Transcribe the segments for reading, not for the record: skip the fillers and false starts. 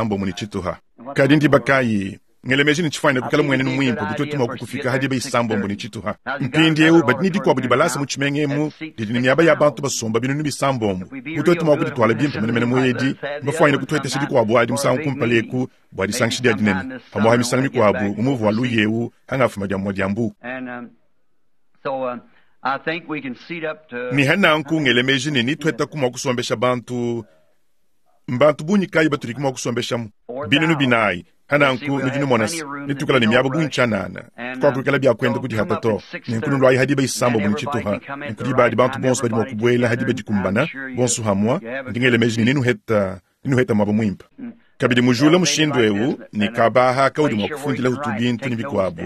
isambombo ne tshituha. Kadi ndiba kayi? Ngela meji ne tshifuanyine kuikala mmuenenu muimpe bu tuetu mua kukufika ha diba isambombo ne tshituha. Mpindieu badi ne dikuabu dibalasa mu tshimenga emu didi ne miaba ya bantu basomba binunu bisambombo. Bu tuetu mua kudituala bimpe menemene mu edi, mbafuanyine kutuetesha dikuabu adi musangu kumpala eku bua disangisha dia dinene, pamu'apa misangu mikuabu mu muvu wa luya eu hangafuma dia mua dia mbu. Ne ha nanku ngela meji ne nituetaku mua kusombesha bantu. Mbantu bungi kayi batudi mua kusombeshamu? Binunu binayi. Hananku nudi numona se, netuikala ne miaba bungi tshianana. Kakuakuikala bia kuenda kudihata to. Nenku nuluayi ha diba isambombo ne tshituha. Nenku diba adi bantu bonso badi mua kubuela ha diba dikumbana, bonso hamua. Ndi ngela meji ne nenuheta, nenuheta muaba muimpe. Kabidi mujula mushindu eu ne kaba aha kaudi mua kufundilahu tubintu ne bikuabu.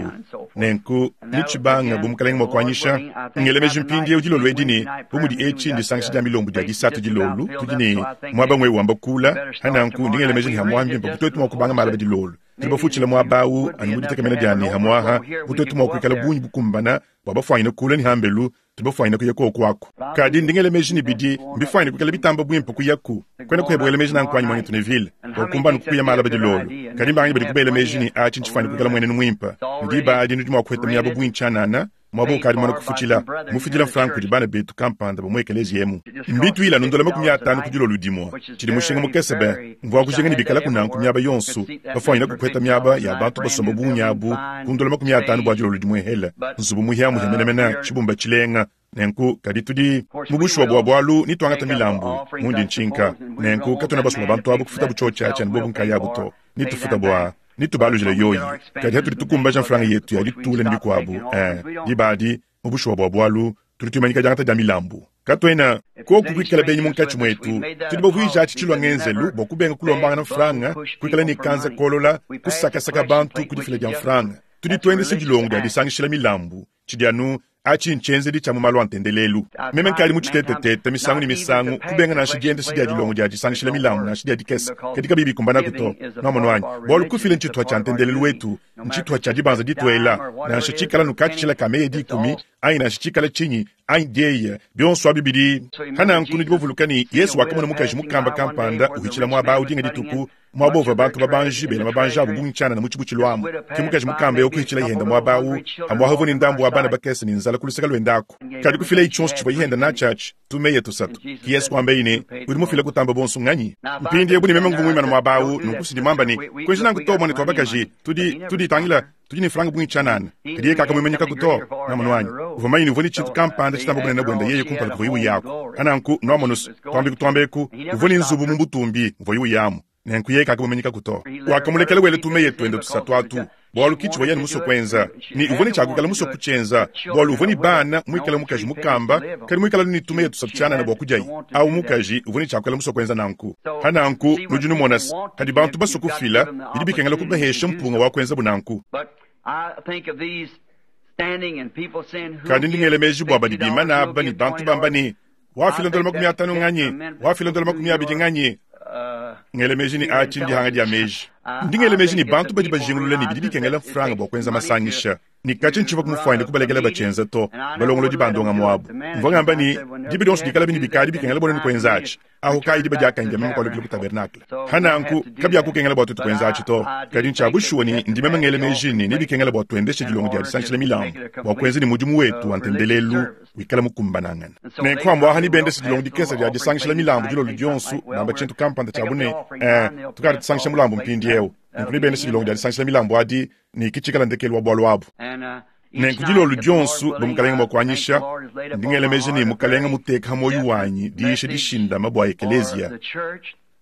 Nenku netshibanga bu Mukalenge mua kuanyisha. Ngela meji mpindieu dilolo edi ne, bu mudi etshi ndisangisha dia milombu dia disatu dilolo, tudi ne muaba ng'wewu wamba kula. Pa nanku ndi ngela meji ne hamuaha mbimpe bu tuetu mua kubanga malaba dilolo. Tudi bafutshila muaba au anu mu ditekemena dia ne hamuaha bu tuetu mua kuikala bungi bukumbana bua bafuanyine kula ne hambelu, tudi bafuanyine kuya koku aku. Kadi ndi ngela meji ne bidi mbifuanyine kuikala bitamba buimpe kuyaku. Kuena kueba wela meji nanku anyi, muanetu Neville? Bua kumbana kukuya malaba dilolo. Kadi mbanganyi badi kubela meji ne atshi ntshifuanyine kuikala muenenu muimpe? Ne diba adi nudi mua kuheta miaba bungi tshianana, muaba ukadi mumane kufutshila, mufidila mfranga kudi bana betu kampanda ba mu ekeleziya emu. Mbituila anu ndola 50 ku dilolo dimue, tshidi mushinga mukese be. Mvua kujinga ne bikalaku nanku miaba yonso, bafuanyine kukuheta miaba ya bantu basomba bungi abu ku ndola 50 bua dilolo dimuehele, nzubu muhiamuhia menemene, tshibumba tshilenga. Nenku, kadi tudi mu bushuwa bua bualu ne tuangata milambu, mundi ntshinka. Nenku katuena basue bua bantu abu kufutabu tshiotshi atshi anu bobu nkayabu to, ne tufuta bua netubalujile yoyi. Kadi hatudi tukumbaja mfranga yetu ya ditula ne bikuabu, eh, diba adi, mu bushuwa bua bualu, tudi tuimanyika diangata dia milambu. Katuena, koku kuikala benyi munkatshi muetu, tudi bavuije atshi tshilua ngenzelu bua kubenga kulombangana mfranga, kuikala ne kanza kolola, kusakasaka bantu ku difila dia mfranga. Tudi tuendesha dilongo dia disangishila milambu, tshidi anu Atshi ntshienzedi tshia mu malu a ntendelelu. Meme nkadi mutshitetetete misangu ne misangu, kubenga nansha diendesha dia dilongo dia disangishila milambu nansha dia dikese, kadi kabiyi bikumbanaku to. Nwamonu anyi? Bualu kufila ntshituha tshia ntendelelu wetu, ntshituha tshia dibanza dituela, nansha tshikala nu katshishila ka meya dikumi, anyi nansha tshikala tshinyi, anyi dieya, bionso abi bidi. Pa nanku nudi bavuluka ne, Yesu wakamona mukaji mukamba kampanda uhitshila muaba au dinga dituku, muaba uvua bantu babanji bela mabanji abu bungi tshianana mu tshibutshilu amu. Ke mukaji mukamba eu kuhitshila yenda muaba au, amu ahu uvua ne ndambu wa bana bakese ne nzala ku luseke luende aku. Kadi kufilayi tshionso tshivua yenda natshi atshi, tumeya tusatu. Ke Yesu kuambaye ne, Udi mufile kutamba bonso nnganyi? Mpindieu bu ne meme nguvua muimane muaba au, nunku si ndi muamba ne, Kuenji nanku to, muanetu wa bakaji, tudi, tudi, tangila, tudi ne mfranga bungi tshianana. Kadi yeye kakamuimanyikaku to. Nwamonu anyi? Uvua mumanye ne uvua ne tshintu kampanda tshitamba bunene buende yeye kumpala kuvuaye uyaku. Pa nanku, nwamonu's, tuambeku tuambeku, uvua ne nzubu mu butumbi muvuaye uyamu. Nenku yeye kakamuimanyikaku to. Wakamulekela wela tumeya tuende tusatu atu, bualu ki tshivuaye anu musue kuenza. Ne uvua ne tshia kuikala musue kutshienza, bualu uvua ne bana, muikale mukaji mukamba, kadi muikale anu ne tumeya tusatu tshianana bua kudiaye. Awu mukaji uvua ne tshia kuikala musue kuenza nanku. Pa nanku, nudi numona's, padi bantu basue kufila, bidi bikengela kubahesha mpunga wa kuenzabu nanku. Kadi ndi ngela meji bua badi bimana aba ne bantu bamba ne, Wafila ndola 50 nganyi? Wafila ndola 20 nganyi? Ngela meji ne atshi ndihanga dia meji. Ndi ngela meji ne bantu badi bajingulula ne bidi bikengela mfranga bua kuenza masangisha. Ne katshia ntshivua kumufuanyine kubalekela batshienza to, balongolodi ba ndongamu abu. Mvua ngamba ne, diba dionso dikalabi ne bikadi bikengela bua nuenu kuenza atshi, ahu kayi diba diakanyi dia meme kualukila ku tabernakle. Pa nanku, kabiakukengela bua tuetu kuenza atshi to. Kadi ntshia bushuwa ne ndi meme ngela meji ne nebikengela bua tuendeshe dilongo dia disankishila milambu bua kuenza ne mudimu wetu wa ntendelelu wikala mukumbanangane. Nenku amu aha nebendeshe dilongo dikese dia disangishila milambu dilolo dionso, bamba tshintu kampanda tshia bu ne, Ee, tukadi tusangisha mulambu mpindieu. Nenku nebendeshe dilongo dia disankishila milambu adi, ne ke tshikala ndekelu wa bualu abu. Nenku dilolo dionso, bu Mukalenge mua kuanyisha, ndi ngela meji ne Mukalenge muteka ha muoyo wanyi diyisha dishindama bua ekeleziya.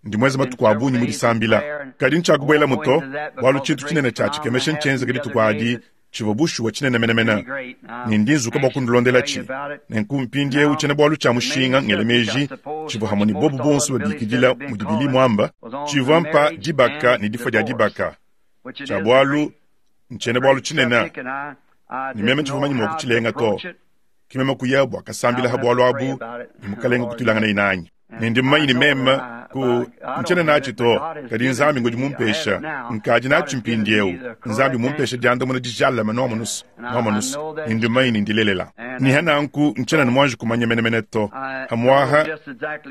Ndi muenze matuku a bungi mu disambila, kadi ntshiakubuelamu to, bualu tshintu tshinene tshia tshikemesha ntshienzeke dituku adi, tshivua bushuwa tshinene menemene, ne ndi nzuka bua kunulondelatshi. Nenku mpindieu tshiena-bualu tshia mushinga, ngela meji, tshivua hamue ne bobu bonso babikidila mudi Billy muamba, tshivua mpa dibaka ne difua dia dibaka. Tshia bualu ntshiena-bualu tshinene, ne meme tshivua manye mua kutshilenga to. Ke meme kuya bua kasambila ha bualu abu, ne Mukalenge kutuilanganaye nanyi. Ne ndi mumanye ne meme, Nanku, ntshiena natshi to, kadi Nzambi ngudi mumpesha. Nkadi natshi mpindieu. Nzambi mumpesha diandamuna dijalame, nwamonu's, nwamonu's, ne ndimanye ne ndilelela. Ne nanku ntshiena ne muanji kumanya menemene to. Pamu'apa,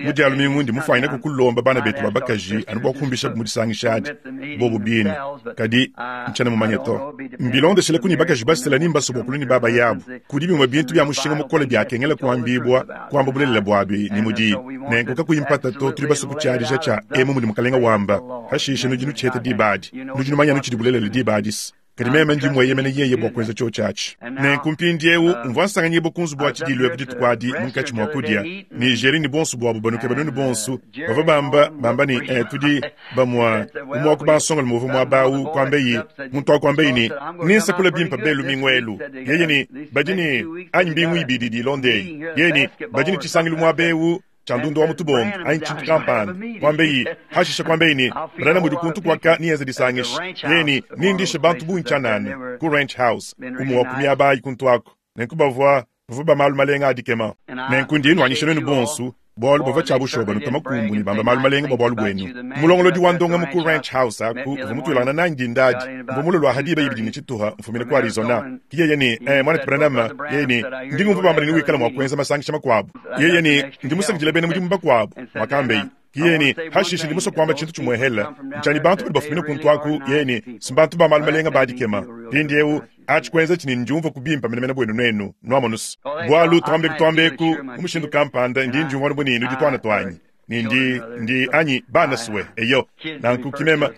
mu Dia lumingu ndi mufuanyine kukulomba bana betu ba bakaji anu bua kumbishabu mu disangisha adi, bobu bine, kadi ntshiena mumanye to. Mbilondeshile ku ne bakaji basela ni mbasue bua kulua ne babayabu. Kudi bimue bintu bia mushinga mukole biakengela kuambibua, kuamba bulelela buabi ne mudibi. Nenku kakuyi mpata to, tudi basue kutshiadija tshia emu mudi Mukalenga wamba, pashishe nudi nutshiheta diba adi. Nudi numanya anu tshidi bulelela diba adi-se. Kadi meme ndi mueyemene yeye bua kuenza tshiotshi atshi. Nenku mpindiewu, mvua nsanganyibua ku nzubu wa tshidiilu eku dituku adi munkatshi mua kudia, ne Jerry ne buonso buabu banukeba nuenu bonso, bavua bamba, bamba ne, Eh, tudi bamue, umue wa ku bansongalume uvua muaba awu, kuambeyi, muntu awu kuambeyi ne, Nensakule bimpe be lumingu elu. Yeye ne, Badi ne, anyi mbingu ibidi idi ilonda eyi. Yeye ne, Badi ne tshisangilu muaba ewu, tshia ndundu wa mu tubonge anyi tshintu kampanda, kuambeyi, hashishe kuambeyi ne, Branham udi kuntu kuaka ne enza disangisha. Yeye ne, Nindishe bantu bungi tshianana ku Ranch House, umue wa ku miaba ayi kuntu aku. Nenku bavua, bavua ba malu malenga a dikema. Nenku ndi nnuanyisha nuenu bonsu, bualu bavua tshia bushuwa banutua makumbu ne bamba malu malenga bua bualu buenu. Mulongolodi wa ndongamu ku Ranch House aku uvua mutuilangana nanyi dinda adi. Mvua mulue lua ha diba ibidi ne tshituha mfumina ku Arizona. Ke yeye ne, Eh, Muanetu Branham, yeye ne, Ndi ngumvua bamba ne newikale mua kuenza masangisha makuabu. Yeye ne, Ndi musakidile bena mudimu bakuabu, muakambeye. Ke yeye ne, Hashishe ndi musue kuamba tshintu tshimuehele, ntshianyi bantu badi bafumina kuntu aku. Yeye ne, Si mbantu ba malu malenga ba dikema. Mpindieu, atshi kuenza tshi ne ndiumvua ku bimpe menemene buenu nuenu, nuamonu's. Bualu, tuambeku tuambeku, mu mushindu kampanda, ndi ndiumvua anu bu ne nudi tuana tuanyi. Ne ndi, ndi, anyi, bana sue, eyo. Nanku ki meme,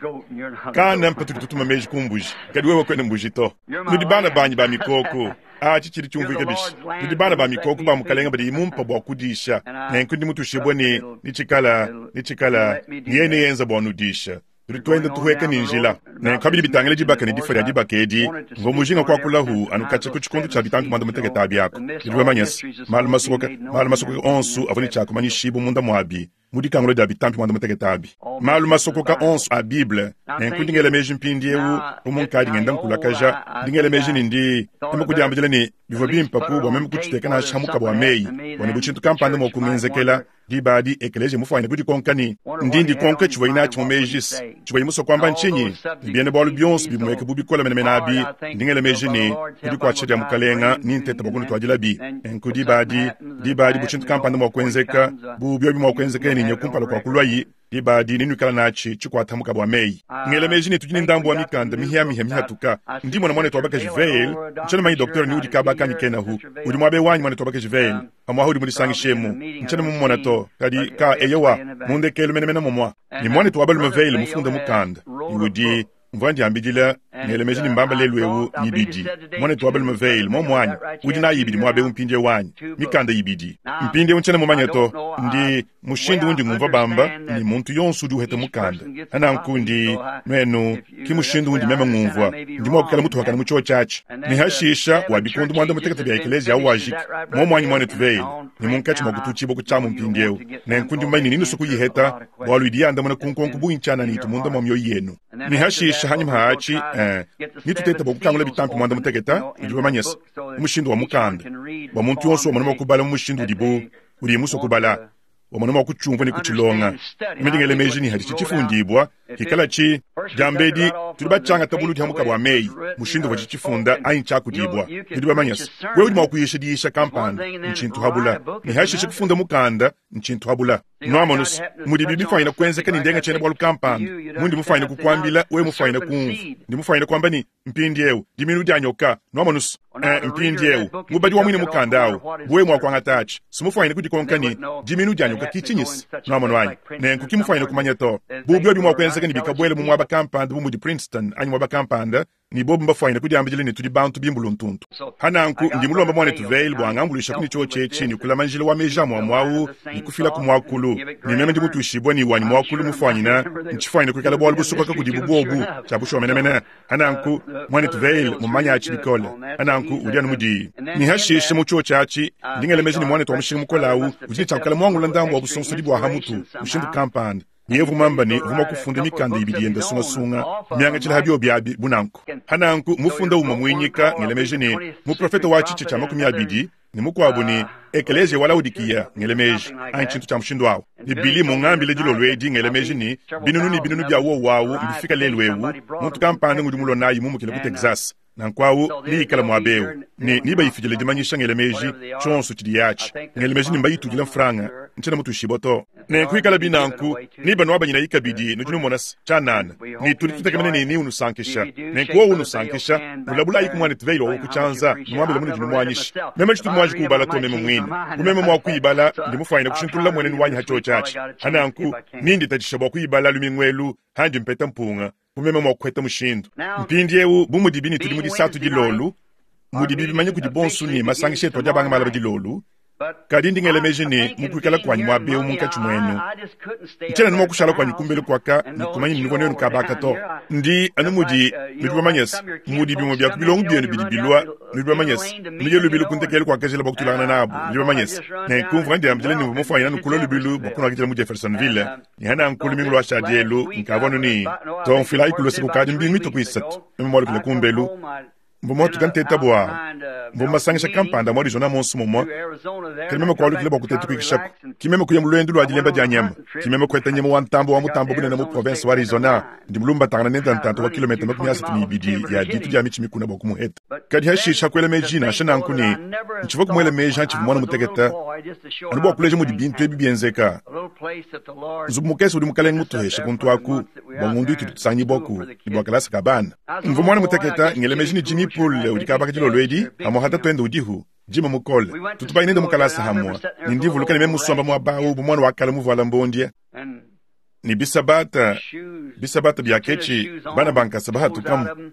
kana mpatudi tutuma meji ku mbuji, kadi wewe kuena mbuji to. Nudi bana banyi ba mikoko. Atshi tshidi tshiumvuika bishi? Nudi bana ba mikoko ba Mukalenga badiye mumpa bua kudisha. Nenku ndi mutushibue ne, netshikala, netshikala, ne yeye neyenza bua nudisha. Tudi tuenda tuhueka ne njila. Nenku pa bidi bitangila dibaka ne difua dia dibaka edi, mvua mujinga kuakulahu anu katshia ku tshikondo tshia bitampi muanda-mutekete abi aku. Nudi bamanye se, malu masokoka, malu masokoka onso avua ne tshia kumanyishibua munda muabi mu dikangula dia bitampi muanda-mutekete abi, malu masokoka onso a Bible. Nenku ndi ngela meji mpindieu, bu munkadi ngenda nkulakaja, ndi ngela meji ne ndi meme kudiambidila ne, bivua bimpe ku bua meme kutshiteka nansha ha mukaba wa meyi, bua ne bu tshintu kampanda mua kungenzekela. Diba adi ekeleziya mufuanyine kudikonka ne, Ndi ndikonka tshivuaye natshi mu meji-se. Tshivuaye musue kuamba ntshinyi? Ne biena-bualu bionso bimueka bu bikole menemene abi, ndi ngela meji ne, ku dikuatshisha dia Mukalenga, nintete bua kunutuadilabi. Nenku diba adi, diba adi bu tshintu kampanda mua kuenzeka, bu biobi mua kuenzeka ne nye kumpala kua kuluayi, diba adi nenuikala natshi tshikuata mukaba wa meyi. Ngela meji ne tudi ne ndambu wa mikanda mihiamihia mihatuka. Ndi mona muanetu wa bakaji Vayle, ntshiena mumanye docteur ni udi kaba kanyi kenahu. Udi muaba eu anyi, muanetu wa bakaji Vayle? Pamuapa udi mudisangishemu. Ntshiena mumumona to, kadi ka, eyowa, mu ndekelu menemene momua. Ne muanetu wa balume Vayle mufunde mukanda, ne udi, mvua ndiambidila, ngela meji ne mbamba lelu ewu nyibidi. Muanetu wa balume Vayle, momu anyi? Udi nayi ibidi muaba ewu mpindiewu anyi? Mikanda ibidi. Mpindiewu ntshiena mumanye to. Ndi, mushindu undi ngumvua bamba ne muntu yonso udi uheta mukanda. Nanku ndi, nuenu, ki mushindu undi meme ngumvua. Ndi mua kuikala mutuhakane mu tshiotshi atshi. Ne hashisha wa bikondo muanda mutekete bia ekeleziya au wajiki. Momu anyi, muanetu Vayle, ne munkatshi mua kututshibua ku tshiamu mpindieu. Nenku ndi mumanye ne nenusue kuyiheta, bualu idi yandamuna ku nkonko bungi tshianana itu munda mua mioyo yenu. Ne hashisha hanyima ha atshi, eh, netutete bua kukangula bitampi muanda mutekete, nudi bamanye se, mu mushindu wa mukanda, bua muntu yonso wamona mua kubala mu mushindu udibu, udiye musue kubala, wamona mua kutshiumvua ne kutshilonga. Meme ndi ngela meji ne haditshi tshifundibua, hikalatshi diambedi tudi batshiangata buludi ha mukaba wa meyi, mushindu uvua tshifunda anyi tshiakudibua. Nudi bamanye se, wewe udi mua kuyisha diyisha kampanda, ntshintu habula, ne hashishe kufunda mukanda, ntshintu habula. Nuamonu se, mudibi bifuanyine kuenzeka ne ndenga tshiena-bualu kampanda, mundi mufuanyine kukuambila, wewe mufuanyine kumvua, ndi mufuanyine kuamba ne, Mpindieu, dimiinu dia nyoka, nuamonu's. Eh, mpindieu, mubadi wa muine mukanda awu, bu wewe mua kuangata atshi, si mufuanyine kudikonka ne, Dimiinu dia nyoka ki tshinyi-se? Nuamonu anyi? Nenku ki mufuanyine kumanya to. Bu biobi mua kuenzeka ne bikabuela mu muaba kampanda bu mudi Princeton anyi muaba kampanda, ne bobu mbafuanyine kudiambidila ne tudi bantu bimbuluntuntu. Pa nanku, ndi mulombe muanetu Vayle bua angambuluishaku ne tshiotshi etshi ne kulama njila wa meji amue-amue awu ne kufilaku muakulu. Ne meme ndi mutuishibue ne wanyi muakulu mufuanyine, ntshifuanyine kuikala bualu busokoka kudibu buobu, tshia bushuwa menemene. Pa nanku, muanetu Vayle mmumanye atshi bikole. Pa nanku, udi anu mudiyi. Ne hashishe mu tshiotshi atshi, ndi ngela meji ne muanetu wa mushinga mukole awu udi ne tshia kuikala muangula ndambu wa busonsodi bua ha mutu, mushindu kampanda. Ne uvua muamba ne uvua mua kufunda mikanda ibidi yenda sungasunga miangatshila ha biobi abi bu nanku. Pa nanku, mufunda umue muinyika, ngela meji ne, muprofete wa tshitshia tshia 20. Ne mukuabu ne, Ekeleziya wa Laodikiya, ngela meji, anyi tshintu tshia mushindu awu. Ne Billy mungambile dilolo edi, ngela meji ne, binunu ne binunu bia wowu awu mbifika lelu ewu, muntu kampanda ngudi mulua nayi mumukile ku Texas. Nanku awu neikale muaba ewu, ne nebayifidile dimanyisha, ngela meji, tshionso tshidiye atshi. Ngela meji ne mbayitudile mfranga, ntshiena mutuishibua to. Nenku ikalabi nanku, nebanuabanyinayi kabidi, nudi numona se, tshianana, ne tudi tutekemena ne neunusankisha. Nenku wowu unusankisha, nulabulayiku muanetu Vayle wa ku tshianza, numuambile munudi numuanyisha. Meme tshitu muanji kuubala to meme muine. Bu meme mua kuyibala, ndi mufuanyine kushintulula mmuenenu wanyi ha tshiotshi atshi. Ha nanku, ninditatshisha bua kuyibala lumingu elu handi mpeta mpunga, bu meme mua kuheta mushindu. Mpindiewu, bu mudibi ne tudi mu disatu dilolu, mudibi bimanya kudi bonsu ne masangisha etu adi abanga malaba dilolu, kadi ndi ngela meji ne mu kuikala kuanyi muaba eu munkatshi muenu, ntshiena anu mua kushala kuanyi kumbelu kuaka ne kumanya ne nuvua nuenu kaba aka to. Ndi anu mudi nudi bamanye se, mudi bimue bia ku bilongo bienu bidi bilua, nudi bamanye se, nuye lubilu ku ndekelu kua kajila bua kutuilangana nabu, nudi bamanye se. Nenku mvua ndiambila ne mvua mufuanyine anu kulua lubilu bua kunuakidila mu Jeffersonville, ne hananku lumingu luashadi elu nkavua anu ne to mfuilayi ku luse kukadi mbingu mitue ku isatu meme mualukile kumbelu. Mvua muatuka nteta bua mvua masangisha kampanda mu Arizona monso mumue, kadi meme kualukila bua kuteta kuikishaku. Ki meme kuya mu luendu lua dilemba dia nyama, ki meme kueta nyama wa ntambue wa mutambe bunene mu provense wa Arizona. Ndi mulumbatangana nende ntanta wa kilometa 32 ya ditu dia mitshi mikuna bua kumuheta. Kadi hashisha kuela meji nansha nanku ne ntshivua kumuela meji hantshivua muana mutekete, anu bua kuleja mudi bintu ebi bienzeka. Nzubu mukese udi Mukalenge mutuheshe kuntu aku bua ngondu itudi tusangibuaku ne bua kalasa ka bana. Mvua muana mutekete ngela meji ne Jimmy Poole udi kabaka dilolo edi, pamuapa tatuende udihu, Jim mukole. Tutu baye nende mu kalasa hamue, ne ndi mvuluka ne meme musomba muaba au bu muana wa kale muvuala mbondie. Ne bisabata, bisabata bia ketshi, bana ba nkasa bahatukamu.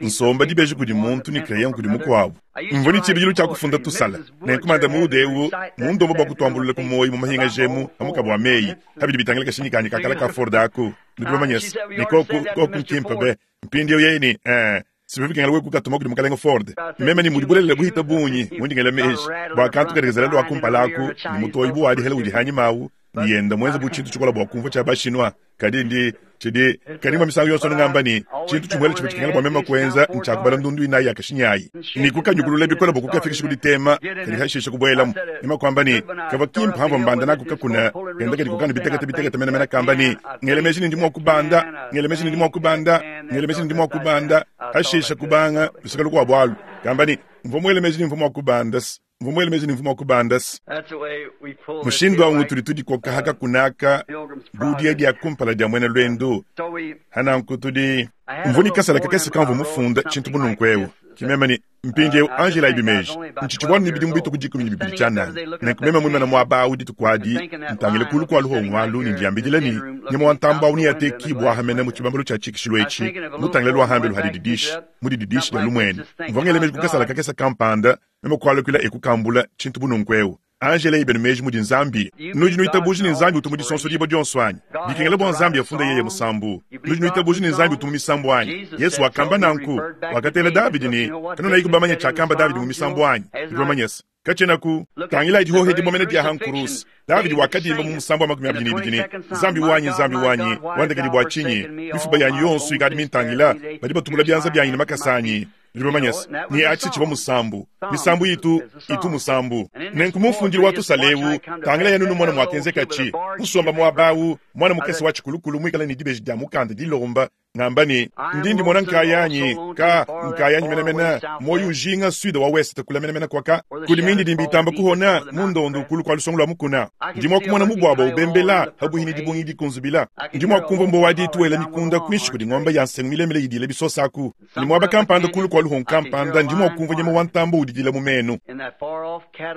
Nsomba dibeji kudi muntu ne crayon kudi mukuabu. Mvua ne tshibidilu tshia kufunda tusala. Nenku Madame Wood eu mundomba bua kutuambulula ku muoyo mu mahingaja emu pa mukaba wa meyi pa bidi bitangila kashinyi kanyi ka kale ka Ford aku. Nudi bamanye se, ne koku, koku nkimpe be. Mpindieu yeye ne, Ee, si bivua bikengela wewe kukatuma kudi Mukalenge Ford. Meme ne mudi bulelela buhita bungi, mundi ngela meji, bua kantu kadi kazela lua kumpala aku, ne mutoyi bu wa dihela udi hanyima au, ne yenda muenze bu tshintu tshikola bua kumvua tshia ba-Chinois. Kadi ndi, tshidi, kadi mvua misangu yonso ngamba ne, tshintu tshimuele tshivua tshikengela bua meme kuenza ntshia kubala ndundu inayi ya kashinyi ayi, ne kukanyukulula bikole bua kukafikisha ku ditema, kadi hashishe kubuelamu. Meme kuamba ne, kavua kimpe hamvua mbanda naku kakuna, kenda kadi kukanu bitekete bitekete menemene kamba ne, ngela meji ne ndi mua kubanda, ngela meji ne ndi mua kubanda, ngela meji ne ndi mua kubanda, hashishe kubanga luseke lukuabu alu, kamba ne, mvua muele meji ne mvua mua kubanda. Mvua muele meji ne mvua mua kubanda. Mushindu au ngutudi tudikoka ha kakuna aka bu dia dia kumpala dia muena luendu. Hananku tudi mvua ne kasala kakese kamvua mufunda tshintu bu nunku eu. Ki meme ne mpindieu Angela ibi meji ntshitshivua ne bidimu bitue ku 12 tshianana. Nenku meme muimana muaba au dituku adi ntangile kulu kua luhongo alu ne ndiambidila ne nyama wa ntambue au neatekibua aha mene mu tshibambalu tshia tshikishilu etshi mutangile lua hambelu ha dididishi mu dididishi dia lumuenu. Mvua ngela meji ku kasala kakese kampanda meme kualukila e kukambula tshintu bu nunku eu. Angela ibenu meji mudi Nzambi. Nudi nuitabuja ne Nzambi utu mu disonso dibua dionso anyi? Bikengela bua Nzambi afunda yeye musambu. Nudi nuitabuja ne Nzambi utu mu misambu anyi? Yesu wakamba nanku. Wakatela Davidi ne, Kanunayiku bamanye tshiakamba Davidi mu misambu anyi? Nudi bamanye se, katshienaku. Tangilayi dihohe dimue mene dia ha nkuruse. Davidi wakadimba mu musambu wa 22 ne, Nzambi wanyi, Nzambi wanyi, wandekedi bua tshinyi? Mifuba yanyi yonso ikadi mintangila, badi batubula bianza bianyi ne makasa anyi. Nudi bamanye se, ne atshi tshivua musambu. Misambu itu, itu musambu. Nenku mu mfundilu wa tusala eu, tangila yanu numona muakenzekatshi. Musomba muaba au, muana mukese wa tshikulukulu muikale ne dibeji dia mukanda dilomba, ngamba ne, Ndi ndimona nkayanyi, ka, nkayanyi menemene, muoyo ujinga sud wa ouest kule menemene kuaka, kudi mindidimbi itamba kuhona mu ndondo kulu kua lusongo lua mukuna. Ndi mua kumona mubuabua ubembela pabuihi ne dibungi dikunzubila. Ndi mua kumvua mbuwa wa ditu wela mikunda kuinshi kudi ngombe ya nsengu milemile idila bisosa aku. Ne muaba kampanda kulu kua luhongo kampanda ndi mua kumvua nyama wa ntambue udidila mu menu.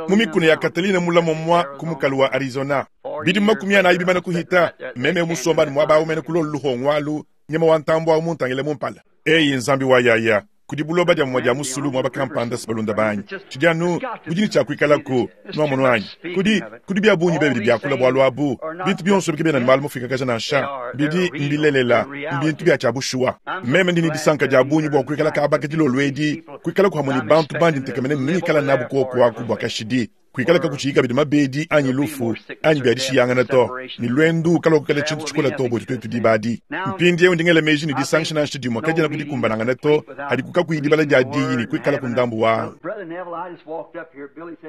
Mu mikuna ya Catalina mula muamua ku mukalu wa Arizona. Bidimu 40 bimane kuhita, meme musomba anu muaba au mene ku lolu luhongo alu, nyama wa ntambue au muntangile mu mpala. Eyi Nzambi wa yaya, kudi buloba dia mumue dia musulu muaba kampanda balunda banyi. Tshidi anu budi ne tshia kuikalaku, nuamonu anyi? Kudi, kudi bia bungi be bidi biakula bualu abu. Bintu bionso ebi kabiena ne malu mafuikakaja nansha. Bidi mbilelela, mbintu bia tshia bushuwa. Meme ndi ne disanka dia bungi bua kuikala kaba ka dilolo edi, kuikalaku hamue ne bantu bandi ntekemena ne nengikala nabu kuoku aku bua kashidi. Kuikala kakutshiyi kabidi mabedi anyi lufu anyi bia dishiyangana to, ne luendu kaluakukala tshintu tshikole to buetu tuetu diba adi. Mpindieu ndi ngela meji ne, disangisha nansha dimue kadiena ku dikumbanangana to, hadiku kakuyi dibala dia diyi ne kuikalaku ndambu wa.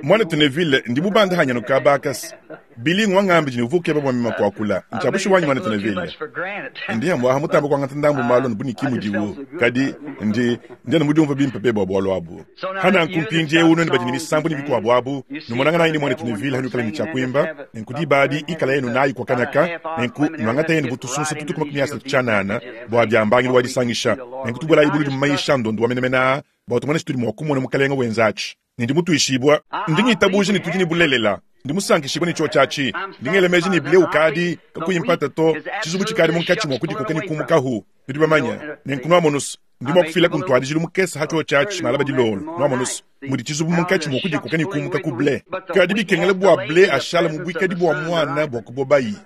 Mwanetu Neville, ndi mubanda hanyano kabakasi Billy ngwangambi jini uvuke bwa mima kwakula nchabushi wanyi mwanetu Neville. Ndi amwaha mutamba kwangata ndambu malo nbuniki mudiwu kadi ndi ndi mudiumva bimpe pe bwa bwalo abu. Hana nkumpindie uno ni bajini misambu ni bikwa abu numonanga nayi ni mwanetu Neville hanyu kala ni chakwimba nkudi badi ikala yenu nayi kwa kanaka nku nwangata yenu butusunsa tutukuma kumyasa chanana bwa byambangiro wadisangisha nkutubwela ibulu mumaisha ndondo wamenemena bwa tumone situli mwakumona mukalenga wenzachi. Ndi mutuishibwa ndi ngitabuje ni tujini bulelela ndi musankishibwa ni chochachi ndi ngelemeji ni bleu kadi kakuyimpata to chizubu chikali munkachi mwakudi kokeni kumukahu ndi bamanya ne nkunwa monus ndi mwakufila kuntwadijilu mukesa ha chochachi malaba dilolo nwa monus mudi chizubu munkachi mwakudi kokeni kumuka ku ble kadi bikengele bwa ble ashala mubwikadi bwa mwana bwa kubobayi.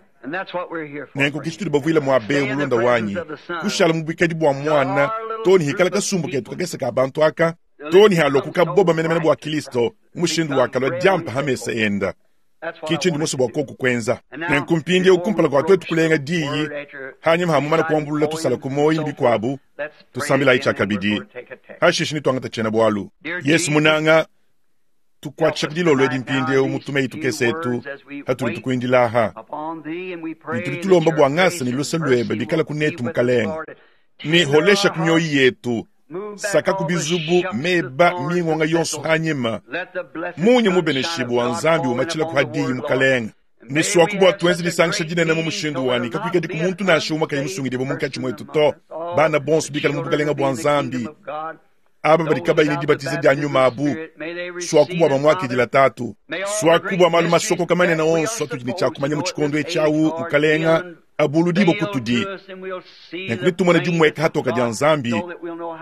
Nenko kichituli bavuila mwa be mulunda wanyi kushala mubwikadi bwa mwana toni hikala kasumbu ketu kakesa ka bantu aka toni halokuka boba menemene bwa Kristo mushindu wakalwa jampa hamesa enda kichi ndi muso bwa koku kwenza nenkumpindie ukumpala kwa twetu kulenga diyi hanyuma hamumana kuambulula tusala kumoyi bikwabu tusambila ichakabidi hashishi nitwangata chena bwalu Yesu munanga tukwatshaka dilolo edi mpindie umutume itukesetu hatuli tukuindilaha nituli tulomba bwa ngasa ni lusa lwebe bikala kunetu mukalenga ni holesha kumyoyi yetu saka kubizubu meba mingonga yonso hanyima munye mubeneshibu wa nzambi umachila kuhadiyi mukalenga niswaku bwa twenzi lisangisha dinene mu mushindu wani kakwikadi kumuntu nashe uma kayi musungidibwa munkatshi mwetu to bana bonso bikala mu bukalenga bwa nzambi aba badi kabayi dibatiza dia nyuma abu swaku bwa bamwakidila tatu swaku bwa malu masoko kamanene onso atudi ne tshiakumanya mu tshikondo etshiawu mukalenga abuludibo kutudi nenkulitumona dimweka hatoka dia nzambi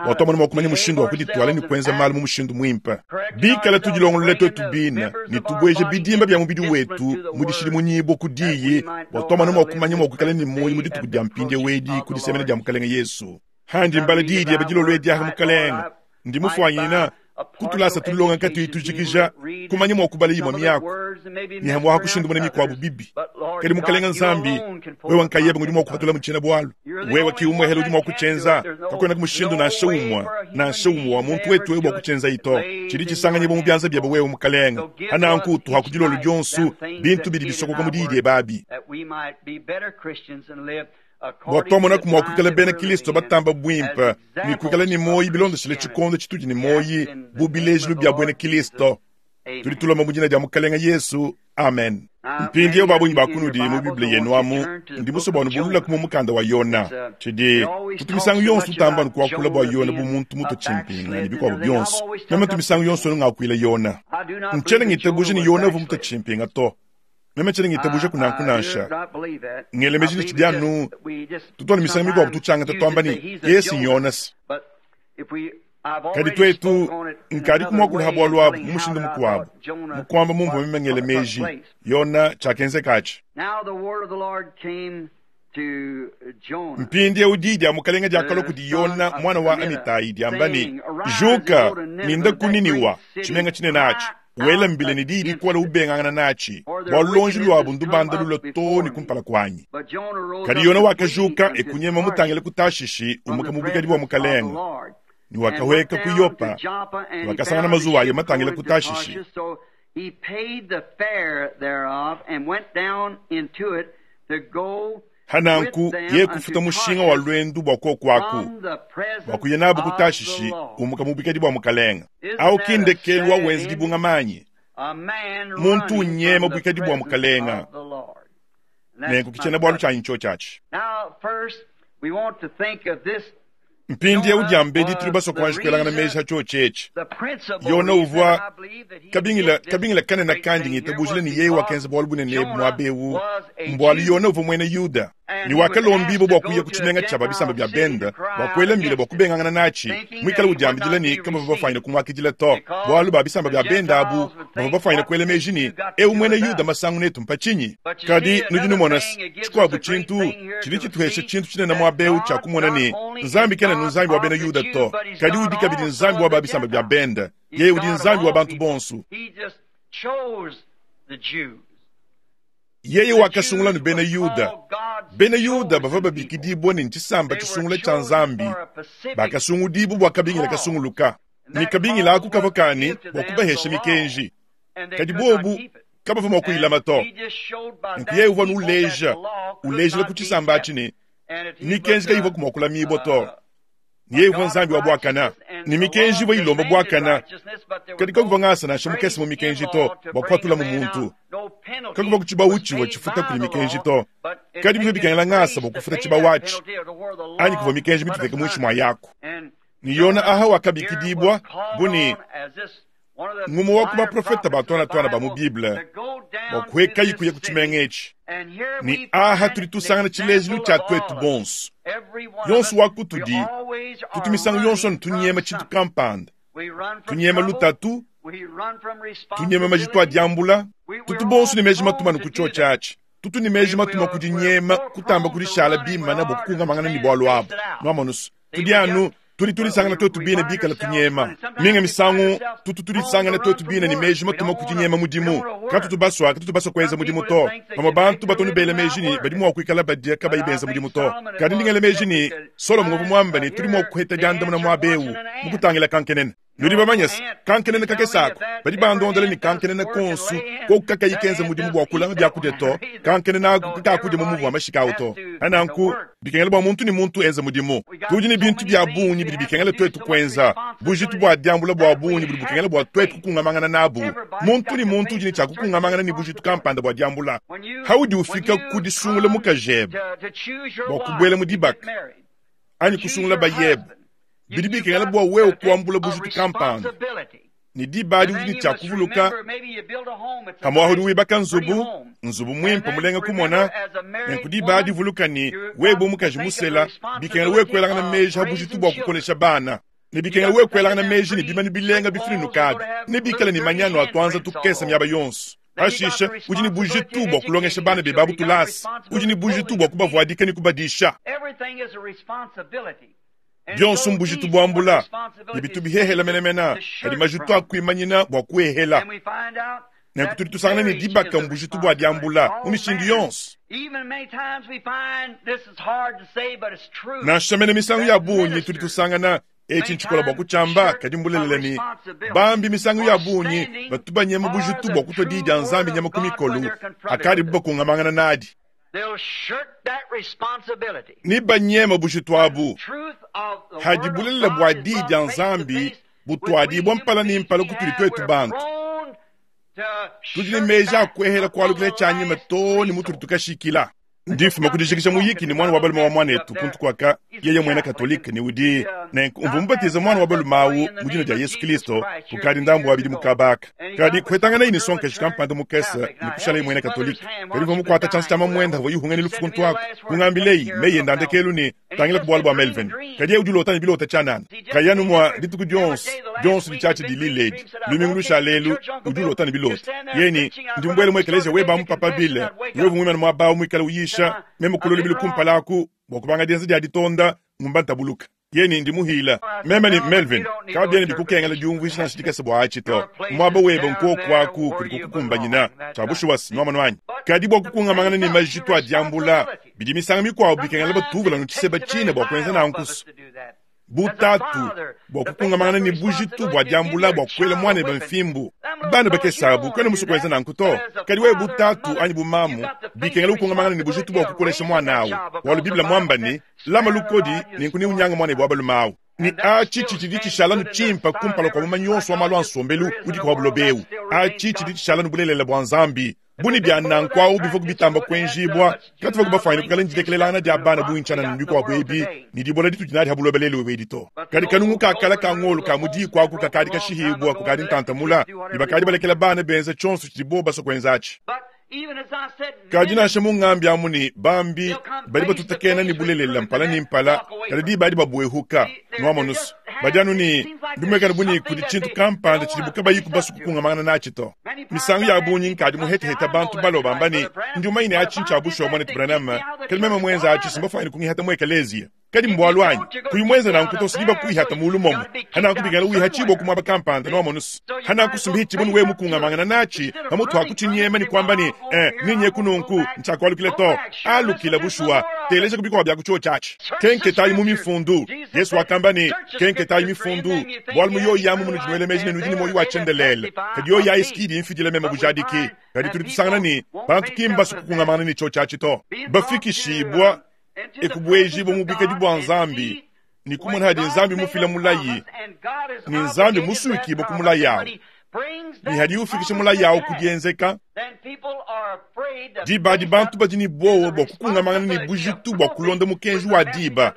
watomona mwakumanya mushindu wa kuditwala ni kwenza malu mu mushindu mwimpe bikala tudilongolola twetu bina nitubweje bidimba bya mubidi wetu mudishili munyibo kudiyi watomona mwakumanya mwakwikala ni moyi mudituku dia mpindie wedi kudisemena dia mukalenga Yesu handi mbala didi ya badilolo ediaha mukalenga ndi mufwanyina kutulasa tulilonga nkati itujikija kumanya mwakubala yimwa myako nihamwaha kushindumana mikwabu bibi kadi mukalenga nzambi wewa nkayeba ngudi mwakupatula muchena bwalu wewa kiumwe hela udi mwakuchenza kakwena kumushindu nashe umwa wa muntu wetu wewe bwakuchenza ito chili chisanganyibwa mu byanza byebe wewe mukalenga hananku utuha kudilolo lyonsu bintu bidi bisokoka mudidye babi bwatomona kumwakwikala bena Kristo batamba bwimpa nikwikala ni moyi bilondeshele tshikondo tshitudi ni moyi bubilejilu bya bwena Kristo tuli tulomba mujina dia mukalenga Yesu amen. Mpindie babunyi bakunudi mu Biblia yenu amu ndi musobanu bulula kumu mukanda wa Yona tshidi tutumisangu yonso tutamba nukuakula bwa Yona bu muntu muto tshimpinga ni bikwabo byonso meme tumisangu yonso nungakuila Yona ntshene ngitabuje ni Yona vu muto tshimpinga to meme tshene ngitabuje kunankunansha ngelemeji ni tshidianu tutwana misangu mikwabu tutshanga tatwamba ni Yesu Yonas kadi twetu nkadi kumwakula habwalu abu mumushindu mukwabu mukwamba mumvu meme ngelemeji Yona tshakenzekachi. Mpindie udidi amukalenga diakalo kudi Yona mwana wa Amitai diamba ni juka ninda kuniniwa tshimenga tshinene atshi wela mbile ni didi kuala ubengangana nachi bwalulonji lwabu ndubanda lulo to ni kumpala kwanyi. Kadi Yona wakajuka ekunyema mutangile kutashishi umuka mubikadi bwa mukalenga ni wakaweka ku Yopa ni wakasangana mazuwa ayo matangile kutashishi. Hananku ye kufuta mushinga wa lwendu bwa kokwaku bwa kuya nabu kutashishi umuka mubikadi bwa mukalenga au kindekelu wa wenzi dibunga manyi muntu unyema bwikadi bwa mukalenga nenku kichena bwalu chanyi cho chachi. Mpindie udiambedi tuli basokwanji kwelangana meji hacho chechi Yona uvwa kabingila kanena kandi ngitabujile ni yeye wakenza bwalu bunene mwabewu mbwalu Yona uvwa mwene Yuda ni wakalombibo bwa kuya kutshimenga tshaba bisamba bya benda bwa kwela mbile bwa kubengangana nachi mwikala udiambidila ni kama bafanyile kumwakidila to bwalu ba bisamba bya benda abu bava bafanyile kwela meji ni eu mwene Yuda masangu netu mpachinyi kadi nudi numona tshikwabu tshintu tshili tshituhesha tshintu tshinene mwabewu tsha kumona ni nzambi kena nzambi wa bena Yuda to kadi udi kabidi nzambi wa ba bisamba bya benda yeye udi nzambi wa bantu bonsu. Yeye wakasungula ni bena Yuda. Bena Yuda bava babikidibwa ni ntshisamba tshisungula tshia nzambi bakasungudibu bwa kabingila kasunguluka. Ne kabingila aku kavua ka ne, bua kubahesha mikenji, kadi bobu kabavua mua kuyilama to. Nunku yeye uvua uleja, ulejila ku tshisamba atshi ne, mikenji kayivua mua kulamibua to. Ne yeye uvua Nzambi wa buakana, ne mikenji ivua ilomba buakana, kadi kakuvua ngasa nansha mukese mu mikenji to bua kupatulamu muntu. Kakuvua ku tshibawu tshivua tshifuta kudi mikenji to, kadi bivua bikengela ngasa bua kufuta tshibawu atshi, anyi kuvua mikenji mituteke muinshi mua yaku. Ne Yona aha wakabikidibua bu ne ngumue wa ku baprofete ba tuana-tuana ba mu Bible bua kuhekayi kuya ku tshimenga etshi. Ne aha tudi tusangana tshilejilu tshia tuetu bonso. Yonso wa kutudi tutu misangu yonso anu tunyema tshintu kampanda, tunyema lutatu, tunyema majitu a diambula. Tutu bonso ne meji matuma anu ku tshiotshi atshi. Tutu ne meji matuma ku dinyema kutamba kudishala bimana bua kukungamangana ne bualu abu. Nuamonusu, tudi anu tudi tudisangana tuetu bine bikala tunyema. Minga misangu tutu tudisangana tuetu bine ne meji matuma ku dinyema mudimu. Katutu basua, katutu basua kuenza mudimu to. Bamue bantu batu anu bela meji ne badi mua kuikala badia kabayi benza mudimu to. Kadi ndi ngela meji ne, Solomo uvua muambe ne tudi mua kuheta diandamuna muaba eu mu kutangila kankenene. Nudi bamanye se, kankenene kakese aku, badi bandondela ne kankenene konsu, koku kakayi kenza mudimu bua kulama biakudia to, kankenene aku kakakudia mu muvu wa mashika awu to. Pa nanku, bikengela bua muntu ne muntu enze mudimu. Tudi ne bintu bia bungi bidi bikengela tuetu kuenza, bujitu bua diambula bua bungi budi bukengela bua tuetu kukungamangana nabu. Muntu ne muntu udi ne tshia kukungamangana ne bujitu kampanda bua diambula. Paudi ufika ku disungula mukajebe bua kubuela mu dibaka anyi kusungula bayebe, bidi bikengela bua wewe kuambula bujitu kampanda. Ne diba adi udi ne tshia kuvuluka, pamuapa udi wibaka nzubu, nzubu muimpe mulenga kumona. Nenku diba adi vuluka ne, wewe bu mukaji musela, bikengela wewe kuelangana meji pa bujitu bua kukolesha bana. Ne bikengela wewe kuelangana meji ne bimanu bilenga bifinunuka abi, ne bikale ne manyanu a tuanza tukese miaba yonso. Pashishe udi ne bujitu bua kulongesha bana bebe abu tulasa. Udi ne bujitu bua kubavuadika ne kubadisha. Bionso mbujitu buambula, ne bitu bihehela menemene, kadi majitu a kuimanyina bua kuehela. Nenku tudi tusangana ne dibaka mbujitu bua diambula mu mishindu yonso. Nansha mene misangu ya bungi tudi tusangana etshi ntshikola bua kutshiamba, kadi mbulelela ne, bambi misangu ya bungi batu banyema bujitu bua kutua diyi dia Nzambi nyama ku mikolo akadibu bakungamangana nadi. Ne banyema bujitu abu hadi bulelela bua diyi dia Nzambi butuadibua mpala ne mpala kutudi tuetu bantu. Tudi ne meji a kuehela kualukila tshianyima too ne mutudi tukashikila. Ndi mfuma ku dijikija muyiki ne muana wa balume wa muanetu kuntu kuaka, yeye muena Katolike ne udi nenku mvua mubatize muana wa balume awu mu dina dia Yesu Kristo kukadi ndambu wa bidimu kaba aka. Kadi kuhetanganaye ne sonkaji kampanda mukese ne kushalaye muena Katolike. Kadi mvua mukuata tshianza tshia mamuende avua yihunga ne lufu kuntu aku, kungambileyi meyi ende a ndekelu ne, Tangila ku bualu bua Melvin. Kadi yeye udi ulota ne bilota tshianana. Kayi anu mua dituku dionso, dionso ditshiatshia dilila edi, lumingu lushala elu, udi ulota ne bilota. Yeye ne, Ndi mubuele mu ekeleziya webe amu Papa Bill, wewe muimane muaba awu muikale uyisha, meme kulua lubilu kumpala aku bua kubanga dienza dia ditonda, ngumba ntabuluka. Yeye ne, Ndi muhila. Meme ne, Melvin, kabiena bikukengela diumvuija nansha dikese bua atshi to. Muaba webe nkuoku aku kudi kukukumbanyina. Tshia bushuwa nuamonu anyi? Kadi bua kukungamangana ne majitu a diambula, bidi misangu mikuabu bikengela batuvula anu tshiseba tshine bua kuenza nanku. Bu tatu, bua kukungamangana ne bujitu bua diambula bua kuela muanebe mfimbu. Bana bakese abu, kuena musue kuenza nanku to. Kadi wewe bu tatu anyi bu mamu, bikengela ukungamangana ne bujitu bua kukolesha muana awu, bualu Bible muamba ne, Lama lukodi, nenku neunyange muanebe wa balume awu. Ne atshi tshitshidi tshishala anu tshimpe kumpala kua mumanyi yonso wa malu a nsombelu udi pa buloba ebu. Atshi tshidi tshishala anu bulelela bua Nzambi. Bu ne bia nanku au bivua bitamba kuenjibua, katuvua bafuanyine kuikala ne dilekelelangana dia bana bungi tshianana ne bikuabu ebi ne dibola ditudi nadi ha buloba lelu edi to. Kadi kanungu ka kale ka ngolo ka mu diku aku kakadi kashihibua kukadi ntanta mula, ne bakadi balekela bana benza tshionso tshidibo basue kuenza atshi. Kadi nansha mungambi amu ne bambi badi batutakena ne bulelela mpala ne mpala, kadi diba adi babuehuka. Nuamonu's, badi anu ne bimuekana bu ne kudi tshintu kampanda tshidibu kabayiku basue kukungamangana natshi to. Misangu ya bungi nkadi muheteheta bantu balua bamba ne, Ndi mumanye ne atshi ntshia bushuwa, Muanetu Branham, kadi meme muenza atshi simbafuanyine kungihata mu ekeleziya. Kadi mbualu anyi? Kuyi muenze nanku to, sidi bakuihata mulu momo. Hananku bikengela wihatshibua ku muaba kampanda, nwamonu's. Hananku sumbihitshibua ne wewe mukungamangana natshi, pamutu ha kutshinyema ne kuamba ne, Eh, nenyeku nunku, ntshiakualukila to. Alukila bushuwa. Teleja ku bikuabu bia ku tshiotshi atshi. Kenketayi mu Mifundu. Yesu wakamba ne, Kenketayi Mifundu, bualu mu yoyi amu munudi nuela meji ne nudi ne muoyo wa tshiendelele. Kadi yoyi ayi si ki idi imfidila meme bujadiki. Kadi tudi tusangana ne, bantu ki mbasue kukungamangana ne tshiotshi atshi to. Bafikishibua e kubuejibua mu buikadi bua Nzambi ne kumona hadi Nzambi mufila mulayi ne Nzambi musuikibue ku mulayi awu ne hadiye ufikisha mulayi awu ku dienzeka. Diba adi bantu badi ne buowa bua kukungamangana ne bujitu bua kulonda mukenji wa diba.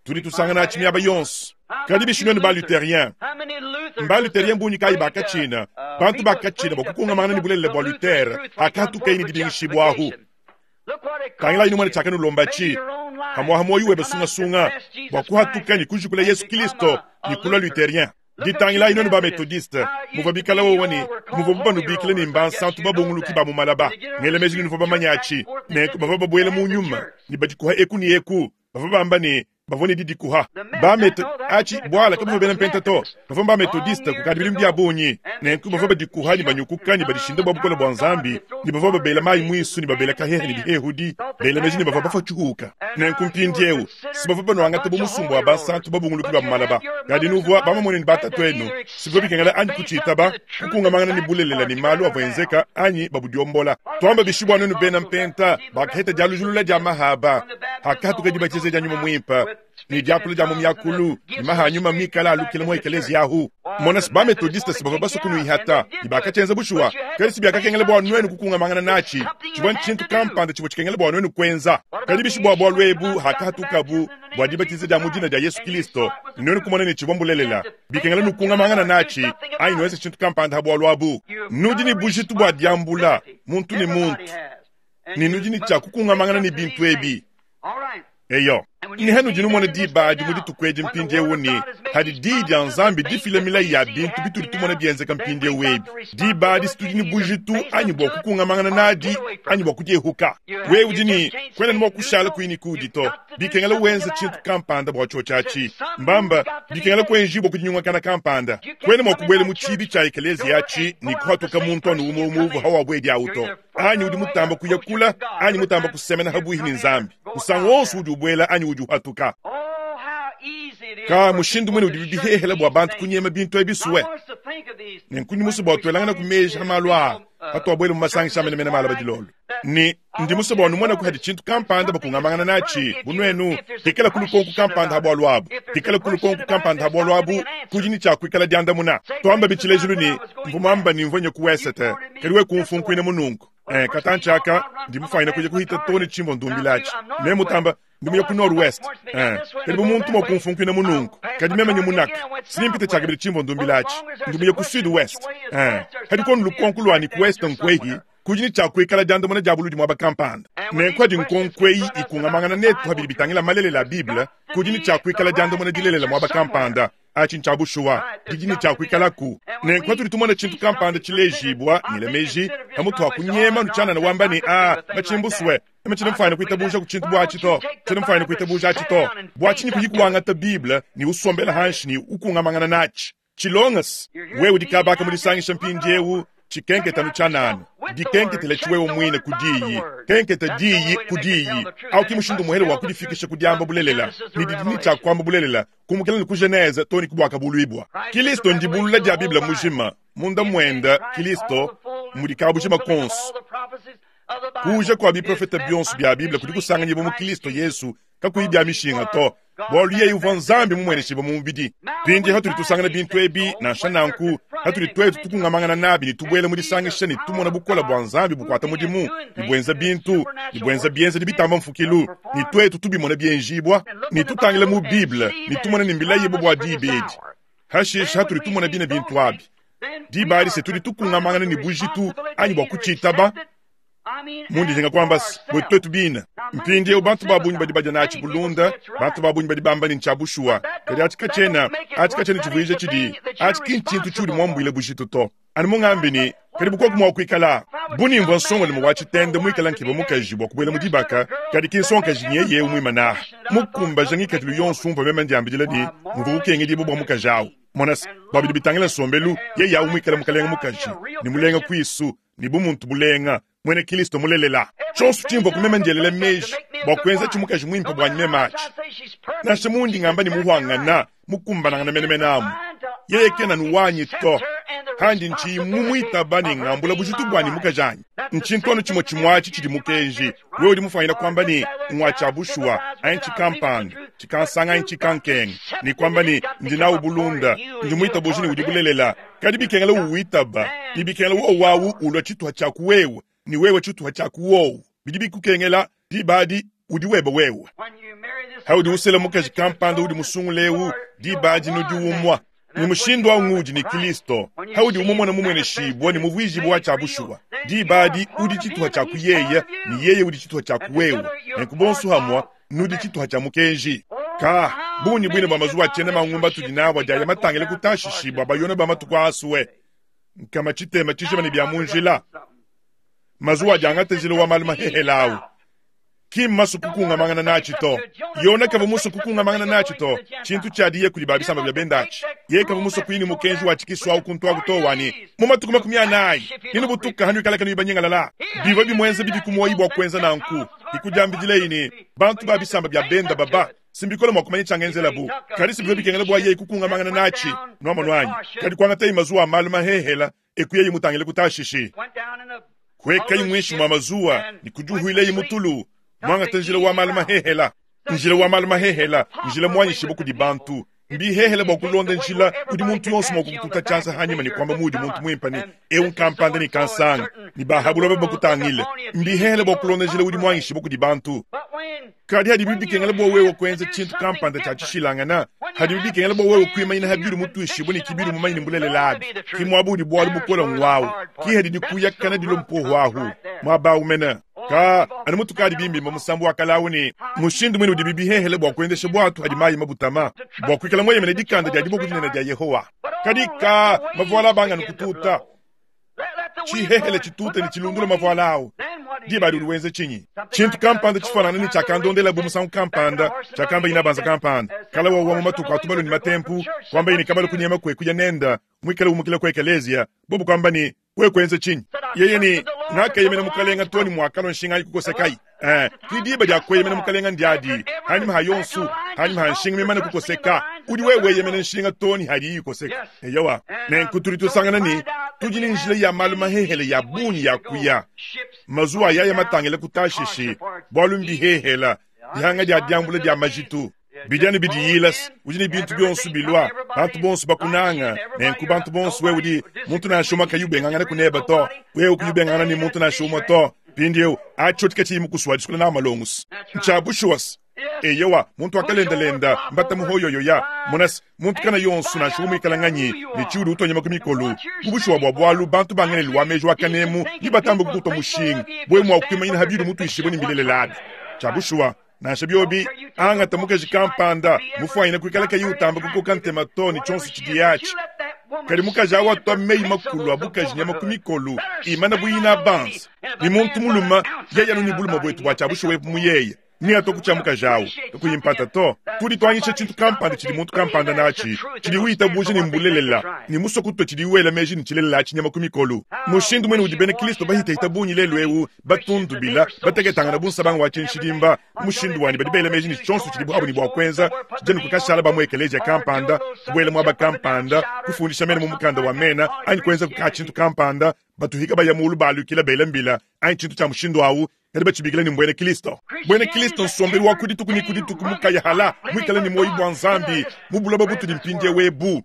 Tudi tusangana atshi miaba yonso. Kadi bishi nuenu ba-Lutherien? Mba-Lutherien bungi kayi bakatshina? Bantu bakatshina bua kukungamangana ne bulelela bua Luther hakahatukaye ne dibingishibua ahu. Tangilayi numone tshiakanulombatshi, pamuaha muoyo webe sungasunga bua kuhatuka ne kujukula Yesu Kilisto ne kulua Lutherien. Ditangilayi nuenu ba Methodiste, muvua bikala wowo ne muvuabu banubikila ne mbansantu babunguluki ba mu malaba. Ngela meji ne nuvua bamanye atshi. Nenku bavua babuela mu nyuma ne badikuha eku ne eku, bavua bamba ne bavua ne didikuha. Ba Metho atshi buala kabavua bena Mpenta to, bavua ba Methodiste kukadi bidimu bia bungi. Nenku bavua badikuha ne banyukuka ne badishinda bua bukole bua Nzambi, ne bavua babela mayi muisu ne babela kahehe ne bihehudi, bela meji ne bavua bafua tshihuka. Nenku mpindieu si bavua banuangata bu musumba wa bansantu babunguluki ba mu malaba. Kadi nuvua bamamone ne batatuenu, si bivua bikengela anyi kutshitaba, kukungamangana ne bulelela ne malu avua enzeka anyi babudiombola. Tuamba bishi bua nuenu bena Mpenta bakaheta dialujulula dia mahaba hakahatuka dibatiza dia Nyuma Muimpe ne diakula dia mu miakulu ne maha a nyuma mikale alukila mu ekeleziya ahu? Mona, si ba-Methodiste si bavua basue kunuihata, ne bakatshienza bushuwa, kadi si biakakengela bua nuenu kukungamangana natshi. Tshivua ntshintu kampanda tshivua tshikengela bua nuenu kuenza. Kadi bishi bua bualu ebu hakahatukabu bua dibatiza dia mu dina dia Yesu Kilisto, ne nuenu kumona ne tshivua mbulelela, bikengela nukungamangana natshi anyi nuenze tshintu kampanda ha bualu abu? Nudi ne bujitu bua diambula, muntu ne muntu, ne nudi ne tshia kukungamangana ne bintu ebi. Eyo, ne hanudi numona diba adi mu dituku edi mpindieu ne hadi Diyi dia Nzambi difila milayi ya bintu bitudi tumona bienzeka mpindieu ebi, diba adi si tudi ne bujitu anyi bua kukungamangana nadi anyi bua kudiehuka. Wewe udi ne, kuena ne mua kushala kuyi ne kudi to. Bikengela wenze tshintu kampanda bua tshiotshi atshi. Mbamba, bikengela kuenjibua ku dinyungakana kampanda. Kuena mua kubuela mu tshiibi tshia ekeleziya atshi ne kuhatuka muntu anu umue umue uvua hawabuedi awu to. Anyi udi mutamba kuya kula anyi mutamba kusemena habuihi ne Nzambi musangu wonso udi ubuela anyi udi uhatuka. Ka mushindu muine udibi bihehela bua bantu kunyema bintu ebi sue. Nenku ndi musue bua tuelangana ku meji ha malu aa hatuabuela mu masangisha a menemene malaba dilolo. Ne ndi musue bua numonaku hadi tshintu kampanda bakungamangana natshi bu nuenu, hikalaku lukonku kampanda ha bualu abu, hikalaku lukonku kampanda ha bualu abu, kudi ne tshia kuikala diandamuna. Tuambabi tshilejilu ne, mvua muamba ne mvua nya ku wesete, kadi we kumfunkuina mu nunku. Eh, katantshi aka ndi mufuanyine kuya kuhita too ne tshimvua ndumbila atshi. Ne mutamba ndi muya ku nord-ouest. Eh, kadi bu muntu mua kumfunkuina mu nunku, kadi meme nye munaka, sinimpite tshiakabidi tshimvua ndumbila atshi. Ndi muya ku sud-ouest. Eh, kadi konu lukonku luanyi ku ouest nkuehi, kudi ne tshia kuikala diandamuna dia buludi muaba kampanda. Nenku adi nkonko eyi ikungamangana netu pa bidi bitangila malelela a Bible, kudi ne tshia kuikala diandamuna dilelela muaba kampanda. Atshi ntshia bushuwa, didi ne tshia kuikalaku. Nenku patudi tumona tshintu kampanda tshilejibua, ngela meji, pamutu pa kunyema anu tshianana wamba ne, Aa, matshimbusue, meme tshiena mfuanyine kuitabuja ku tshintu bu atshi to. Tshiena mfuanyine kuitabuja atshi to. Bua tshinyi kuyi kuangata Bible ne usombela hanshi ne ukungamangana natshi? Tshilongas, wewe udi kaba aka mu disangisha mpindiewu, tshikenketa anu tshianana. Dikenketela tshi wewe muine ku Diyi. Kenketa Diyi ku Diyi. Au ki mushindu muhele wa kudifikisha ku diamba bulelela, ne didi ne tshia kuamba bulelela, kumukila ne ku Genese too ne ku Buakabuluibua. Kilisto ndibulula dia Bible mujima. Munda muende, Kilisto, mudi kabujima konso. Kuuja kua biprofete bionso bia Bible kudi kusanganyibua mu Kilisto Yesu kakuyi bia mishinga to, bualu yeye uvua Nzambi mumueneshibue mu mubidi. Mpindieu hatudi tusangana bintu ebi, nansha nanku, hatudi tuetu tukungamangana nabi ne tubuela mu disangisha ne tumona bukole bua Nzambi bukuata mudimu ne buenza bintu ne buenza bienzedi bitamba mfukilu, ne tuetu tubimona bienjibua, ne tutangila mu Bible ne tumona ne mbilayibue bua diba edi, hashishe hatudi tumona bine bintu abi, diba adi se tudi tukungamangana ne bujitu anyi bua kutshitaba. Mundi njinga kuamba se, buetu tuetu bine. Mpindieu bantu ba bungi badi badia natshi bulunda, bantu ba bungi badi bamba ne ntshia bushuwa, kadi atshi katshiena, atshi katshiena tshivuija tshidi, atshi ki ntshintu tshiudi muambuile bujitu to. Anu mungambi ne, kadi bu koku mua kuikala. Bu ni mvua nsongalume wa tshitende muikale nkeba mukaji bua kubuela mu dibaka, kadi ki nsongakaji nyeye eu muimane aha, mukumbaja ngikadilu yonso umvua meme ndiambidila ne, mvua ukengedibua bua mukaji au. Mona se, bua bidi bitangila nsombelu, yeye au muikale mukalenge mukaji, ne mulenga kuisu, ne bumuntu bulenga, muena Kristo mulelela. Tshionso tshimvua ku meme ndielela meji bua kuenza tshi mukaji muimpe buanyi meme atshi. Nansha mundi ngamba ne muhuangana, mukumbanangana menemene amu, yeye kena anu wanyi to. Handi ntshiyi mumuitaba ne ngambula bujitu buanyi mukajanyi. Ntshintu anu tshimue tshimue atshi tshidi mukenji. Wewe udi mufuanyina kuamba ne, ngua tshia bushuwa, anyi tshikampanda, tshikansanga anyi tshikankenga, ne kuamba ne, ndi nawu bulunda, ndi muitabuji ne udi bulelela. Kadi bikengela uwitaba, ne bikengela wowu awu ulua tshituha tshia ku wewe, ne wewe tshituha tshia ku wowu. Bidi bikukengela, diba adi udi webe wewe. Haudi usela mukaji kampanda udi musungule eu, diba adi nudi umua. Ne mushindu au ngudi ne Kristo, haudi umumona mumueneshibua ne muvuijibua wa tshia bushuwa, diba adi udi tshituha tshia ku yeye, ne yeye udi tshituha tshia ku wewe. Nenku bonso hamua nudi tshituha tshia mukenji. Ka bungi buine bua mazuwa tshiena mangumba tudi nawu adi aya matangile ku Tashishi bua bayona ba matuku asue nkama tshitema tshijima ne bia mu njila. Mazuwa adi angata njila wa malu mahehela awu ki mmasue kukungamangana natshi to. Yona kavua musue kukungamangana natshi to, tshintu tshiadiye kudi ba bisamba bia benda atshi. Yeye kavua musue kuyi ne mukenji wa tshikisu awu kuntu aku to, wa ne, mu matuku 40 nenubutuka hanuikala kanuyi banyingalala. Bivua bimuenza bibi ku muoyi bua kuenza nanku, ne kudiambidileyi ne, bantu ba bisamba bia benda baba si mbikole mua kumanya tshiangenzelabu, kadi si bivua bikengela bua yeye kukungamangana natshi. Nuamonu anyi? Kadi kuangatayi mazuwa a malu mahehela, eku yeye mutangile ku Tashishi. Kuekayi muinshi mua mazuwa ne kudiuhuileyi mu tulu, muangata njila wa malu mahehela. Njila wa malu mahehela, njila muanyishibue kudi bantu. Mbihehele bua kulonda njila udi muntu yonso mua kukututa tshianza hanyima ne kuamba muudi muntu muimpe ne eu nkampanda ne kansanga, ne ba ha buloba bakutangile. Mbihehele bua kulonda njila udi muanyishibue kudi bantu. Kadi hadibi bikengela bua wewe kuenza tshintu kampanda tshia tshishilangana, hadibi bikengela bua wewe kuimanyina ha biudi mutuishibue ne ki biudi mumanye ne mbulelela abi, ki muaba udi bualu bukole nguawu, ki hadi dikuyakana dilua mpuohu ahu, muaba awu mene. Ka anu mutukadi bimbimba musambu wa kale awu ne, mushindu muine udibi bihehele bua kuendesha buatu hadi mayi mabutama, bua kuikala mueyemene dikanda dia diboko dinene dia Yehowa. Kadi ka mavuala abanga anu kututa, tshihehele tshitute ne tshilundula mavuala awu. Diba adi udi wenza tshinyi? Tshintu kampanda tshifuanangane ne tshiakandondelabu musangu kampanda, tshiakamba inabanza kampanda kala wawa mu matuku a tubalu ne matempu, kuambaye ne kabalu kunyema kue kuya nenda, muikale umukila ku ekeleziya, bobu kuamba ne, wewe kuenza tshinyi? Yeye ne, ngakeyemena mukalenga too ne muakalua nshinga ayi kukosekayi. Ki diba dia kueyemena mukalenga ndiadi, hanyima ha yonsu, hanyima ha nshinga mimane kukoseka, udi wewe weyemena nshinga too ne hadiyi ikoseka. Eyowa, nenku tudi tusangana ne, tudi ne njila ya malu mahehele ya bungi ya kuya, mazuwa ayaya matangile ku Tashishi, bualu mbihehela, dihanga dia diambula dia majitu. Bidi anu bidiyila, udi ne bintu bionso bilua, bantu bonso bakunanga, nenku bantu bonso wewe udi muntu nansha umue kayi ubengangana kuneba to, wewe kuyi ubengangana ne muntu nansha umue to. Mpindieu atshi katshiyi mukusua disukula nawu malongusu ntshia bushuwa. Eyowa, muntu wakalendalenda mbata muhoyoyoya monase muntu kana yonso nansha umuikala nganyi ne tshiudi utonyema ku mikolo. Mu bushuwa bua bualu bantu ba ngelelu wa meji wa kanemu ne batamba kukutua mushinga wewe mua kuimanyina ha biudi mutuishibue ne mbilelela abi. Tshia bushuwa nansha biobi angata mukaji kampanda mufuanyine kuikala kayi utamba kukoka ntema to ne tshionso tshidiye atshi, kadi mukaji awu atua meyi makulu a bukaji nyama ku mikolo imana bu ina banza ne muntu mulume yeye anu ne bulume buetu bua tshia bushuwa ebu mu yeye neatua ku tshia mukaji awu kakuyi mpata to. Tudi tuanyisha tshintu kampanda tshidi muntu kampanda natshi tshidi witabuja ne mbulelela ne musue kutua tshidi wela meji ne tshilelela atshi nyama ku mikolo. Mushindu muine udi bena Kristo bahitahita bungi lelu eu batundubila, bateketangana bu nsabanga wa tshinshidimba, mushindu wanyi badi bela meji ne tshionso tshidibu abu ne bua kuenza tshidi anu kukashala ba mu ekeleziya kampanda, kubuela muaba kampanda, kufundisha mena mu mukanda wa mena anyi kuenza ka tshintu kampanda, batuhika baya mulu balukila bela mbila anyi tshintu tshia mushindu awu, kadi batshibikila ne mbuena Kristo. Buena Kristo nsombelu wa ku dituku ne ku dituku mukaya hala, muikale ne muoyo bua Nzambi mu buloba butudi mpindieu ebu.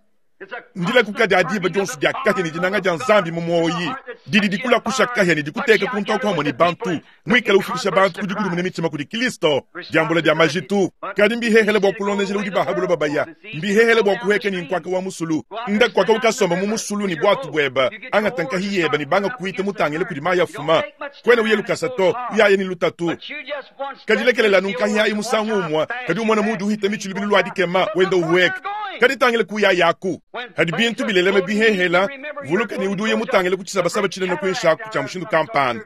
Ndilakuka dia diba dionso dia kahia ne dinanga dia Nzambi mu muoyi didi dikulakusha kahia ne dikuteka kuntu aku hamue ne bantu, muikale ufikisha bantu ku dikudimuna mitshima kudi Kristo, diambula dia majitu. Kadi mbihehele bua kulonda njila udi ba ha buloba baya, mbihehele bua kuheka ne nkuaka wa musulu. Nda kuaka ukasomba mu musulu ne buatu bueba, angata nkahi yeba ne banga kuita mutangile kudi mayi afuma. Kuena uya lukasa to, uyaya ne lutatu. Kadi lekelela anu nkahi ayi musangu umue, kadi umona muudi uhita mitshi lubilu lua dikema, wenda uhueka. Kadi tangila kuyayaku. Padi bintu bilelema bihehela, vuluka ne udi uya mutangile ku tshisabasaba tshinene kuinshi aku tshia mushindu kampanda.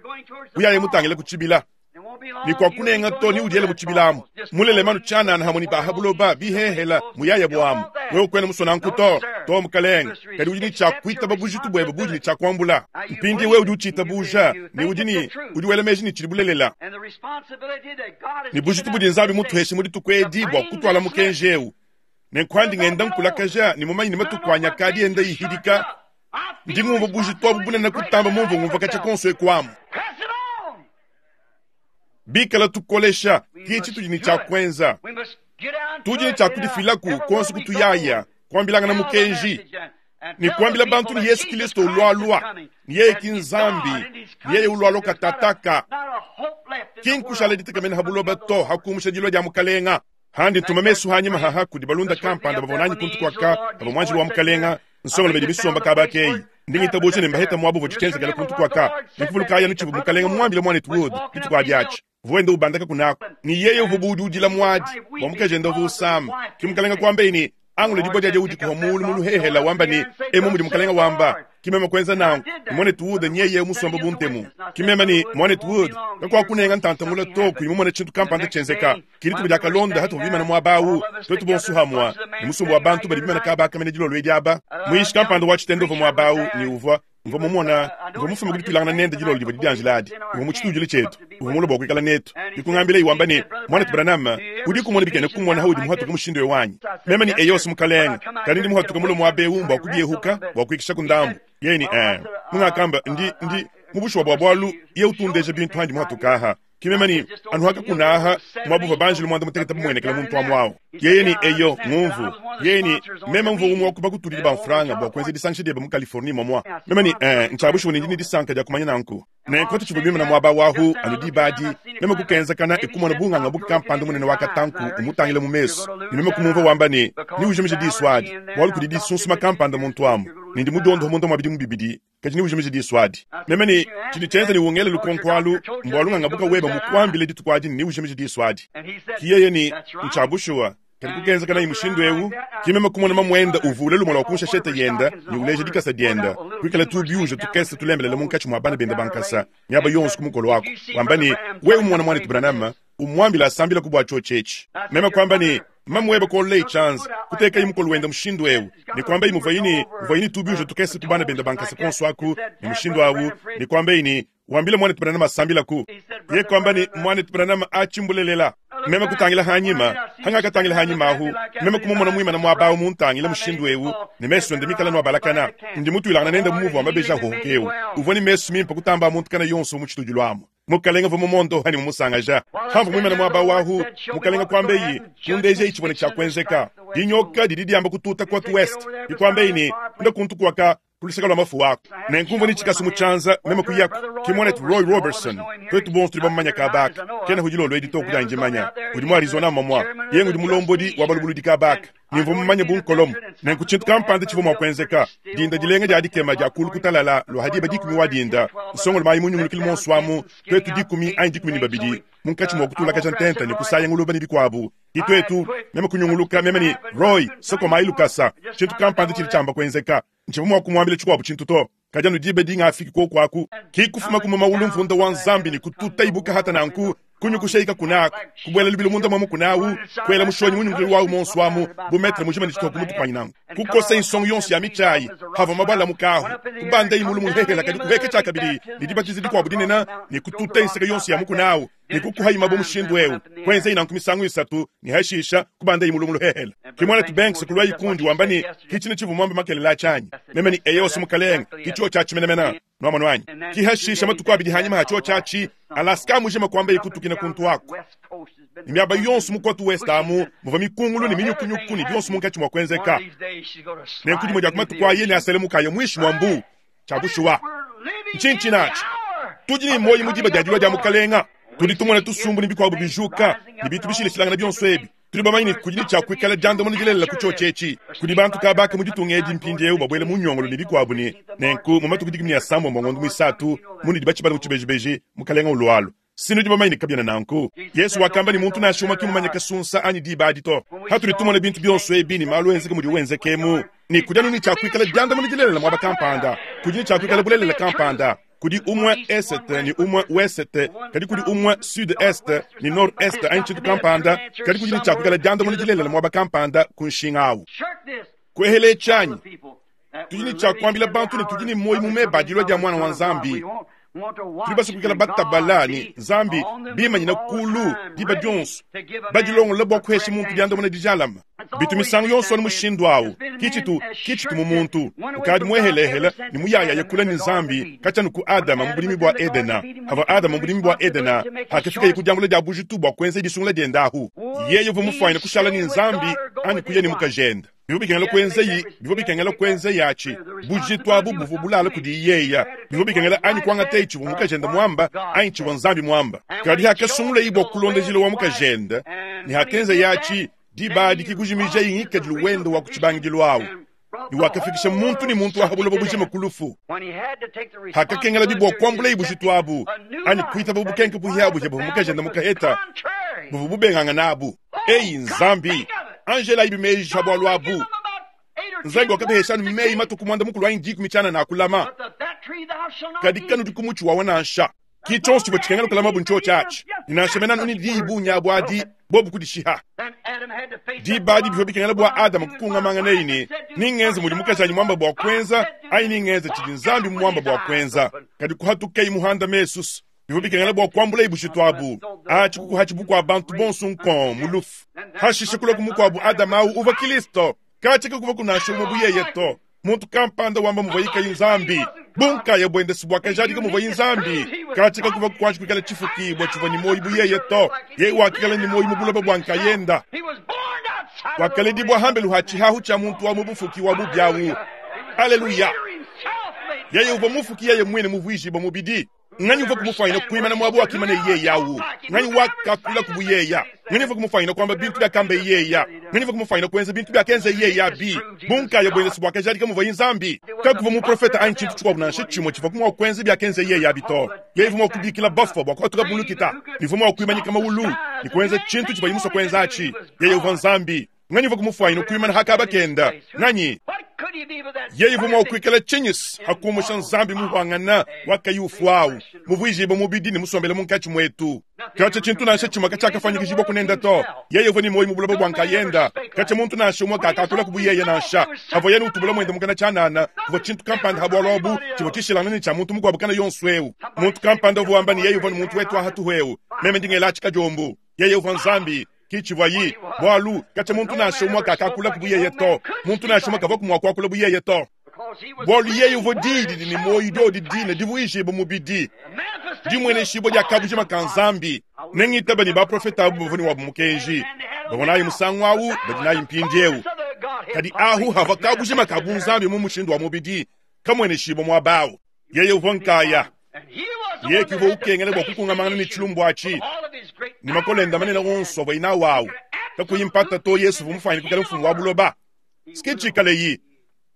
Uyaye mutangile ku tshibila. Ne kuakunenga to ne udiele mu tshibila amu. Mulelema anu tshianana hamue ne ba ha buloba bihehela muyaya buamu. Wewe kuena musue nanku to, to mukelenge. Kadi udi ne tshia kuitaba bujitu buebe budi ne tshia kuambula. Mpindieu wewe udi utshitabuja ne udi ne udi wela meji ne tshidi bulelela. Ne bujitu budi Nzambi mutuheshe mu dituku edi bua kutuala mukenji eu. Nenku andi ngenda nkulakaja ne mumanye ne matuku anyi akadi enda ihidika, ndi ngumvua bujitu abu bunene kutamba mumvua ngumvua katshia konso eku amu. Bikala tukolesha, ke tshitudi ne tshia kuenza. Tudi ne tshia kudifilaku kuonso kutuyaya, kuambilangana mukenji ne kuambila bantu ne Yesu Kilisto ulualua, ne yeye ki Nzambi, ne yeye ulualua katataka. Ki nkushala ditekemena ha buloba to, ha kumusha dilua dia Mukalenga. Handi ntuma mesu hanyima haha kudi balunda kampanda bavua nanyi kuntu kuaka pavua muanjelu wa Mukalenga nsongolo bedi misomba kaba akeyi. Ndi ngitabuja ne mbaheta muaba uvua tshitshienzekela kuntu kuaka. Ne kuvulukayi anu tshivua Mukalenga muambile muanetu Wood dituku adi atshi. Uvua wenda ubandaka kunaku, ne yeye uvua bu udi udila muadi bua mukajende uvua usama. Ke Mukalenga kuambaye ne, Angula dibua diadia udikuha muulu mu luhehela wamba ne, Emu mudi Mukalenga wamba. Ki meme kuenza nanku, ne muanetu Wood nyeye musomba bu ntemu. Ki meme ne, Muanetu Wood, kakuakunenga ntanta mule to kuyi mumone tshintu kampanda tshienzeka. Ki dituku diakalonda hatuvua bimana muaba au, tuetu bonso hamua, ne musumba wa bantu badi bimana kaba aka mene dilolo edi aba. Muyishi kampanda wa tshitende uvua muaba au, ne uvua, mvua mumona, mvua mufume ku dituilangana nende dilolo divua didianjila adi. Uvua mu tshitudilu tshietu, uvua mulue bua kuikala netu. Ke kungambilaye wamba ne, Muanetu Branham, udiku umona bikena kumona haudi muhatuke mushindu eu anyi? Meme ne, Eyos, mukalenge, kadi ndi muhatuke mulue muaba eu mbua kubiehuka, bua kuikishaku ndambu. Yeye ne, Ee. Mungakamba, ndi, ndi, mu bushuwa bua bualu, yeye utu undeja bintu handi muhatuke aha. Ke meme ne, Anu hakakuna aha, muaba uvua banjelu muanda mutekete bamuenekela muntu amu awu. Yeye ne, Eyo, ngumvu. Yeye ne, Meme mvua umue wa ku bakutudidi ba mfranga bua kuenza disangisha diebe mu Californie momua. Meme ne, Ee, ntshia bushuwa ne ndi ne disanka dia kumanya nanku. Nenku tutshivua bimana muaba wahu anu diba adi, meme kukenzakana e kumona bunganga buka kampanda munene wa katanku umutangila mu mesu, ne meme kumumvua wamba ne, Neujimije disu adi, bualu kudi disunsuma kampanda muntu amu, ne ndi mudiondohe munda mua bidimu bibidi, kadi neujimije disu adi. Meme ne, Tshidi tshienza ne ungele lukonko alu, mbualu nganga buka webe mukuambile dituku adi ne neujimije disu adi. Ki yeye ne, Ntshia bushuwa. Kadi kukenzeka nayi mushindu eu, ki meme kumona mamuende uvula lumue lua ku nshashete yende ne uleja dikasa diende, kuikala tubiuja tukese tulembelela munkatshi mua bana bende ba nkasa miaba yonso ku mukolo aku, wamba ne, Wewe mumona muanetu Branham, umuambile asambilaku bua tshiotshi etshi. Meme kuamba ne, Mamu webe kuololaye tshianza, kutekaye mukolo wende mushindu eu, ne kuambaye muvuaye ne muvuaye ne tubiuja tukese ku bana bende ba nkasa kuonso aku, ne mushindu au, ne kuambaye ne, Wambile muanetu Branham asambilaku. Yeye kuamba ne, Muanetu Branham, atshi mbulelela. Meme kutangila hanyima, hangakatangila hanyima ahu, meme kumumona muimana muaba au muntangile mushindu eu, ne mesu ende mikale anu abalakana. Ndi mutuilangana nende mu muvu wa mabeji ahohoka eu. Uvua ne mesu mimpe kutamba a muntu kana yonso mu tshitudilu amu. Mukalenge uvua mumondoha ne mumusangaja. Hamvua muimane muaba au ahu, Mukalenge kuambeyi, Kundejayi tshivua ne tshia kuenzeka. Dinyoka didi diamba kututa Cote Ouest. Ke kuambeyi ne, Nda kuntu kuaka ku luseke lua mafu aku. Nenku mvua ne tshikasu mu tshianza, meme kuyaku. Ke muanetu Roy Roberson, tuetu bonso tudi bamumanye kaba aka. Kena ku dilolo edi to ku dianyi dimanya. Udi mu Arizona mmamua. Yeye ngudi mulombodi wa balubuludi kaba aka. Ne mvua mumanye bu nkolomo. Nenku tshintu kampanda tshivua mua kuenzeka. Dinda dilenga dia dikema dia kulu kutalala lua ha diba dikumi wa dinda, nsongolo mayi mu nyungulukilu muonso amu, tuetu dikumi anyi 12 munkatshi mua kutulakaja ntenta ne kusaya nguluba ne bikuabu. Ke tuetu, meme kunyunguluka, meme ne, Roy, sokomayi lukasa. Tshintu kampanda tshidi tshiamba kuenzeka. Ntshivua mua kumuambila tshikuabu tshintu to, kadi anu diba dingafiki kuoku aku, ki kufuma ku mumawulu mvunda wa Nzambi ne kututa ibuka hata nanku, kunyukusha ikakuna aku, kubuela lubilu munda mua mukuna awu, kuela mushonyi mu nyungulukilu wawu monsu amu bu metre mujima ne tshitupa ku mutu kuanyi nanku, kukosa insongo yonso ya mitshi ayi, havua mabue alamuka ahu, kubandayi mulu muhehela kadi kuheka tshiakabidi ne dibatiza dikuabu dinene ne kututa inseke yonso ya mukuna awu. Ne kukuhayi mabue mushindu eu, kuenzayi nanku misangu isatu, ne hashisha kubandayi mulu mu luhehele. Ke muanetu Banks kuluayi kundi wamba ne, Ki tshine tshivua muambe makelela atshi anyi? Meme ne, Eyo, mukalenge, ki tshiotshi atshi menemene. Nuamonu anyi? Ki hashisha matuku abidi hanyima ha tshiotshi atshi, Alaska mujima kuambaye kutukina kuntu aku. Ne miaba yonso mu Cote Ouest amu muvua mikungulu ne minyukunyuku ne bionso munkatshi mua kuenzeka. Nenku dimue dia ku matuku aye neaselemuke aye muinshi mua mbuu. Tshia bushuwa, ntshinyi tshinatshi? Tudi ne muoyo mu diba dia dilua dia Mukalenga. Tudi tumona tusumbu ne bikuabu bijuka ne bintu bishilashilangane bionso ebi. Tudi bamanye ne, kudi ne tshia kuikala diandamuna dilelela ku tshiotshi etshi. Kudi bantu kaba aka mu ditunga edi mpindieu babuele mu nyongolo ne bikuabu ne nenku mu matuku 18 a ngondo muisatu, munudi batshibale mu tshibejibeji, Mukalenga ulualua. Si nudi bamanye ne kabiena nanku. Yesu wakamba ne muntu nansha umue ki mumanye kasunsa anyi diba adi to. Patudi tumona bintu bionso ebi ne malu enzeka mudiwu enzeka emu, ne kudi anu ne tshia kuikala diandamuna dilelela muaba kampanda, kudi ne tshia kuikala bulelela kampanda. Kudi umue esete ne umue wesete, kadi kudi umue sud-est ne nord-est anyi tshintu kampanda, kadi kudi ne tshia kuikala diandamuna dilelela muaba kampanda ku nshinga au. Kuehela etshi anyi? Tudi ne tshia kuambila bantu ne tudi ne muoyo mu meba a dilua dia Muana wa Nzambi. Tudi basue kuikala batabala ne Nzambi bimanyina kulu diba dionso, badilongolola bua kuhesha muntu diandamuna dijalame. Bitu misangu yonso anu mushindu au. Ki tshitu, ki tshitu mu muntu ukadi muehelehele ne muyayaye kule ne Nzambi katshia anu ku Adama mu budimi bua Edena. Pavua Adama mu budimi bua Edena, pakafikaye ku diambula dia bujitu bua kuenza disungula diende ahu, yeye uvua mufuanyine kushala ne Nzambi anyi kuya ne mukajende. Bivua bikengela kuenzayi, bivua bikengela kuenzayi atshi. Bujitu abu buvua bulala kudi yeya. Bivua bikengela anyi kuangatayi tshivua mukajende muamba anyi tshivua Nzambi muamba. Kadi hakasungulayi bua kulonda njila wa mukajende, ne hakenzayi atshi, diba adi ki kujimijayi ngikadilu wende wa ku tshibangidilu awu, ne wakafikisha muntu ne muntu wa ha buloba bujima ku lufu. Hakakengelabi bua kuambulayi bujitu abu anyi kuitaba bukenke buhiabuhia buvua mukajende mukaheta buvua bubengangana abu. Eyi Nzambi, anjelayi meji ha bualu abu. Nzambi wakabahesha anu meyi matuku muanda mukulu anyi dikumi tshianana a kulama, kadi kanudi ku mutshi wawa nansha. Ki tshionso tshivua tshikengela kulamabu ntshiotshi atshi, ne nansha mene anu ne diyi bungi abu adi, bobu kudishiha. Diba adi bivua bikengela bua Adama kukungamanganaye ne, Ningenze mudi mukajanyi muamba bua kuenza anyi ningenze tshidi Nzambi muamba bua kuenza. Kadi kuhatukayi muhanda mesu, bivua bikengela bua kuambulaye bujitu abu. Atshi kukuhatshi bukua bantu bonso nkong mu lufu. Hashishe kulua ku mukuabu Adama au uvua Kristo. Katshia kakuvua kunansha umue bu yeye to. Muntu kampanda wamba muvuaye kayi Nzambi, bunkaya buende si buakajadika muvuaye Nzambi. Katshia kakuvua kuanji kuikala tshifukibua tshivua ne muoyo bu yeye to. Yeye wakikala ne muoyo mu buloba bua nkayenda. Wakaledibua hambelu ha tshihahu tshia muntu wa mu bufuki wa bubi au. Aleluya! Yeye uvua mufuki yeye muine muvuijibua mubidi. Nganyi uvua kumufuanyina kuimana muaba wakimana yeye au? Nganyi wakakula ku buyeya? Nganyi uvua kumufuanyina kuamba bintu biakamba yeya? Nganyi uvua kumufuanyina kuenza bintu biakenza yeye abi? Bunkaya buende si buakajadika muvuaye Nzambi. Kakuvua muprofete anyi tshintu tshikuabu nansha tshimue tshivua mua kuenza biakenza yeye abi to. Yeye uvua mua kubikila bafua bua kuhatuka mu lukita, ne uvua mua kuimanyika mawulu ne kuenza tshintu tshivuaye musue kuenza atshi. Yeye uvua Nzambi. Nganyi uvua kumufuanyina kuimana ha kaba kenda? Nganyi? Yeye uvua mua kuikala tshinyisi ha kumusha Nzambi muhuangana wa kayi ufuawu, muvuijibue mubidi ne musombele munkatshi muetu. Katshia tshintu nansha tshimue katshiakafuanyikijibua kunenda to. Yeye uvua ne muoyo mu buloba bua nkayenda. Katshia muntu nansha umue kakakula ku yeye nansha. Pavuaye ne utubula muende mukana tshianana, kuvua tshintu kampanda ha bualu abu tshivua tshishilangane ne tshia muntu mukuabu kana yonso eu. Muntu kampanda uvua wamba ne yeye uvua ne muntu wetu hatuhu eu, meme ndi ngela atshi kadiombu. Yeye uvua Nzambi, ki tshivuayi, bualu katshia muntu nansha umue kakakula ku buyeye to. Muntu nansha umue kavua mua kuakula bu yeye to, bualu yeye uvua Diyi didi ne muoyo, diodi dine divuijibua mubidi, dimueneshibua dia kabujima ka Nzambi. Nengitaba ne baprofete abu bavua ne wabu mukenji, bavua nayi musangu au, badi nayi mpindieu. Kadi ahu havua kabujima ka bunzambi mu mushindu wa mubidi kamueneshibua muaba au. Yeye uvua nkaya. Yeye ke uvua ukengela bua kukungamangana ne tshilumbu atshi ne makole ende manene onso avuaye nawu au. Kakuyi mpata to, Yesu uvua mufuanyine kuikala mfumu wa buloba. Ke tshikaleyi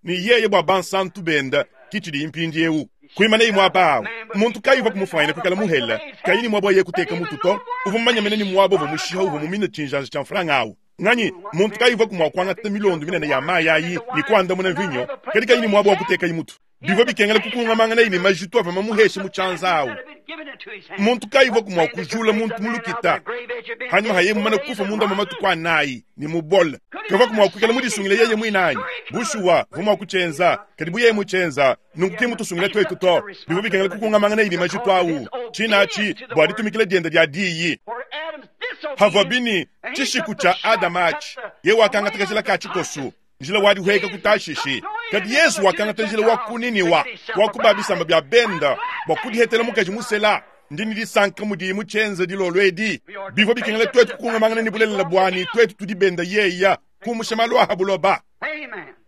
ne yeye bua bansantu bende, ke tshidiyi mpindieu. Kuimanayi muaba au, muntu kayi uvua kumufuanyine kuikala muhele, kayi ne muaba wa yeye kuteka mutu to. Uvua mumanye mene ne muaba uvua mushiha uvua mumine tshinjanja tshia mfranga au. Nganyi muntu kayi uvua mua kuangata milondo minene ya mayi ayi ne kuandamuna mvinyo, kadi kayi ne muaba wa kutekayi mutu? Bivua bikengela kukungamanganayi ne majitu avua mamuheshe mu tshianza awu. Muntu kayi uvua mua kujula muntu mu lukita hanyuma ha yeye mumane kufa munda mua matuku anayi ne mubole? Kavua mua kuikala mudisungile yeye muine anyi? Bushuwa, uvua mua kutshienza, kadi bu yeye mutshienza nunku ki mutusungile tuetu to. Bivua bikengela kukungamanganayi ne majitu awu, tshina atshi bua ditumikila diende dia diyi. Havua bini tshishiku tshia Adama atshi, yeye wakangata kajila ka tshikosu njila wa dihueka ku Tashishi. Kadi Yesu wakangata njila wa ku Niniwa, wa ku ba bisamba bia benda, bua kudihetela mukaji musela. Ndi ne disanka mudiyi mutshienza dilolo edi. Bivua bikengela tuetu kukungamangana ne bulelela buani, tuetu tudi benda yeya, kumusha malu a ha buloba.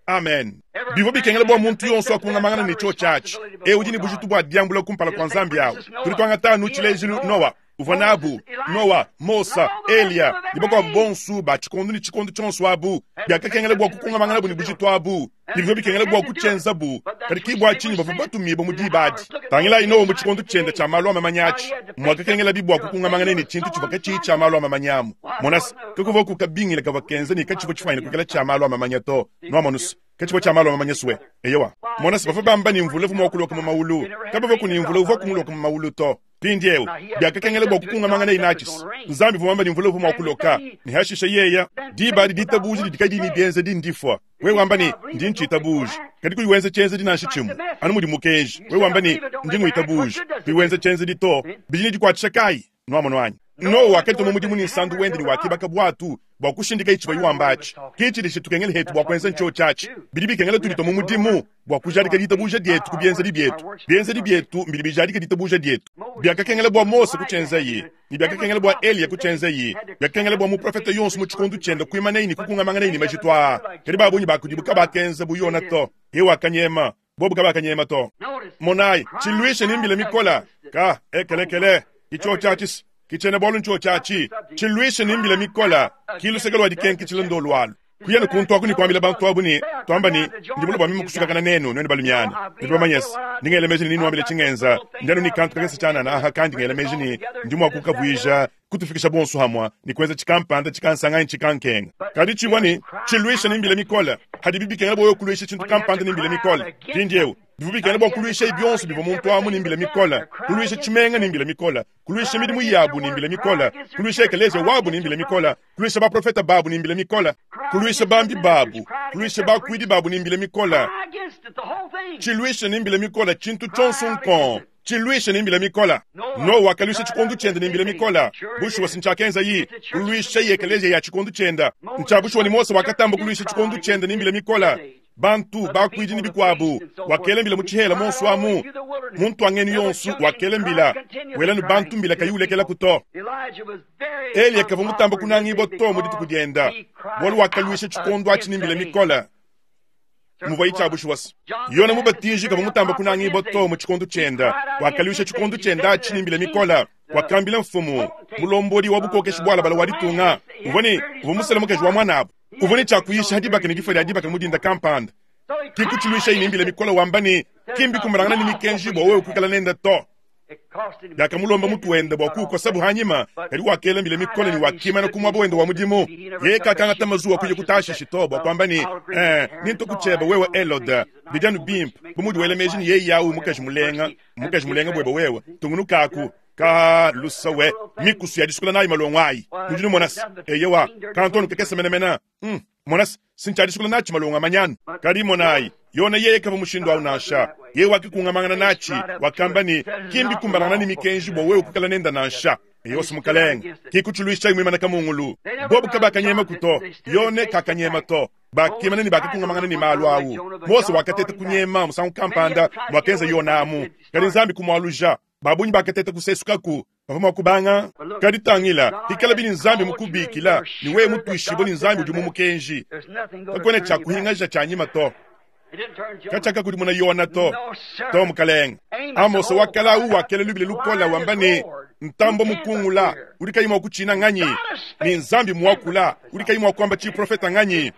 Amen. Bivua bikengela bua muntu yonso akungamangana ne tshiotshi atshi. Eu udi ne bujitu bua diambula kumpala kua Nzambi awu. Tudi tuangata anu tshilejilu Noa. Uvua nabu Noa, Mosa, Eliya ne bakuabu bonsu ba tshikondu ne tshikondu tshionsu abu. Biakakengela bua kukungamanganabu ne bujitu abu, ne bivua bikengela bua kutshienzabu, kadi ki bua tshinyi bavua batumibue mu diba adi. Tangilayi Noa mu tshikondu tshiende tshia malu a mamanya atshi, muakakengelabi bua kukungamangana ne tshintu tshivua katshiyi tshia malu a mamanya amu. Mona se, kakuvua ku kabingila kavua kenza ne katshivua tshifuanyine kuikala tshia malu a mamanya to. Nuamonu se, katshivua tshia malu a mamanya sue. Eyowa, mona se, bavua bamba ne mvula uvua mua kuloka mu mawulu. Kabavua ku ne mvula uvua kumuloka mu mawulu to. Mpindieu, biakakengela bua kukungamanganaye natshi. Nzambi uvua muamba ne mvula uvua mua kuloka, ne hashishe yeya, diba adi ditabuja didi kadiyi ne bienzedi ndifua. Wewe wamba ne, Ndi ntshitabuja, kadi kuyi wenza tshienzedi nansha tshimue, anu mudi mukenji. Wewe wamba ne, Ndi ngwitabuja, kuyi wenza tshienzedi to, bidi ne dikuatshisha kayi? Nuamonu anyi? Noa wakatuma mudimu ne nsandu wende ne wakibaka buatu bua kushindika tshivuaye wamba atshi. Ke tshidi tshitukengela hetu bua kuenza ntshiotshi atshi. Bidi bikengela tuditua mu mudimu bua kujadika ditabuja dietu ku bienzedi bietu. Bienzedi bietu mbidi bijadika ditabuja dietu. Biakakengela bua Mose kutshienzaye, ne biakakengela bua Eliya kutshienzaye, biakakengela bua muprofete yonso mu tshikondo tshiende kuimanaye ne kukungamanganaye ne majitu aa. Kadi ba bungi ba kudibu kabakenza bu Yona to. Yeye wakanyema, bobu kabakanyema to. Monayi, tshiluisha ne mbila mikola ka ekelekele itshiotshi ki tshiena bualu ntshiotshi atshi tshiluisha ne mbila mikola ki luseke lua dikenketshila ndolu alu. Kuya ne kuntu aku ne kuambila bantu abu ne, tuamba ne, ndi mulue bua meme kusukakana nenu, nuenu balumiana. Nudi bamanye se, ndi ngela meji ne nenuambile tshingenza. Ndi anu ne kantu kakese tshianana aha kandi ngela meji ne, ndi mua kukavuija, kutufikisha bonso hamua ne kuenza tshikampanda tshikansanga anyi tshikankenga. Kadi tshivua ne, tshiluisha ne mbila mikole. Hadibi bikengela bua wewe kuluisha tshintu kampanda ne mbila mikole. Mpindieu, bivua bikengela bua kuluishayi bionso bivua muntu amu ne mbila mikole, kuluisha tshimenga ne mbila mikole, kuluisha midimu yabu ne mbila mikole, kuluisha ekeleziya wabu ne mbila mikole, kuluisha baprofete babu ne mbila mikole, kuluisha bambi babu, kuluisha bakuidi babu ne mbila mikole, tshiluisha ne mbila mikole tshintu tshionso nkong, tshiluisha ne mbila mikole. Noa wakaluisha tshikondo tshiende ne mbila mikole. Bushuwa si ntshiakenzayi, kuluishaye ekeleziya ya tshikondo tshiende. Ntshia bushuwa ne Mose wakatamba kuluisha tshikondo tshiende ne mbila mikole. Bantu, bakuidi ne bikuabu, wakela mbila mu tshihela monso amu, mu ntuangenu yonso wakela mbila, wela ne bantu mbila kayi ulekelaku to. Eliya kavua mutamba kunangibua to mu dituku dienda, bualu wakaluisha tshikondo atshi ne mbila mikole muvuayi tshia bushuwa. Yona Mubatiji kavua mutamba kunangibua to mu tshikondo tshienda, wakaluisha tshikondo tshienda atshi ne mbila mikole. Wakambila mfumu, mulombodi wa bukokeshi bualabala wa ditunga, uvua ne uvua musele mukaji wa muanabu, uvua ne tshia kuyisha ha dibaka ne difua dia dibaka mu dinda kampanda. Ke kutshiluishaye ne mbila mikole wamba ne, ki mbikumbanangana ne mikenji bua wewe kuikala nende to. Biakamulomba mutu wende bua kuukosabu hanyima, kadi wakela mbila mikole ne wakimana ku muaba wende wa mudimu. Yeye kakangata mazuwa kuya ku Tashishi to bua kuamba ne, Eh, nintu ku tshiebe wewe Helode, bidi anu bimpe bu mudi wela meji ne yeye au mukaji mulenga, mukaji mulenga buebe wewe, tungunukaku. Ka lusa we, mikusu ya disukula nayi malongo ayi. Nudi numona se, eyowa, kantu anu kakese menemene. Mona se, si ntshia disukula natshi malongo a manyanu. Kadi monayi, Yona yeye kavua mushindu au nansha. Yeye wakikungamangana natshi, wakamba ne, ki mbikumbanangana ne mikenji bua wewe kuikala nenda nansha. Eyowa, Mukalenge, ki kutshiluishayi muimana kamungulu. Bobu kabakanyemaku to. Yone kakanyema to. Bakimana ne bakakungamangana ne malu au. Mose wakateta kunyema musangu kampanda muakenza Yona amu, kadi Nzambi kumualuja. Ba bungi bakateta kusesukaku, bavua mua kubanga. Kadi tangila, pikalabi ne Nzambi mukubikila, ne wewe mutuishibue ne Nzambi udi mu mukenji, kakuena tshia kuhingaja tshia nyima to. Katshiakakudimuna Yona to. To, mukalenge. Amose wa kale au wakela lubila lukole wamba ne, Ntambue mukungula udi kayi mua kutshina nganyi? Ne Nzambi muakula udi kayi mua kuamba tshiprofeta nganyi?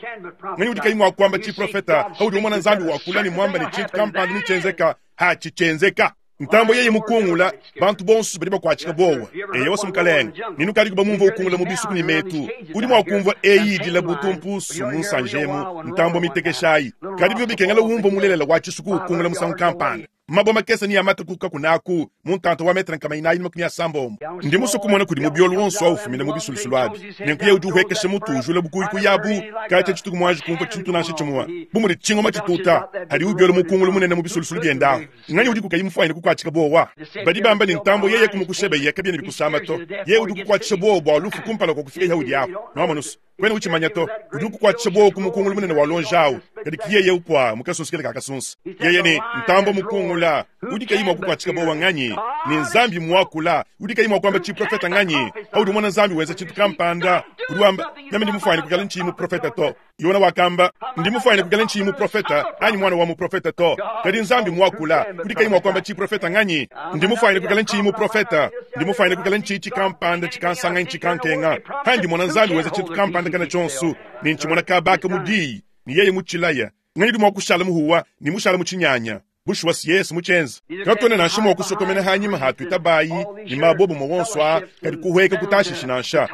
Nganyi udi kayi mua kuamba tshiprofeta? Paudi umona Nzambi wakula ne muamba ne tshintu kampanda netshienzeka, hatshi tshienzeka. Ntambue yeye mukungula, bantu bonso badi bakuatshika buowa. Eyowa, mukalenge, ne nukadiku bamumvua ukungula mu bisuku ne metu. Udi mua kumvua eyi idila bu tumpusu mu nsanje emu, ntambue mitekeshayi. Kadi bivua bikengela umvue mulelela wa tshisuku ukungula musangu kampanda. Mabue makese ne amate ku kakuna aku mu ntanta wa metre nkama inayi ne makumi asambombo. Ndi musue kumona kudi mubiolu wonso au ufumina mu bisulusulu abi. Nenku yeye udi uhuekesha mutu ujula bukuyikuyi abu, katshia tshituku muanji kumvua tshintu nansha tshimue bu mudi tshingoma tshituta hadi ubiola mukungulu munene mu bisulusulu biende ahu. Nganyi udi kukayi mufuanyine kukuatshika buowa? Badi bamba ne, Ntambue yeye kumukushebeya kabiena bikusama to. Yeye udi ukukuatshisha buowa bua lufu kumpala kua kufika haudi apu. Nuamonu's, kuena utshimanya to. Udi ukukuatshisha buowa ku mukungulu munene wa luonji awu, kadi ki yeye upua mu kasunsu kele ka kasunsa. Yeye ne, Ntambue mukungula. muakula, udi kayi mua kukuatshika bowa nganyi? Ne Nzambi muakula, udi kayi mua kuamba tshiprofeta nganyi? Paudi umona Nzambi wenza tshintu kampanda, udi wamba, Meme ndi mufuane kuikala ntshiyi muprofeta to. Yona wakamba, Ndi mufuane kuikala ntshiyi muprofeta anyi mwana wa muprofeta to. Kadi Nzambi muakula, udi kayi mua kuamba tshiprofeta nganyi? Ndi mufuane kuikala ntshiyi muprofeta, ndi mufuane kuikala ntshiyi tshikampanda tshikansanga anyi tshikankenga. Pandi mmona Nzambi wenza tshintu kampanda kana tshionso, ne ntshimona kabaka mu Diyi, ne yeye mutshilaya, nganyi udi mua kushala muhuwa ne mushala mu tshinyanya? Bushuwa si Yesu mutshienza. Katuena nansha mua kusokomena hanyima ha tuitabayi ne mabobumue wonso aa, kadi kuhueka ku Tashishi nansha.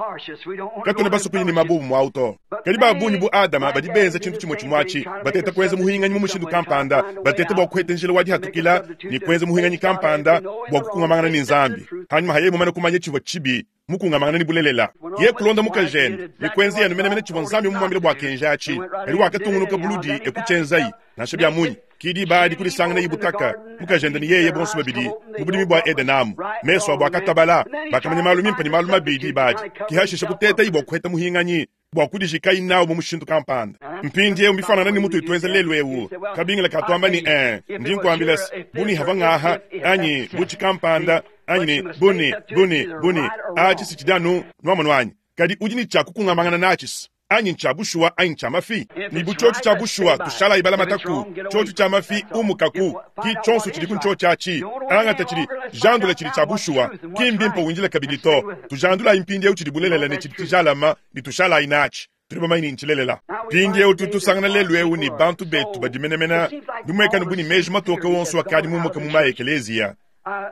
Katuena basue kuya ne mabobumue au to. Kadi ba bungi bu Adama badi benza tshintu tshimue tshimue atshi, bateta kuenza muhinganyi mu mushindu kampanda, bateta bua kuheta njila wa dihatukila ne kuenza muhinganyi kampanda bua kukungamangana ne Nzambi. Hanyima ha yeye mumane kumanya tshivua tshibi, mukungamangana ne bulelela, yeye kulonda mukajende ne kuenzaye anu menemene tshivua Nzambi mumuambile bua kenji atshi. Kadi wakatungunuka buludi e kutshienzayi nansha bia munyi. Ki diba adi kudisanganayi butaka, mukajende ne yeye bonso babidi, mu budimi bua Edene amu. Mesu abu akatabala, bakamanya malu mimpe ne malu mabi diba adi. Ki hashishe kutetayi bua kuheta muhinganyi bua kudijikayi nawu mu mushindu kampanda. Mpindieu mbifuanangane ne mutudi tuenza lelu eu. Kabingila ka tuamba ne, Ee, ndi nkuambila se, bu ne havua ngaha, anyi bu tshikampanda, anyi ne bu ne, bu ne, bu ne, atshi si tshidi anu, nuamonu anyi? Kadi udi ne tshia kukungamangana natshi se, anyi ntshia bushuwa anyi ntshia mafi. Ne bu tshiotshi tshia bushuwa, tushalayi balamataku. Tshiotshi tshia mafi, umukaku. Ki tshionso tshidiku ntshiotshi atshi. Angata tshidi, jandula tshidi tshia bushuwa. Ki mbimpe windile kabidi to. Tujandulayi mpindieu tshidi bulelela ne tshidi tshijalama, ne tushalayi natshi. Tudi bamanye ne ntshilelela. Mpindieu tudi tusangana lelu'eu ne bantu betu badi menemene bimuekane bu ne meji matoke wonso akadi mumuke mu ma-ekeleziya.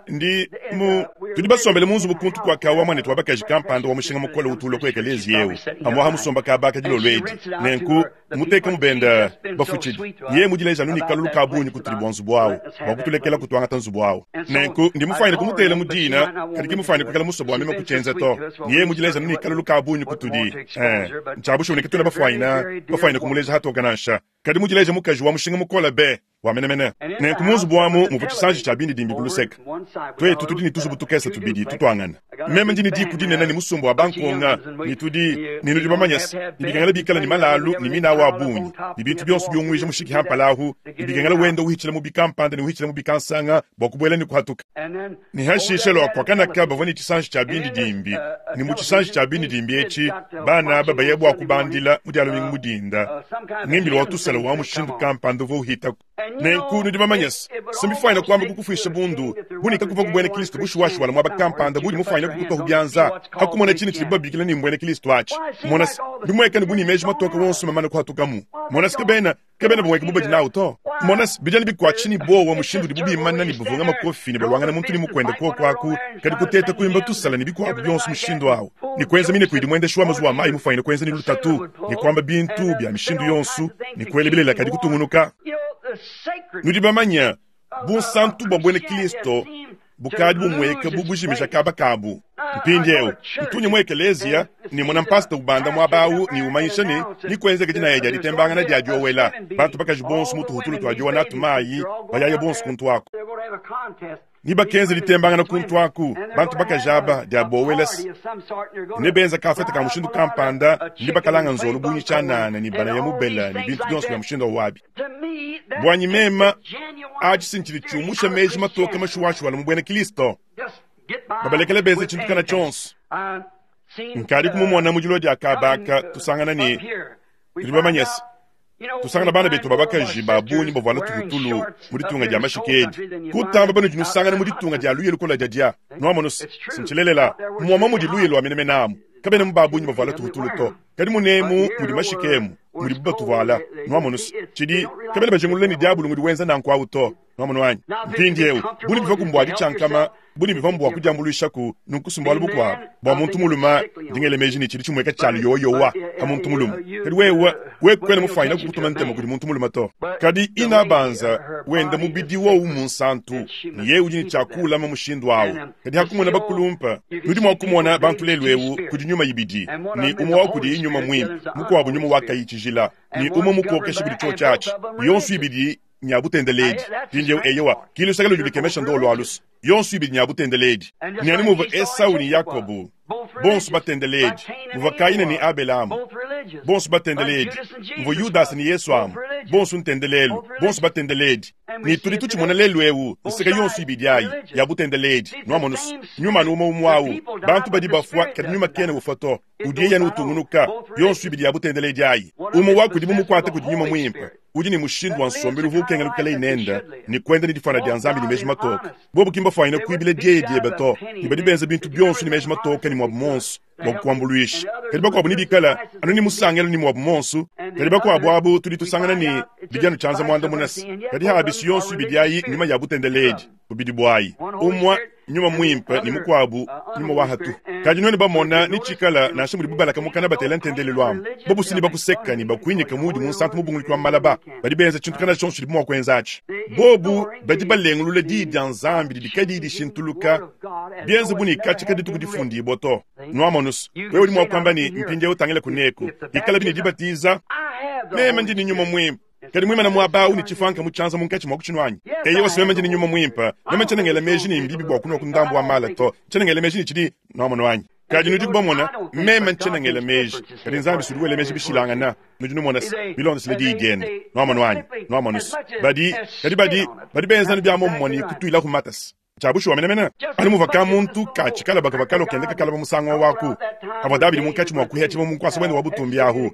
Ndi mu tudi basombele mu nzubu kuntu kua kawa muanetu wa bakaji kampanda wa mushinga mukole utu ulua ku ekeleziya eu pamuapa musomba kaba aka dilolo edi. Nenku mutekamu benda bafutshidi. Yeye mudileja anu ne kalulu ka bungi kutudi bua nzubu au bua kutulekela kutuangata nzubu au. Nenku ndi mufuanyine kumutela mu dina, kadi ki mufuanyine kuikala musue bua meme kutshienza to. Yeye mudileja anu ne kalulu ka bungi kutudi. Eh, ntshia bushuwa ne katuena bafuanyine bafuanyine kumuleja hatoke nansha. Kadi mudileja mukaji wa mushinga mukole be wa menemene. Nenku mu nzubu amu muvua tshisanji tshia bindidimbi ku luseke. Tuetu tudi ne tuzubu tukese tubidi tutuangane. Meme ndi ne diku dinene ne musumba wa bankonga, ne tudi ne nudi bamanye se, ne bikengela bikale ne malalu ne minawu a bungi, ne bintu bionso biunguija mushiki ha mpala ahu, ne bikengela wenda uhitshila mu bikampanda ne uhitshila mu bikansanga bua kubuela ne kuhatuka. Ne hashishe lua kuakanaka bavua ne tshisanji tshia bindidimbi, ne mu tshisanji tshia bindidimbi etshi bana aba baya bua kubandila mu dia lumingu mu dinda ngimbilu wa tusala wa mushindu kampanda uvua uhitaku. Nenku nudi bamanye se, si mbifuanyine kuamba kukufuisha bundu bu ne kakuvua ku buena Kristo bushuwashuwala muaba kampanda buudi mufuanyine kukutuahu bianza ha kumona tshine tshidibu babikila ne mbuena Kristo atshi. Mona se, bimueka ne bu ne meji matoke wonso mamane kuhatukamu. Mona se, kabena Kabena bumueka bu badi nawu to. Mona se, bidi anu bikuatshisha ne buowa mushindu udibu bimana ne bavunga makofi ne baluangana muntu ne mukuende kuoku aku, kadi kuteta kuimba tusala ne bikuabu bionso mushindu au, ne kuenza mineku idi muendeshi wa mazuwa a mayi mufuanyine kuenza ne lutatu, ne kuamba bintu bia mishindu yonso, ne kuela bilele kadi kutungunuka. Nudi bamanye, bunsantu bua buena Kristo bukadi bumueka bu bujimija kaba kabu. Mpindieu, ntunye mu ekeleziya ne mona mpasta ubanda muaba au ne umanyisha ne, nikuenzeke dinaya dia ditembangana dia diowela bantu bakaji bonso mu tuhutulu tua diowa natu mayi, bayaya bonso kuntu aku. Ne bakenza ditembangana kuntu aku, bantu bakaji aba dia bowela ne benza kafete ka mushindu kampanda ne bakalanga nzolo bungi tshianana ne banaya mubela ne bintu bionso bia mushindu wabi. Buanyi mema, atshi si ntshidi tshiumusha meji matoke mashuwashuwala mu buena Kristo. Babalekele benza tshintu kana tshionso. Nkadi kumumona mu dilua dia kabaka tusangana ne tudi bamanye se tusangana bana betu ba bakaji ba bungi bavuala tuhutulu mu ditunga dia mashika edi kutamba banudi nusangana mu ditunga dia luya lukola diadia nuamonu se sintshilelela muama mudi luya lua menemene amu kabena mu ba bungi bavuala tuhutulu to Kadi munemu mudi mashika emu mudibu batuvuala. Nwamonu se, cidi, kabena bajingulula ne dyabulu ngudi wenza nanku awu to. Nwamonu anyi? Mpindyewu, bu ne bivwa ku mbwa dicyankama, bu ne bivwa mbwa kudyambulwishaku, nunku si mbwalu bukwabo. Bwa muntu mulume, ndi ngela meeji ne cidi cimweka cya luyowayowa pa muntu mulume. Kadi wewe, wewe kwena mufwanyine kukutuma ntema kudi muntu mulume to. Kadi inabanza wenda mubidi wowu munsantu, ne yeye udi ne cya kuwulama mushindu awu. Kadi hakumona bakulumpa, nudi mua kumona bantu lelu eu kudi nyuma ibidi, ne umue wa kudiyi nyuma muimpe, mukuabu nyuma wa kayi tshijila, ne umue mukokesha kudi tshiotshi atshi, yonso ibidi nya butendeledi. Mpindieu, eyowa, ki luseke ludi lukemesha ndolo alusu, yonso ibidi nya butendeledi. Ne anu muvua Esau ne Yakobo. Bonso batendeledi, muvua Kayina ne Abele amu. Bonso batendeledi, muvua Yudasa ne Yesu amu. Bonso ntendelelu, bonso batendeledi. Ne tudi tutshimona lelu ewu, nseka yonso ibidi ayi, ya butendeledi. Nwamonu's, nyuma anu umwe umwe awu. Bantu badi bafwa, kadi nyuma kena ufwa to. Udi yeye anu utungunuka, yonso ibidi ya butendeledi ayi. Umwe wa kudibu mukwate kudi Nyuma Mwimpe, udi ne mushindu wa nsombelu uvua ukengela kuikalaye nende, ne kuenda ne difwana dia Nzambi ne meji matoke. Bobu ki mbafwanyine kuibila dieya diebe to, ne badi benza bintu bionso ne meji matoke ne muabu muonso bua kukuambuluisha. Kadi bakuabu nebikale anu ne musangelu ne muabu muonso. Kadi bakuabu abu tudi tusangana ne, bidi anu tshianza muandamuna se, kadi habi yonso ibidi ayi nyuma ya butendeledi, bubidi buayi. Umue nyuma muimpe ne mukuabu nyuma wa hatuhu. Kadi nuenu bamona ne tshikala nansha mudibu balaka mukana batela ntendelelu amu, bobu si ne bakuseka ne bakuinyika muudi munsantu mubunguluki wa malaba. Badi benza tshintu kana tshionso tshidibu mua kuenza atshi. Bobu badi balengulula diyi dia Nzambi didi kadiyi dishintuluka, bienze bu ne katshia kadituku difundibua to. Nuamonus, wewe udi mua kuamba ne, Mpindieu tangila kuneku, ikalabi ne dibatiza, meme ndi ne nyuma muimpe. Kadi muimana muaba awu ne tshifuanka mu tshianza munkatshi mua kutshinu anyi? Eyowa, si meme ndi ne nyuma muimpe. Meme tshiena ngela meji ne mbibi bua kunua ku ndambu wa mala to. Tshiena ngela meji ne tshidi nuamonu anyi? Kadi nudiku bamona, meme ntshiena ngela meji, kadi Nzambi si udi wela meji bishilangana. Nudi numona se, bilondeshile diyi diende. Nuamonu anyi? Nuamonu se, badi, kadi badi, badi benza anu bia muomumue ne kutuilaku matasa. Ntshia bushuwa menemene, anu muvua ka-muntu ka tshikalaba kavua kalua kenda kakalaba musangu au aku, pavua Davidi munkatshi mua kuihatshibua mu nkuasa wende wa butumbi ahu,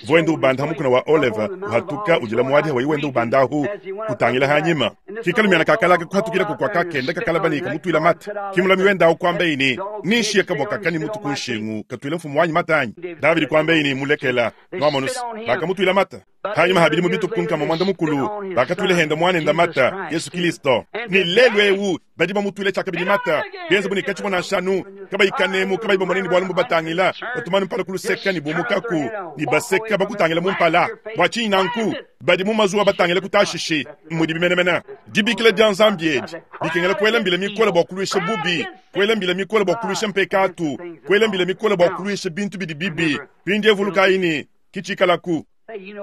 uvua wenda ubanda ha mukuna wa Oleve, uhatuka udila muadi hawayi wenda ubanda ahu, utangila hanyima. Ki kalumiana kakalaka kuhatukilaku kua kakenda kakalaba ne kamutuila mate. Ki mulami wende ahu kuambaye ne, Ninshiye kabua kaka ne mutu ku nshingu, katuile mfumu wanyi mate anyi? Davidi kuambaye ne, Mulekela. Nuamonus, bakamutuila mate. Hanyima ha bidimu bitue ku nkama muanda mukulu, bakatuila henda muanenda mata, Yesu Kilisto. Ne lelu eu badi bamutuila tshiakabidi mata, bienze bu ne katshivua nansha anu kabayi kanemu, kabayi bamone ne bualu mbubatangila, batumanu mpala ku luseka ne bumukaku ne baseka bakutangila mu mpala. Bua tshinyi nanku? Badi mu mazuwa batangila ku Tashishi. Mmudibi menemene dibikila dia Nzambi edi bikengela kuela mbila mikole bua kuluisha bubi, kuela mbila mikole bua kuluisha mpekatu, kuela mbila mikole bua kuluisha bintu bidi bibi. Mpindieu vulukayi ne, ki tshikalaku.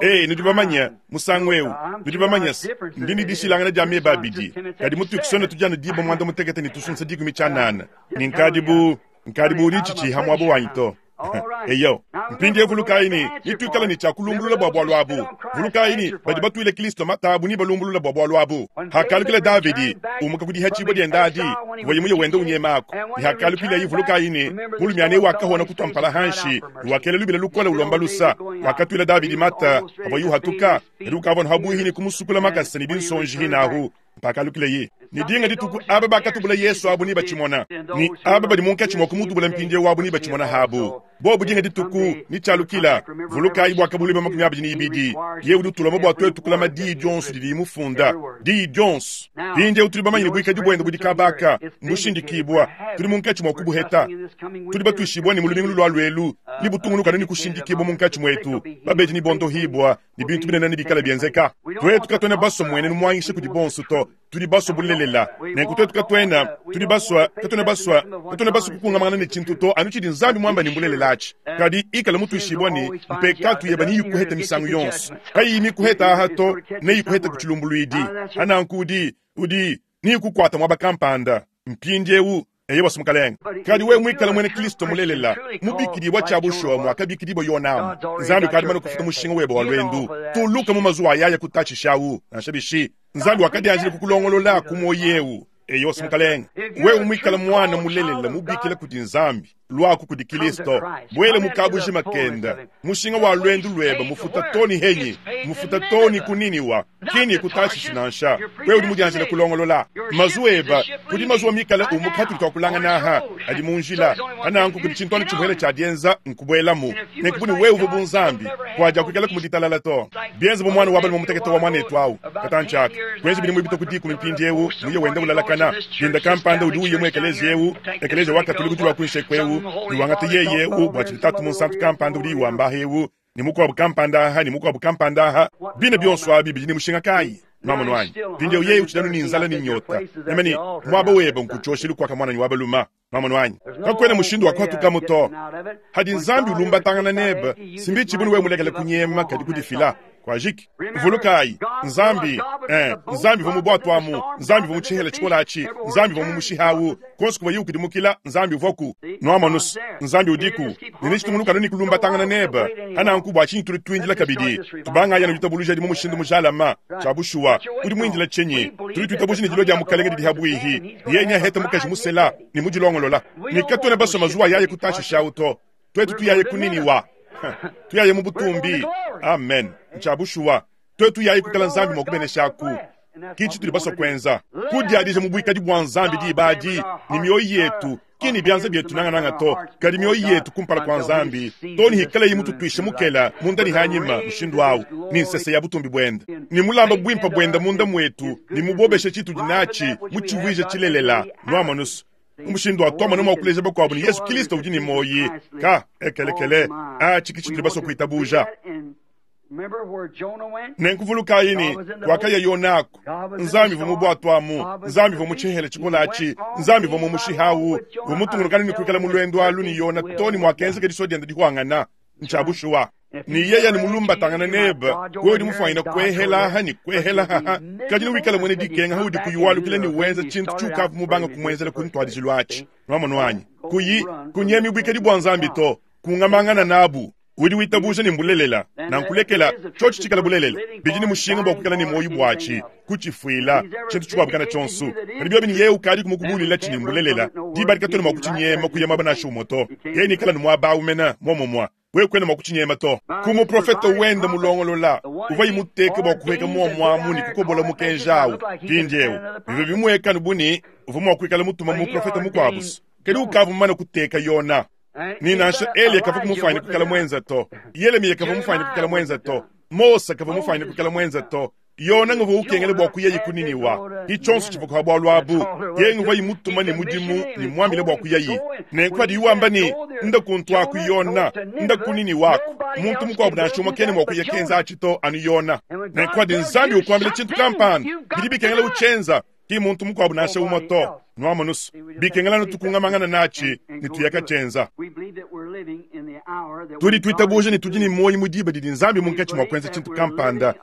Ee, nudi bamanye, musangu eu, nudi bamanye se, ndi ne dishilangana dia meba abidi, kadi mu Tucson tudi anu diba muanda mutekete ne tusunsa dikumi tshianana, ne nkadi bu, nkadi bu udi tshitshiha muaba wanyi to. Eyo. Mpindieu vulukayi ne, nituikala ne tshia kulumbulula bua bualu abu. Vulukayi ne, badi batuile Kristo mata abu ne balumbulula bua bualu abu. Hakalukila Davidi, umuka ku dihatshibua diende adi, kuvuaye muye wenda unyemaku, ne hakalukilaye, vulukayi ne, mulumiana eu wakahona kutua mpala hanshi, ne wakela lubila lukole ulomba lusa. Wakatuila Davidi mata pavuaye uhatuka, kadi ukavua anu habuihi ne kumusukula makasa ne binsonji hinahu. Pakalukileye ne dinga dituku, aba bakatubula Yesu abu nebatshimona, ne aba badi munkatshi mua kumutubula mpindieu abu nebatshimona habu bobu dinga dituku. Ne tshialukila, vulukayi Buakabuluibua 22, yeye udi utulomba bua tuetu kulama diyi dionso didiye mufunda, diyi dionso. Mpindieu tudi bamanye ne buikadi buende budi kaba aka mbushindikibua, tudi munkatshi mua kubuheta. Tudi batuishibua ne mu lumingu lulualua elu nebutungunuka anu ne kushindikibua munkatshi muetu, babedi nebondohibua, ne bintu binene nebikale bienzeka. Tuetu katuena basue mmuenenu muangisha kudi bonso to, tudi basue bulelela. Nenku tuetu katuena, tudi basue, katuena basue, katuena basue kukungamangana ne tshintu to, anu tshidi Nzambi muambe ne mbulelela atshi. Kadi ikala mutuishibue ne, mpekatu yebe neyikuhete misangu yonso. Kayiyi mikuhete aha to, neyikuhete ku tshilumbuluidi. Nanku udi, udi, neyikukuate muaba kampanda. Mpindieu, Eyowa, Mukalenge. Kadi wewe muikale muena Kristo mulelela, mubikidibua tshia bushuwa muakabikidibua Yona amu, Nzambi ukadi mane kufuta mushinga webe wa luendu. Tuluka mu mazuwa ayaya kutatshisha au, nansha bishi. Nzambi wakadianjila kukulongolola ku muoyo eu. Eyowa, Mukalenge. Wewe muikale muana mulelela mubikila kudi Nzambi, luaku kudi Kristo, buela mu kabujima kende. Mushinga wa luendu luebe mufuta to ne henyi, mufuta to ne ku Niniwa, ki ne ku Tashishi nansha. Wewe udi mudianjile kulongolola mazuwa ebe. Kudi mazuwa mikale umuka atudi tuakulangana aha, adi mu njila. Pananku kudi tshintu anu tshimuele tshia dienza, nkubuelamu. Nenku bu ne wewe uvua bu Nzambi, kuadiakuikalaku mu ditalala to. Bienze bu muana wa balume mutekete wa muanetu au, katantshi aka, kuenza bidimu bipite ku dikumi mpindieu, muye wenda ulalakana, dinda kampanda udi uya mu ekeleziya eu, ekeleziya wa Katolike udi lua kuinshi eku eu, ne wangata yeye eu bua tshidi Tatu Munsantu kampanda udi wamba aha eu, ne mukuabu kampanda aha, ne mukuabu kampanda aha. Bine bionso abi bidi ne mushinga kayi? Nwamonu anyi? Mpindieu yeye utshidi anu ne nzala ne nyota. Meme ne, Muaba webe nku tshioshelu kuaka muananyi wa balume. Nwamonu anyi? Kakuena mushindu wa kuhatukamu to. Hadi Nzambi ulumbatangana nebe, si mbitshibu ne wewe mulekele kunyema kadi kudifila. Kuajiki. Vulukayi, Nzambi, Ee, Nzambi uvua mu bwatu amu, Nzambi uvua mu tshihela tshikole atshi, Nzambi uvua mumushihe awu. Konso kuvuaye ukudimukila, Nzambi uvuaku. Nwamonu's, Nzambi udiku, ne netshitungunuka anu ne kulumbatangana nebe. Pa nanku bua tshinyi tudi tuindila kabidi? Tubangayi anu ditabuja adi mu mushindu mujalama. Tshia bushuwa, udi muindila tshinyi? Tudi tuitabuja ne dilua dia Mukalenge didi habuihi, ne yeye neahete mukaji musela ne mudilongolola. Ne katuena basue mazuwa yaye ku Tashishi awu to. Tuetu tuyaye ku Niniwa. Tuyaye mu butumbi. Amen. Ntshia bushuwa. Tuetu yayi kuikala Nzambi mua kubeneshaku. Ki tshitudi basue kuenza. Kudiadija mu buikadi bua Nzambi diba adi, ne mioyo yetu, ki ne bianza bietu nangananga to, kadi mioyo yetu kumpala kua Nzambi, too ne hikalaye mututuishe mukela munda ne hanyima mushindu awu, ne nsese ya butumbi buende, ne mulamba buimpe buende munda muetu, ne mubobeshe tshitudi natshi, mutshivuije tshilelela. Nuamonu's, mu mushindu wa tuamona mua kuleja bakuabu ne Yezu Kristo udi ne muoyi. Ka ekelekele, atshi ki tshitudi basue kuitabuja. Nenku vulukayi ne, kwakaya Yona aku, Nzambi uvua mu bwatu amu, Nzambi uvua mu tshihela tshikole atshi, Nzambi uvua mumushihe awu, uvua mutungunukane ne kuikala mu lwendu alu ne Yona too ne muakenzeka disua diende dihuangana. Ntshia bushuwa. Ne yeye ne mulumbatangana nebe, wewe udi mufwanyine kuehela aha ne kuehela haha, kadi newikale muena dikenga haudi kuyi walukila ne wenza tshintu tshiukavua mubange kumuenzela ku ntuadijilu atshi. Nwamonu anyi? Kuyi kunyemi buikadi bua Nzambi to, kungamangana nabu. Udi witabuja ne mbulelela, nanku lekela tshiotshi tshikala bulelela. Bidi ne mushinga bua kuikala ne muoyo buatshi, kutshifuila, tshintu tshikuabu kana tshionso. Kadi biobi ne yeye ukadiku mukubuulilatshi ne mbulelela, diba adi katuena mua kutshinyema kuya muaba nansha umue to. Yeye neikale anu muaba au mene, muomumue. Wewe kuena mua kutshinyema to. Ku muprofete wende mulongolola, uvuaye muteke bua kuhueka muomu amu ne kukobola mukenji au. Mpindieu, bivua bimueka anu bu ne, uvua mua kuikala mutuma muprofete mukuabu, kadi ukavua mumane kuteka Yona. Ne nansha Eliya kavua mufwanyine kuikala mwenza to. Yelemiya kavua mufwanyine kuikala mwenza to. Mose kavua mufwanyine kuikala mwenza to. Yona nguvua ukengela bua kuyaye ku Niniwa. Ki tshionso tshivua kuha bwalu abu. Yeye nguvua imutuma ne mudimu ne muambila bua kuyaye. Nenku padiye wamba ne, Nda kuntu aku, Yona, nda ku Niniwa aku, muntu mukuabu nansha umue kena mua kuya kenza atshi to, anu Yona. Nenku padi Nzambi ukuambila tshintu kampanda, bidi bikengela utshienza. Ki muntu mukuabu nansha umue to. Nwamonu's, bikengela anu tukungamangana natshi ne tuya katshienza. Tudi tuitabuja ne tudi ne muoyo mu diba didi Nzambi munkatshi mua kuenza tshintu kampanda.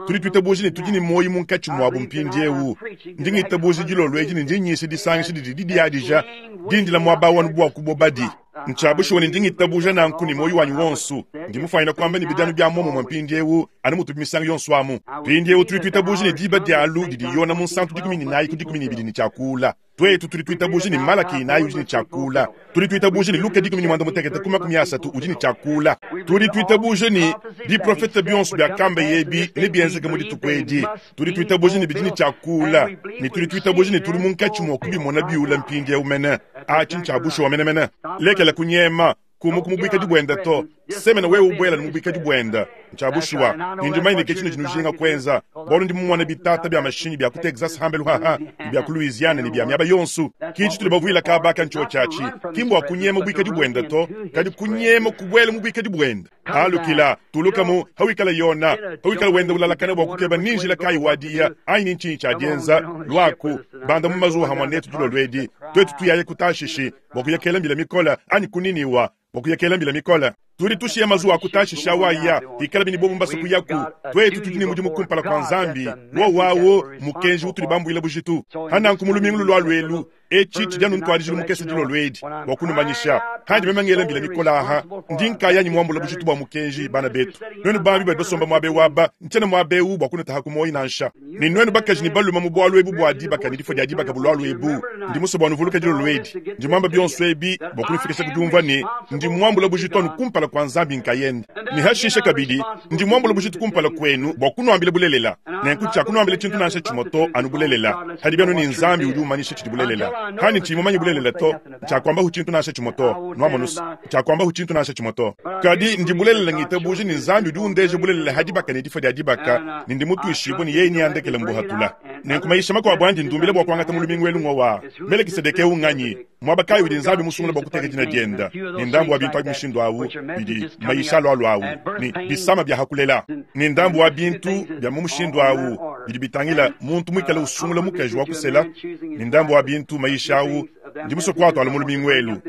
Tudi tuitabuja ne tudi ne muoyo munkatshi muabu mpindieu. Ndi ngitabuja dilolo edi ne ndi nyisha disangisha didi didiadija dindila muaba awu anu bua kubobadi. Ntshia bushuwa ne ndi ngitabuja nanku ne muoyo wanyi wonso. Ndi mufwanyine kuamba ne bidi anu bia muomumue mpindieu anu mutubi misangu yonso amu. Mpindieu tudi tuitabuja ne diba dialu didi Yona Munsantu 14 ku 12 ne tshia kuula. Tuetu tudi tuitabuja ne Malaki 4 udi ne tshia kuula. Tudi tuitabuja ne Luka 16 ku 30 udi ne tshia kuula. Tudi tuitabuja ne biprofete bionso biakambaye ebi nebienzeke mu dituku edi. Tudi tuitabuja ne bidi ne tshia kuula, ne tudi tuitabuja ne tudi munkatshi mua kubimona biula mpindieu mene. Atshi ntshia bushuwa menemene. Lekela kunyema, kumuka mu buikadi buende to. Semena wewe ubuela mu buikadi buende. Ntshia bushuwa. Ne ndi mumanye ne ke tshinudi nujinga kuenza, bualu ndi mumone bitata bia mashinyi bia ku Texas hambelu haha, ne bia ku Louisiana, ne bia miaba yonso. Ki tshitudi bavuila kaba aka ntshiotshi atshi, ki mbua kunyema buikadi buende to, kadi kunyema kubuela mu buikadi buende. Alukila, tuluka mu, hawikala Yona, hawikala wenda ulalakana bua kukeba ni njila kayi wa diya anyi ni ntshinyi tshia dienza, luaku, banda mu mazuwa hamua netu dilolo edi, tuetu tuyaye ku Tashishi bua kuya kela mbila mikole, anyi ku Niniwa bua kuya kela mbila mikole. Tudi tushiya mazuwa a ku Tashishi awu aya, ikalabi ne bobu mbasue kuyaku. Tuetu tudi ne mudimu kumpala kua Nzambi, wowu awu mmukenji utudi bambuila bujitu. Pa nanku mu lumingu lulualua elu, Etshi tshidi anu ntuadijilu mukese dilolo edi bua kunumanyisha. Handi meme ngela mbila mikole aha, ndi nkayanyi muambula bujitu bua mukenji. Bana betu, nuenu bambi badi basomba muaba eu aba, ntshiena muaba eu bua kunutaha ku muoyo nansha. Ne nuenu bakaji ne balume mu bualu ebu bua dibaka ne difua dia dibaka bulualua ebu, ndi musue bua nuvuluke dilolo edi. Ndi muamba bionso ebi bua kunufikisha ku diumvua ne, ndi muambula bujitu anu kumpala kua Nzambi nkayende. Ne hashishe kabidi, ndi muambula bujitu kumpala kuenu bua kunuambila bulelela. Nenku tshiakunuambila tshintu nansha tshimue to, anu bulelela. Hadibi anu ne Nzambi udi umanyisha tshidi bulelela. Hanyi tshiyi mumanye bulelela to, tshiakuambahu tshintu nansha tshimue to. Nuamonu's, tshiakuambahu tshintu nansha tshimue to. Kadi ndi bulelela ngitabuja ne Nzambi udi undeja bulelela ha dibaka ne difua dia dibaka, ne ndi mutuishibue ne yeye neandekele mbuhatula. Nenku mayisha makuabu andi ndumbila bua kuangata mu lumingu elu ngowa, Melekisedeke eu nganyi? Muaba kayi udi Nzambi musungula bua kuteka dina dienda? Ne ndambu wa bintu abi mushindu awu bidi mayisha alualua awu, ne bisama bia hakulela, ne ndambu wa bintu bia mu mushindu awu bidi bitangila muntu muikale usungula mukaji wa kusela, ne ndambu wa bintu mayisha awu ndi musue kuatuala mu lumingu elu.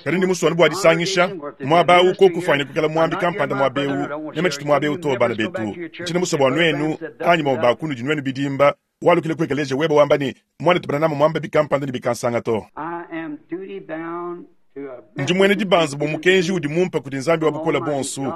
Kadi ndi musue anu bua disangisha muaba awu koku ufwanyine kwikala mwambi kampanda mwaba ewu, meme tshitu mwaba ewu to, bana betu. Ntshiena musue bua nwenu, anyi bamue baa kunudi nwenu bidimba, walukile ku ekeleeziya webe wamba ne, Mwanetu Branham mwamba bikampanda ne bikansanga to. Ndi mwena dibanza bua mukenji udi mumpa kudi Nzambi wa Bukole buonso.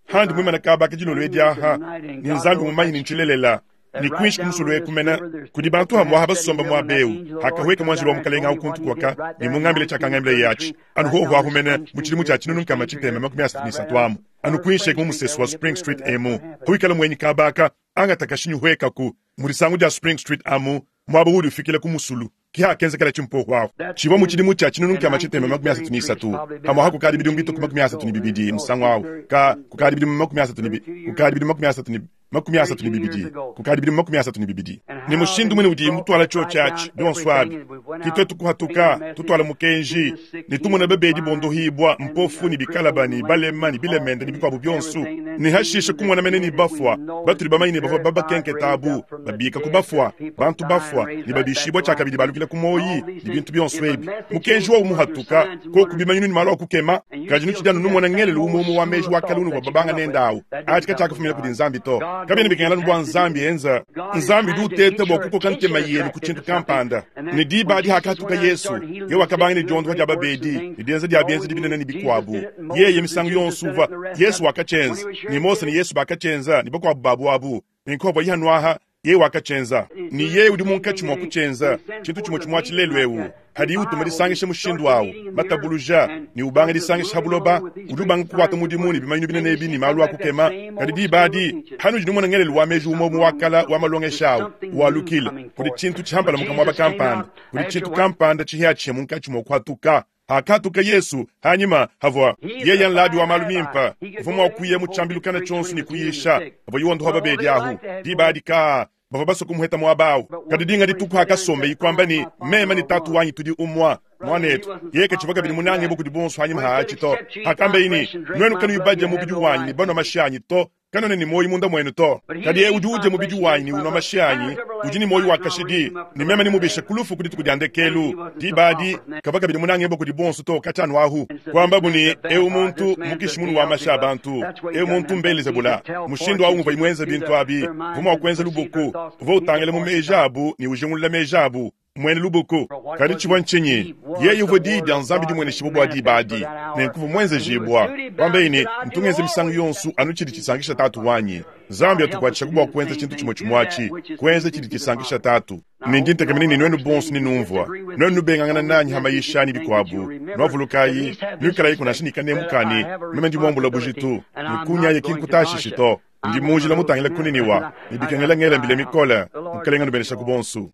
Handi mwimana kaaba aka dilolo edi aha, ne Nzambi mumanye ne ntshilelela, ne kuinshi ku musulu eku mena, kudi bantu hamwaha basomba muaba eu, hakahueka muanjelo wa Mukelenge au kuntu kuaka, ne mungambile tshiakangambileye atshi, anu hoho ahu mene mu tshidimu tshia 1633 amu, anu kuinshi eku mu musesu wa Spring Street emu, hawikala muenyi kaaba aka, angata kashinyi huekaku mu disangu dia Spring Street amu, muaba udi ufikila ku musulu. Ke hakenzekela tshimpohu ahu. Tshivua mu tshidimu tshia 1633, hamwaha kukadi bidimu bitue ku 32 musangu ahu, ka, kukadi bidimu makumi asatu ne bi, kukadi bidimu 32 32, kukadi bidimu 32. Ne mushindu muine udiyi mutuala tshiotshi atshi, bionso abi, ke tuetu kuhatuka, tutuala mukenji, ne tumona babedi bondohibua, mpofu, ne bikalaba, ne balema, ne bilemende, ne bikuabu bionso, ne hashishe kumona mene ne bafua, batudi bamanye ne bavua babakenketa abu, babika ku bafua, bantu bafua, ne babishibua tshiakabidi balukila ku muoyi, ne bintu bionso ebi. Mukenji wowu muhatuka, koku bimanyinu ne malu a kukema, kadi nutshidi anu numona ngelelu umue umue wa meji wa kale unuvua babanga nende awu. Atshi katshiakafumina kudi Nzambi to. Kabiena bikengela anu bua Nzambi enza. Nzambi udi uteta bua kukoka ntema yenu ku tshintu kampanda. Ne diba adi hakahatuka Yesu, yeye wakabanga ne diondoha dia babedi ne dienza dia bienzedi binene ne bikuabu. Yeye misangu yonso uvua, Yesu wakatshienza, ne Mose ne Yesu bakatshienza, ne bakuabu babu abu. Nenku havua Yehonuaha, yeye wakatshienza, ne yeye udi munkatshi mua kutshienza, tshintu tshimue tshimue atshi lelu eu. Hadiye utuma disangisha mushindu au, matabuluja, ne ubanga disangisha ha buloba, udi ubanga kukuata mudimu ne bimanyinu binene ebi ne malu a kukema. Kadi diba adi, hanudi numona ngelelu wa meji umue umue wa kala wa malongesha au walukila, kudi tshintu tshihampalamuka muaba kampanda, kudi tshintu kampanda tshihiatshihia munkatshi mua kuhatuka. Hakatuka Yesu hanyima, havua yeye nlabi wa malu mimpe, uvua mua kuya mu tshiambilu kana tshionso ne kuyisha, havua yondoha babedi ahu. Diba adi ka bavua basue kumuheta muaba au. Kadi dinga dituku hakasombeyi kuamba ne, Meme ne Tatu wanyi tudi umue, muanetu, yeye katshivua kabidi munangebue kudi bonso hanyima ha atshi to. Hakambeyi ne, Nuenu kanuyi badia mubidi wanyi ne banua mashi anyi to, Kanuena ne muoyo munda muenu to, kadi eu udi udia mubidi wanyi ne unua mashi anyi udi ne muoyo wa kashidi, ne meme nemubishe ku lufu ku dituku dia ndekelu. Diba adi kavua kabidi munangibue kudi bonso to katshia anu ahu. Kuambabu ne, Eu muntu mmukishi munu wa mashi a bantu, eu muntu m'Belezebula. Mushindu au nguvuaye muenze bintu abi, uvua mua kuenza lubuku, uvua utangila mu meji abu ne ujingulula meji abu. Muena lubuku. Kadi tshivua ntshinyi? Yeye uvua Diyi dia Nzambi dimueneshibua bua diba adi, nenku uvua muenzejibua. Kuambaye ne, Ntu ngenza misangu yonso anu tshidi tshisankisha Tatu wanyi. Nzambi atukuatshishaku bua kuenza tshintu tshimue tshimue atshi, kuenza tshidi tshisankisha Tatu. Ne ndi ntekemena ne nuenu bonso nenumvua. Nuenu nubengangana nanyi ha mayisha ne bikuabu, nuavulukayi, nuikalayiku nansha ne kanemu ka ne, meme ndi muambula bujitu, ne kunyaye ki nkutashishi to. Ndi mu njila mutangile ku Niniwa, ne bikengela ngela mbila mikole. Mukelenge anubeneshaku bonsu.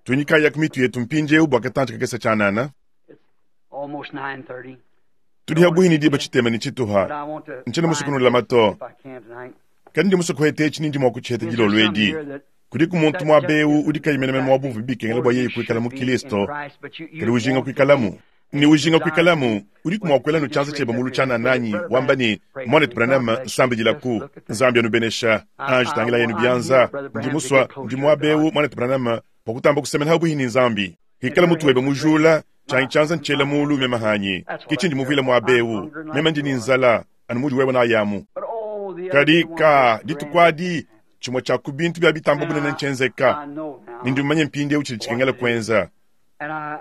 Tuinyikayaku mitu yetu mpindieu bua katantshi kakese tshianana. Tudi habuhi ne diba tshitema ne tshituha. Ntshiena musue kunulama to, kadi ndi musue kuheta etshi ne ndi mua kutshiheta dilolo edi. Kudiku muntu muaba eu udi kayi menemene mua bumvue bikengela bua yeye kuikala mu Kilisto, kadi ujinga kuikalamu. Ne ujinga kuikalamu, udiku mua kuela nu tshianza tshiebe mulu tshianana anyi, wamba ne, Muanetu Branham, nsambidilaku. Nzambi anubenesha. Anji tangilayi anu bianza. Ndi musua, ndi muaba eu, Muanetu Branham, bua kutamba kusemena habuihi ne Nzambi. Hikala mutu webe mujula, tshianyi tshianza ntshiela mulu meme hanyi. Ke tshindi muvuile muaba eu. Meme ndi ne nzala, anu mudi wewe nayi amu. Kadi, ka, dituku adi, tshimue tshia ku bintu bia bitamba bunene ntshienzeka, ne ndi mumanye mpindieu tshidi tshikengela kuenza.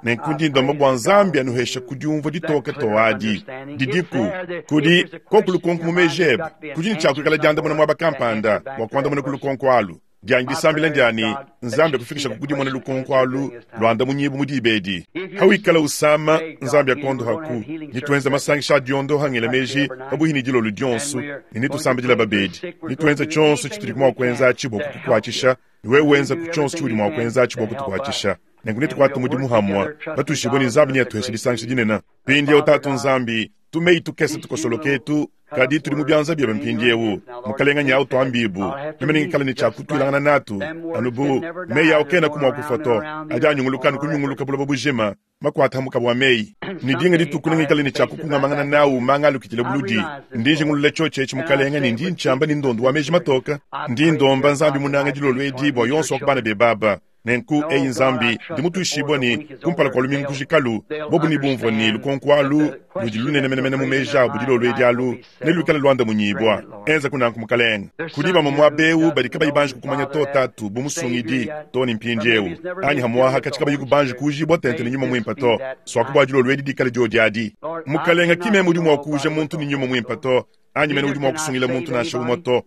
Nenku ndi ndomba bua Nzambi anuheshe ku diumvua ditoke too adi didiku kudi koku lukonko mu meji ebe. Kudi ne tshia kuikala diandamuna muaba kampanda bua kuandamuna ku lukonko alu. Dianyi disambila ndia ne, Nzambi akufikisha ku dimona lukonko alu luandamunyibu mu diba edi. Hawikala usama, Nzambi akondohaku. Nituenza masangisha a diondoha ngela meji pabuihi ne dilolo dionso, ne netusambidila babedi. Nituenza tshionso tshitudi mua kuenza atshi bua kukukuatshisha, ne wewe wenzaku tshionso tshiudi mua kuenza atshi bua kutukuatshisha. Nenku netukuate mudimu hamue, batuishibue ne Nzambi neatuheshe disangisha dinene. Mpindieu, Tatu Nzambi, tumeyi tukese tukosoloke etu, kadi tudi mu bianza biebe mpindieu. Mukelenge nyau tuambibu, meme nengikale ne tshia kutuilangana natu, anu bu meyi au kenaku mua kufua to, adi anyunguluka anu kunyunguluka buloba bujima, makuata ha mukaba wa meyi. Ne dinga dituku nengikale ne tshia kukungamangana nau manga alukitile buludi. Ndi njingulula tshiotshi etshi, Mukelenge, ne ndi ntshiamba ne ndondo wa meji matoke. Ndi ndomba, Nzambi munanga, dilolo edi bua yonso wa ku bana bebe aba. Nenku, eyi Nzambi, ndi mutuishibue ne, kumpala kua lumingu kujikalu, bobu nebumvue ne, lukonko alu ludi lunene menemene mu meji abu dilolo edi alu neluikale luandamunyibua. Enzaku nanku, Mukalenge. Kudi bamue muaba eu badi kabayi banji kukumanya to, Tatu, bu Musungidi, too ne mpindieu, anyi hamuaha katshi kabayiku banji kuujibua tente ne Nyuma Muimpe to. Suaku bua dilolo edi dikale diodi adi. Mukalenge, ki meme udi mua kuuja muntu ne Nyuma Muimpe to, anyi mene udi mua kusungila muntu nansha umue to.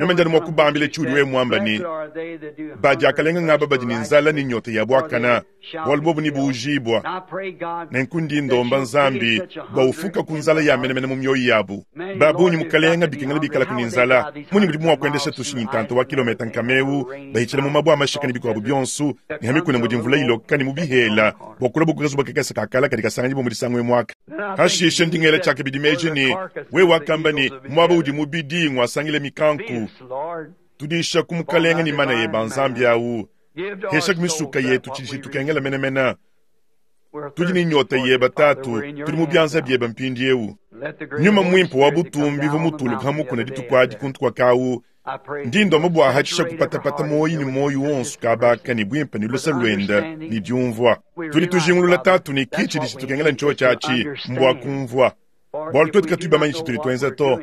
Meme ndi anu mua kubambila tshiudi wewe muamba ne, Ba diakalenga ngaba badi ne nzala ne nyota ya buakana, bualu bobu nebuujibua. Nenku ndi ndomba Nzambi bua ufukaku nzala ya menemene mu mioyo yabu. Ba bungi, Mukalenga, bikengela bikalaku ne nzala. Munyi mudibu mua kuendesha tushinyi ntanta wa kilometa nkama eu, bahitshila mu mabue a mashika ne bikuabu bionso, ne ha mikuna mudi mvula iloka ne mu bihela, bua kulua bu kazuba kakese ka kala kadi kasanganyibua mu disangu emu aka? Hashishe ndi ngela tshiakabidi meji ne, Wewe wakamba ne, Muaba udi mubidi nguasangile mikanku. Tudishaku, Mukalenge, ne mana ebe a Nzambi au. Heshaku misuka yetu tshidi tshitukengela menemene. Tudi ne nyota yebe, Tatu, tudi mu bianza biebe mpindieu. Nyuma Muimpe wa butumbi uvua mutuluke ha mukuna dituku adi kuntu kua kawu. Ndi ndomba bua hatshisha kupatapata muoyo ne muoyo wonso kabaka ne buimpe ne luse luende ne diumvua. Tudi tujingulula, Tatu, ne ki tshidi tshitukengela ntshiotshi atshi, mbua kumvua. Bualu tuetu katuyi bamanye tshitudi tuenza to,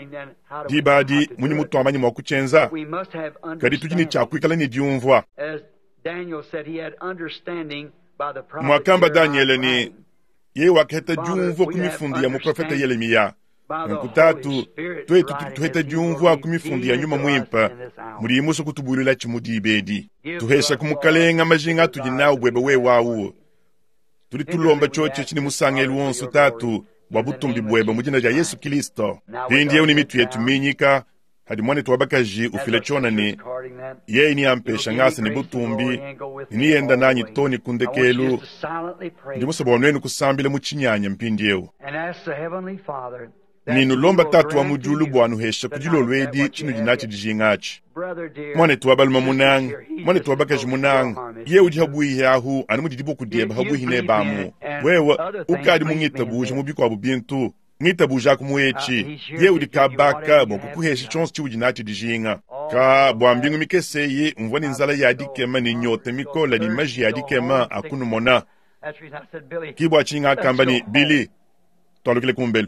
diba adi munyi mutuamanya mua kutshienza? Kadi tudi ne tshia kuikala ne diumvua. Muakamba Danyele ne, yeye wakaheta diumvua ku mifundu ya muprofete Yelemiya. Nunku Tatu, tuetu tudi tuheta diumvua ku mifundu ya Nyuma Muimpe mudiyi musue kutubuluilatshi mu diba edi. Tuheshaku, Mukalenga, majinga atudi nawu buebe wewe awu. Tudi tulomba tshiotshi etshi ne musangelu wonso, Tatu, bua butumbi buebe mu dina dia Yesu Kilisto. Mpindieu ne mitu yetu minyika, hadi muanetu wa bakaji ufila tshiona ne, yeye neampesha ngasa ne butumbi ne neyenda nanyi too ne ku ndekelu, ndi musue bua nuenu kusambila mu tshinyanya mpindieu. Ne nulomba Tatu wa mu diulu bua anuheshe ku dilolo edi tshinudi natshi dijinga atshi. Muanetu wa balume munanga, muanetu wa bakaji munanga, yeye udi habuihi ahu anu mudi diboko diebe habuihi nebe amu. Wewe ukadi mungitabuja mu bikuabu bintu, ngitabujaku mu etshi. Yeye udi kabaka bua kukuhesha tshionso tshiudi natshi dijinga. Ka bua mbingu mikese eyi mvua ne nzala ya dikema ne nyota mikole ne maji a dikema a kunumona. Ki bua tshinyi ngakamba ne, Billy, tualukile kumbelu.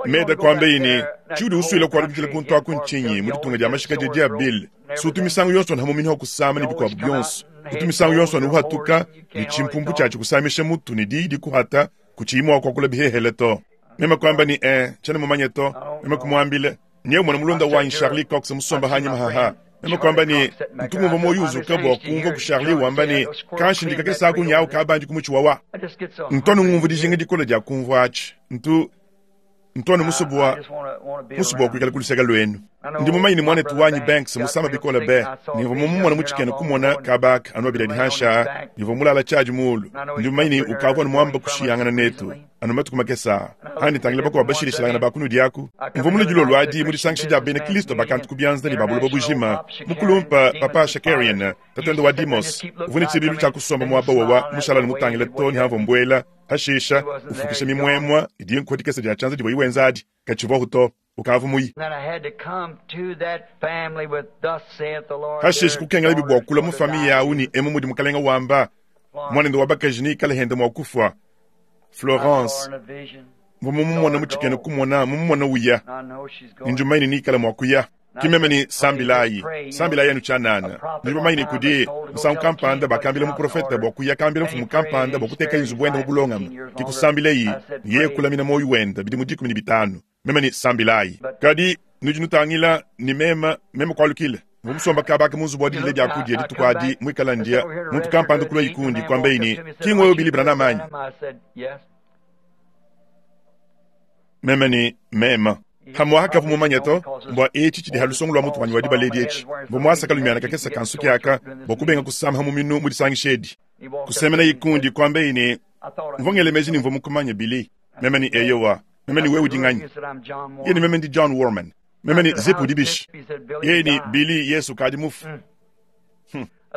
Meda kuambeyi ne, tshiudi usuila kualukila kuntu aku ntshinyi mu ditunga dia mashika dia Bill? Si utu misangu yonso anu hamumini wa kusama ne bikuabu bionso. Utu misangu yonso anu uhatuka ne tshimpumpu tshiatshi kusamisha mutu ne diyi dikuhata kutshiyi mua kuakula bihehele to. Meme kuamba ne, Eh, tshiena mumanye to. Meme kumuambila, Nye umona mulunda wanyi Charlie Cox musomba hanyima haha. Meme kuamba ne, Ntu ngumvua muoyo uzuka bua kumvua ku Charlie wamba ne, Kanshindika kakese aku nyawu kabandi ku mutshi wawa. Ntu anu ngumvua dijinga dikole dia kumvua atshi. Ntu, ntu anu musue bua, musue bua kuikala ku luseke luenu. Ndi mumanye ne muanetu wanyi Banks musama bikole be, ne mvua mumumone mu tshikena kumona kaba aka anu abidi adi hanshi aa, ne mvua mulala tshiadi muulu. Ndi mumanye ne ukavua anu muamba kushiyangana netu anu matuku makese aa. Andi ntangila bakuabu bashilashilangana ba kunudi aku. Mvua mulue dilolo adi mu disangisha dia bena Kristo ba kantu ku bianza ne ba buloba bujima. Mukulumpe Papa Shakarian, tatuende wa Demos, uvua ne tshibidilu tshia kusomba muaba wawa mushala anu mutangile too ne hamvua mbuela, pashisha ufukisha mimuemua idi nkuha dikese dia tshianza divuaye wenza adi. Katshivuahu to, ukavua muye. Pashishe kukengelabi bua kulua mu famiye au ne emu mudi Mukalenge wamba, muanende wa bakaji neikale hende mua kufua. Florence, mvua mumumona mu tshikena kumona, mumumona uya, ne ndi mumanye ne neikale mua kuya. Ki meme ne, Sambilayi, sambilayi anu tshianana. Nudi bamanye ne kudi, musangu kampanda bakambila muprofete bua kuya kambila mfumu kampanda bua kutekaye nzubu wende mu bulongame. Ke kusambilayi, ne yeye kulamina muoyo wende bidimu 15. Meme ne, Sambilayi. Kadi nudi nutangila ne meme, meme kualukila. Mvua musomba kaba aka mu nzubu wa didila biakudia dituku adi, muikala ndia, muntu kampanda kuluaye kundi, kuambaye ne, Ki ngwewe Billy Branham anyi? Meme ne, Meme. Hamuaha kavua mumanye to, mbua etshi tshidi ha lusongo lua mutu wanyi wa dibala edi etshi. Mvua muasa kalumiana kakese ka nsuki aka bua kubenga kusama ha muminu mu disangisha edi. Kusemenaye kundi, kuambaye ne, Mvua ngela meji ne mvua mukumanye, Billy. Meme ne, Eyowa. Meme ne, Wewe udi nganyi? Yeye ne, Meme ndi John Warman. Meme ne, Zip udi bishi? Yeye ne, Billy, Yesu ukadi mufue.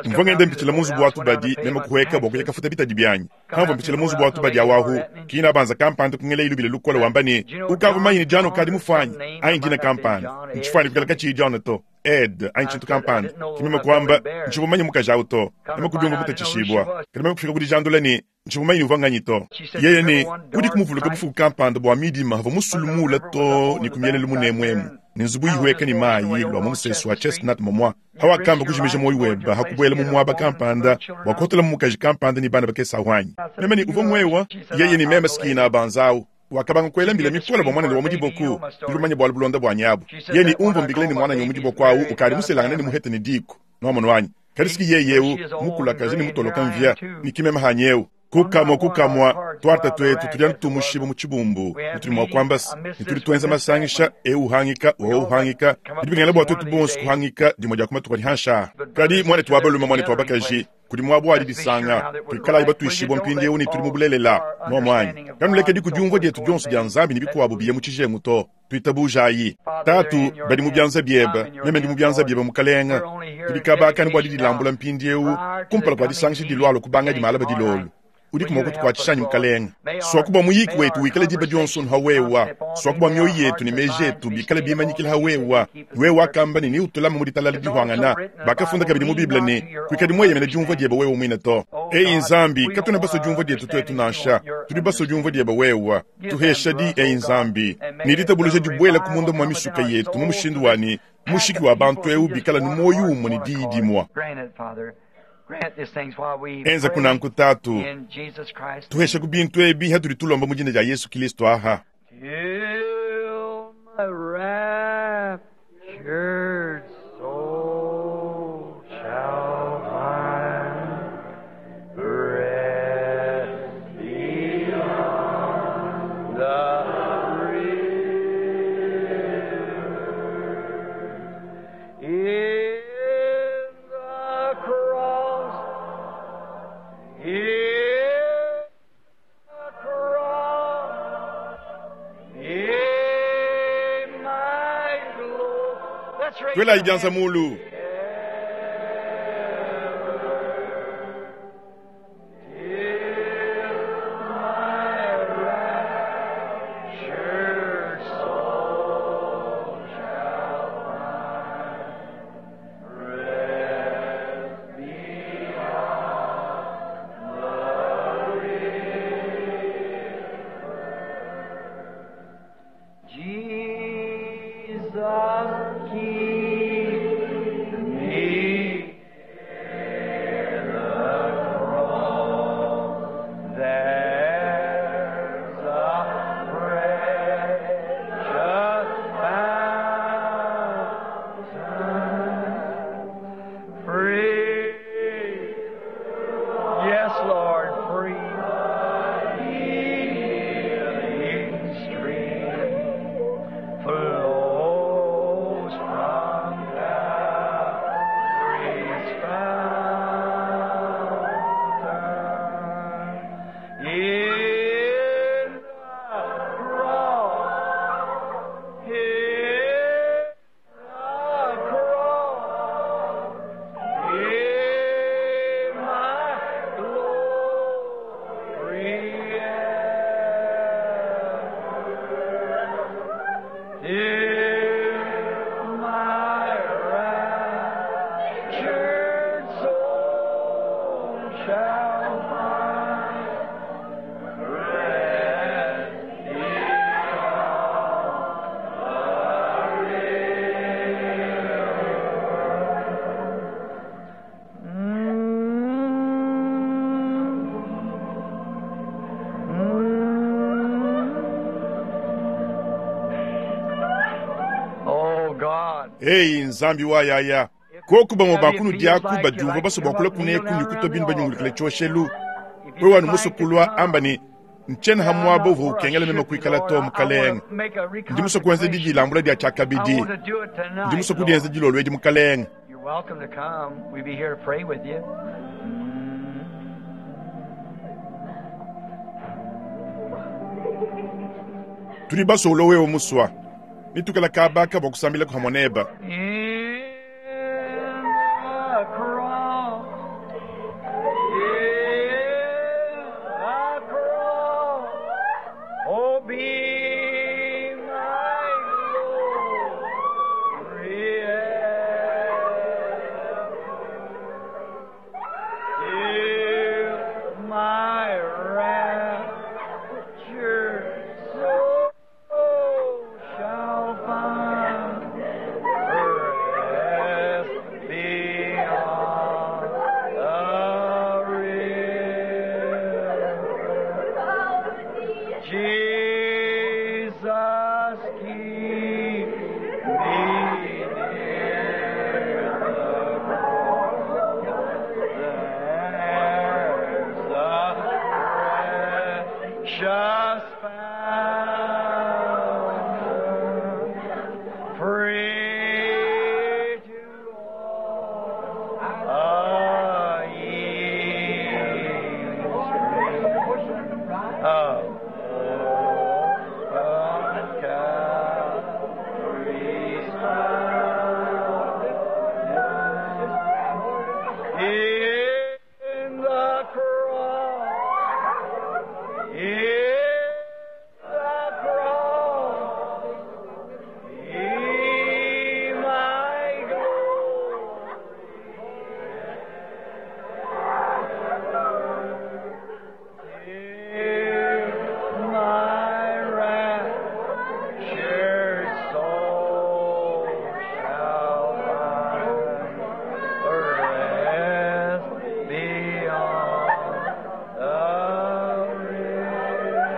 Mvua ngenda mpitshila mu nzubu wa tubadi, meme kuhueka bua kuya kafuta bitadi bianyi. Pamvua mpitshila mu nzubu wa tubadi awu ahu, kina banza kampanda kungela lubila lukole wamba ne, Ukavua mumanye ne John ukadi mufue anyi? Anyi dina kampanda. Ntshifuane kuikala katshiyi John to. Ed anyi tshintu kampanda. Ke meme kuamba, Ntshivua mumanye mukaji awu to. Meme kudiumvua mutatshishibua. Kadi meme kufika ku dijandula ne, Ntshivua mumanye ne uvua nganyi to. Yeye ne, Udiku muvuluke bufuku kampanda bua midima pavua musulu muule too ne ku mielelu munemu emu, ne nzubu ihueka ne mayi lua mu musesu wa Chestnut momua, hawakamba kujimija muoyo webe ha kubuela mu muaba kampanda bua kuhotelamu mukaji kampanda ne bana bakese ahu anyi? Meme ne, Uvua nguewa? Yeye ne, Meme s'ki banza awu. Wakabanga kuela mbila mikole bua muanende wa mu diboko. Nudi bamanye bualu bulonda buanyi abu. Yeye ne, Umvua mbikila ne muananyi wa mu diboko awu ukadi muselangane ne muhete ne diku. Nwamonu anyi? Kadi s'ki yeye ewu mukulakaje ne mutoloka mvia, ne ki meme hanyi ewu. Ku kamua ku kamua, tuarte tuetu tudi anu tumushibua mu tshibumbu, ne tudi mua kuamba se, ne tudi tuenza masangisha, eu uhangika, wowo uhangika. Bidi bikengela bua tuetu bonso kuhangika dimue dia ku matuku adi hanshi aa. Kadi, muanetu wa balume, muanetu wa bakaji, kudi muaba wa didisanga. Tuikalayi batuishibua mpindieu ne tudi mu bulelela. Muomu anyi? Kanulekedi ku diumvua dietu dionso dia Nzambi ne bikuabu biye mu tshijengu to. Tuitabujayi. Tatu, badi mu bianza biebe. Meme ndi mu bianza biebe, Mukalenge. Tudi kabakane bua didilambula mpindieu kumpala kua disangisha dilualua kubangadi malaba dilolo. Udiku mua kutukuatshisha anyi, Mukalenge? Suaku bua muyiki wetu wikale diba dionso anu ha wewa. Suaku bua mioyo yetu ne meji etu bikale bimanyikila ha wewa. Wewe wakamba ne, neutulame mu ditalala dihuangana. Bakafunda kabidi mu Bible ne, Kuikadi mueyemena diumvua diebe wewe muine to. Eyi Nzambi, katuena basue diumvua dietu tuetu nansha. Tudi basue diumvua diebe wewe. Tuhesha di, eyi Nzambi, ne ditabuluja dibuela ku munda mua misuka yetu mu mushindu wa ne, mushiki wa bantu eu bikala ne muoyo umue ne diyi dimue. Enza kunanku, Tatu. Tuhesha ku bintu ebi hatudi tulomba mu dina dia Yesu Kilisto aha. Till my raptured soul shall find rest beyond the river. In the cross, in the cross, in my glory. Let's raise Tuelayi our bianza hands. mulu. Raptured soul shall find rest beyond the river. Jesus, keep me in the cross. There's a precious fountain, free. Yes, Lord, free. Healing stream flows from Calvary's fountain. In the cross, in the cross, in my glory ever. In my raptured soul shall find rest beyond the river. Oh God. Eyi Nzambi wa yaya. Koku bamue ba kunudi aku badiumvua basue bua kulua kuneku ne kutua binu banyungulukile tshioshelu. Wewe anu musue kulua amba ne, Ntshiena ha muaba uvua ukengela meme kuikala to, Mukalenge. Ndi musue kuenza didilambula dia tshiakabidi. Ndi musue kudienza dilolo edi, Mukalenge. You're welcome to come. We'll be here to pray with you. Tudi basue ulua wewe musua. Netuikala kabaka bua kusambilaku hamue neba. In the cross, in the cross, oh, be my glory ever. Jesus, keep me near the cross. There's a precious fountain, free to all a ye of open Calvary's fountain. In the cross, in the cross, be my glory. Till my raptured soul shall find rest beyond the river.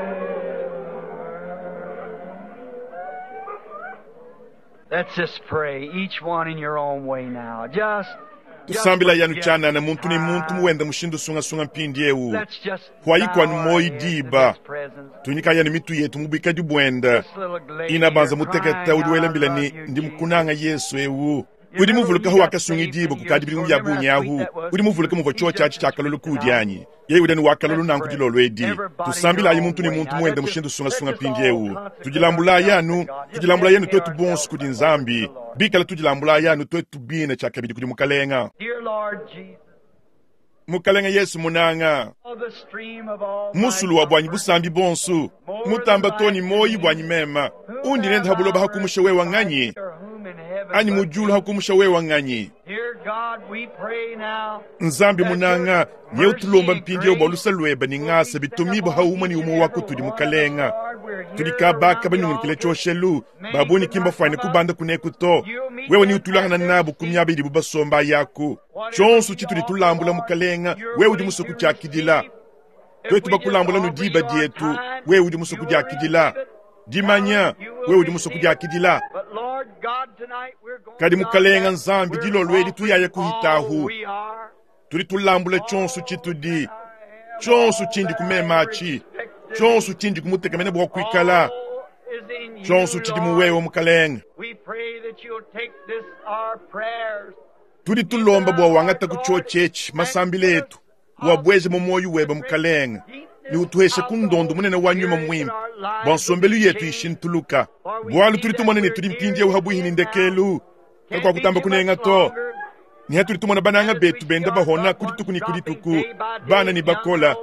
Let's just pray, each one in your own way now. Just tusambila yanu tshianana muntu ne muntu muwenda mushindu sungasunga mpindi ewu Let's just Kwayikwa bow our moyi heads in diba. His presence. tunyika yanu mitu yetu mubikadi buenda This little lady ina banza here muteketa crying udi out, welambila "I ni love you, ndi Jesus." mukunanga yesu ewu udi muvulukaho wakasunga idibo kukadi bilimu bya bunyahu udi muvuluka muvua chio chachi chakalulu kudyanyi yeye udani wakalulu nanku dilolo edi tusambilayi muntu ne muntu muwenda mushindu sungasunga mpindi ewu tudilambulayi anu tudilambulayi anu twetu bonso kudi nzambi bikala tudilambulayi anu twetu bine tshiakabidi kudi mukalenga Dear Lord Jesus, mukalenga yesu munanga of the stream of all my musulu wa bwanyi busambi bonso mutamba toni moyi bwanyi mema undi nenda habuloba hakumusha wewa ng'anyi or whom in heaven anyi but mujulu hakumusha wewa ng'anyi Dear God, we pray now nzambi munanga nye utulomba mpindi bwa lusa lweba ni ng'asa bitumibo haumwe ni umwe wako tudi mukalenga tudi kabaka banyungulukile choshelu babuni kimba fwane kubanda kuneku to wewe ni utulangana nabo kumyaba idibu basomba yaku chonso chitudi tulambula mukalenga wewe udi musoku kyakidila twetu bakulambula nu diba dietu wewe udi musoku dyakidila dimanya wewe udi musoku dyakidila But Lord God, tonight we're going Kadi mukalenga down nzambi that dilolo we're edi tuyaya kuhitahu all we are. tudi tulambula chonso chitudi chonso chindi kumemachi chonso chindi kumutekamene bwa kuikala All is in you, chonso chidi Lord. muwewe mukalenga We pray that you'll take this our prayers tudi tulomba bwa wangata kucho chechi masambile etu wabweze mu moyo weba mukalenga ni utuheshe kundondo munene wa nyuma mwimpe bwa nsombelu yetu ishintuluka bwalu tudi tumone ne tudi mpindiewu habuhi ni ndekelu kakwa kutamba kunenga to niha tudi tumona bananga betu benda bahona kudituku ni kudituku bana ni bakola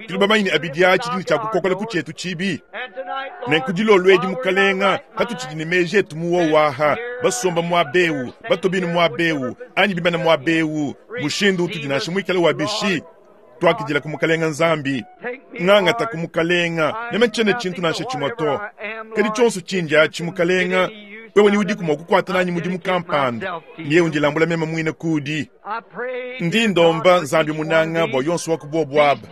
tuli bamanyi abidi achi dini tshiakukokola ku tshietu tshibi nenku dilolo edi mukalenga katutshidi ne meji etu muwowaha basomba muabewu batobini muabewu anyi bimana muabewu mushindu utudi nansha muikale wa bishi twakidila ku mukalenga nzambi ng'angata ku mukalenga neme tshiene tshintu nansha tshimue to kadi tshionso tshindi atshi mukalenga wewe ni udiku mua kukuata nanyi mudimu kampanda niye undilambula meme muine kudi ndi ndomba nzambi munanga bua yonso wa kubuobuaba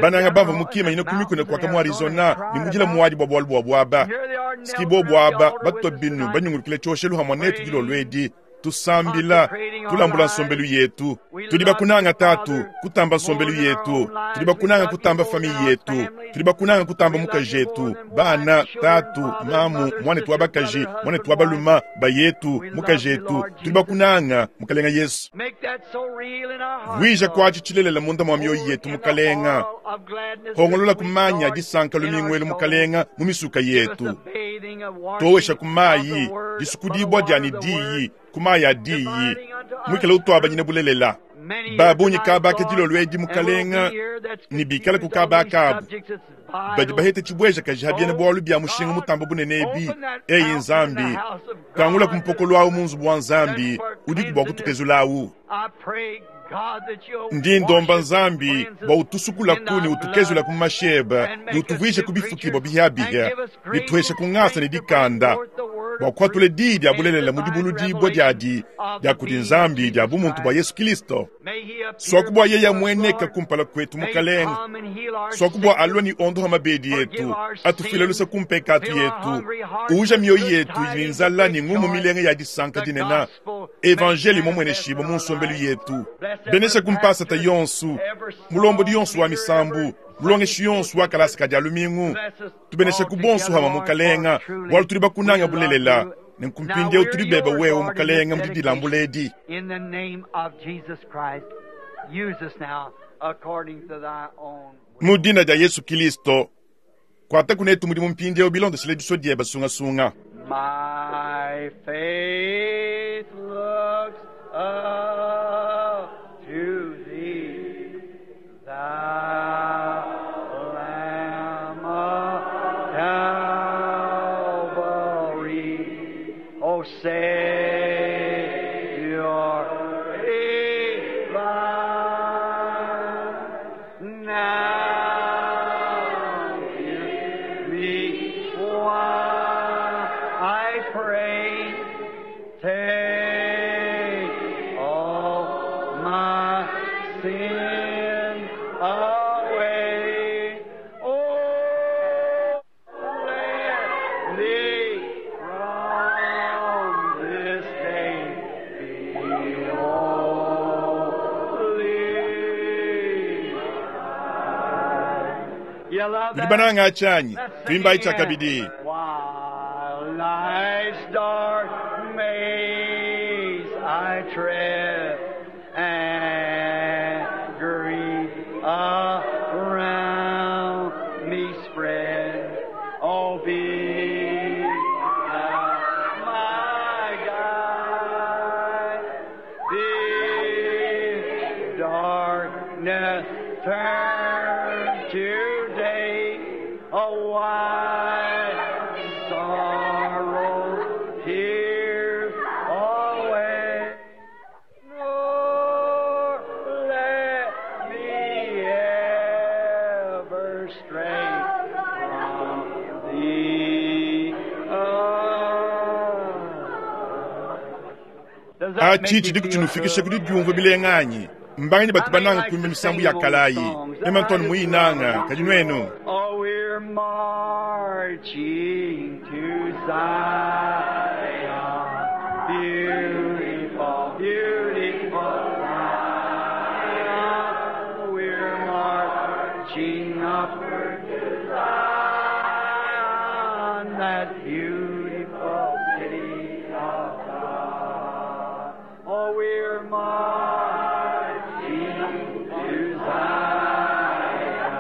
bananga bava mukima ina kumikuna kuaka mu arizona ni mudila muadi bua bualu bua buaba siki bobuaba batwa binu banyungulukile tshioshelu hamua netu dilolo edi tusambila tulambula nsombelu yetu tudi bakunanga tatu kutamba nsombelu yetu tudi bakunanga kutamba famiye yetu tudi bakunanga kutamba mukaji etu bana tatu mamu mwanetu wa bakaji mwanetu wa baluma bayetu mukaji etu tudi bakunanga mukalenga yesu vwija kwaci tshilelela munda mwa mioyo yetu mukalenga hongolola kumanya disanka lumingwelu mukalenga mu misuka yetu towesha kumayi disukudibwa dyani diyi kumayi adiyi mwikale utwabanyine bulelela babunyi kabaka dilolo edi mukalenga ni bikale ku kabaka abu badi bahete tshibweja kaji habiena bwalu bya mushinga mutamba bunene ebi eyi nzambi kangula kumpokolo awu mu nzubu wa nzambi udiku bua kutukezulawu ndi ndomba nzambi bua utusukulaku ne utukezula ku masheba ne utuvuyishe ku bifukibwa bihiabiha ne tuheshe ku ngasa ne dikanda Bua kuhatula diyi dia bulelela mu dibuludibua diadi dia kudi Nzambi dia bumuntu bua Yesu Kilisto. Suaku bua yeya mueneka kumpala kuetu Mukalenga. Suaku bua alua ne ondoha mabedi yetu, atufile luse ku mpekatu yetu, uja mioyo yetu idi ne nzala ne ngumu milenga ya disanka dinene, evanjeli mumueneshibue mu nsombelu yetu. Benesha ku mpasata yonsu, mulombodi yonsu wa misambu, mulongeshi yonsu wa kalasa ka dia lumingu. Tubenesha ku bonsu hama Mukalenga, bualu tudi bakunanga bulelela. Nenku mpindieu tudi bebe wewe Mukalenga mu didilambula edi. In the name of Jesus Christ, use us now according to thy own will. Mu dina dia Yesu Kilisto, kuata kunetu mudimu mpindieu bilondeshile disua diebe sungasunga. My faith looks up to thee, thou Lamb of Calvary, O Savior divine. Now hear me while I pray. Take all my sin away. Oh, let me from this day be holy. You love Nudi that? bananga atshanyi, Let's sing tuimbayi again. tshiakabidi. While life's dark maze I tread and grief around me spread, oh, be thou my guide. The darkness turn to day, oh, why sorrow tears away? Nor let me ever stray from thee. Does that make Achi you tshidi feel kutshinufikisha good? kudi diumvua bilenganyi. Mbanganyi batu bananga kuimba misambu ya kalayi. Mema Antoine muyinanga, kadi nuenu. Oh, we're marching to Zion, beautiful, beautiful Zion. We're marching upward to Zion, that beautiful city of God. Oh, we're marching to Zion.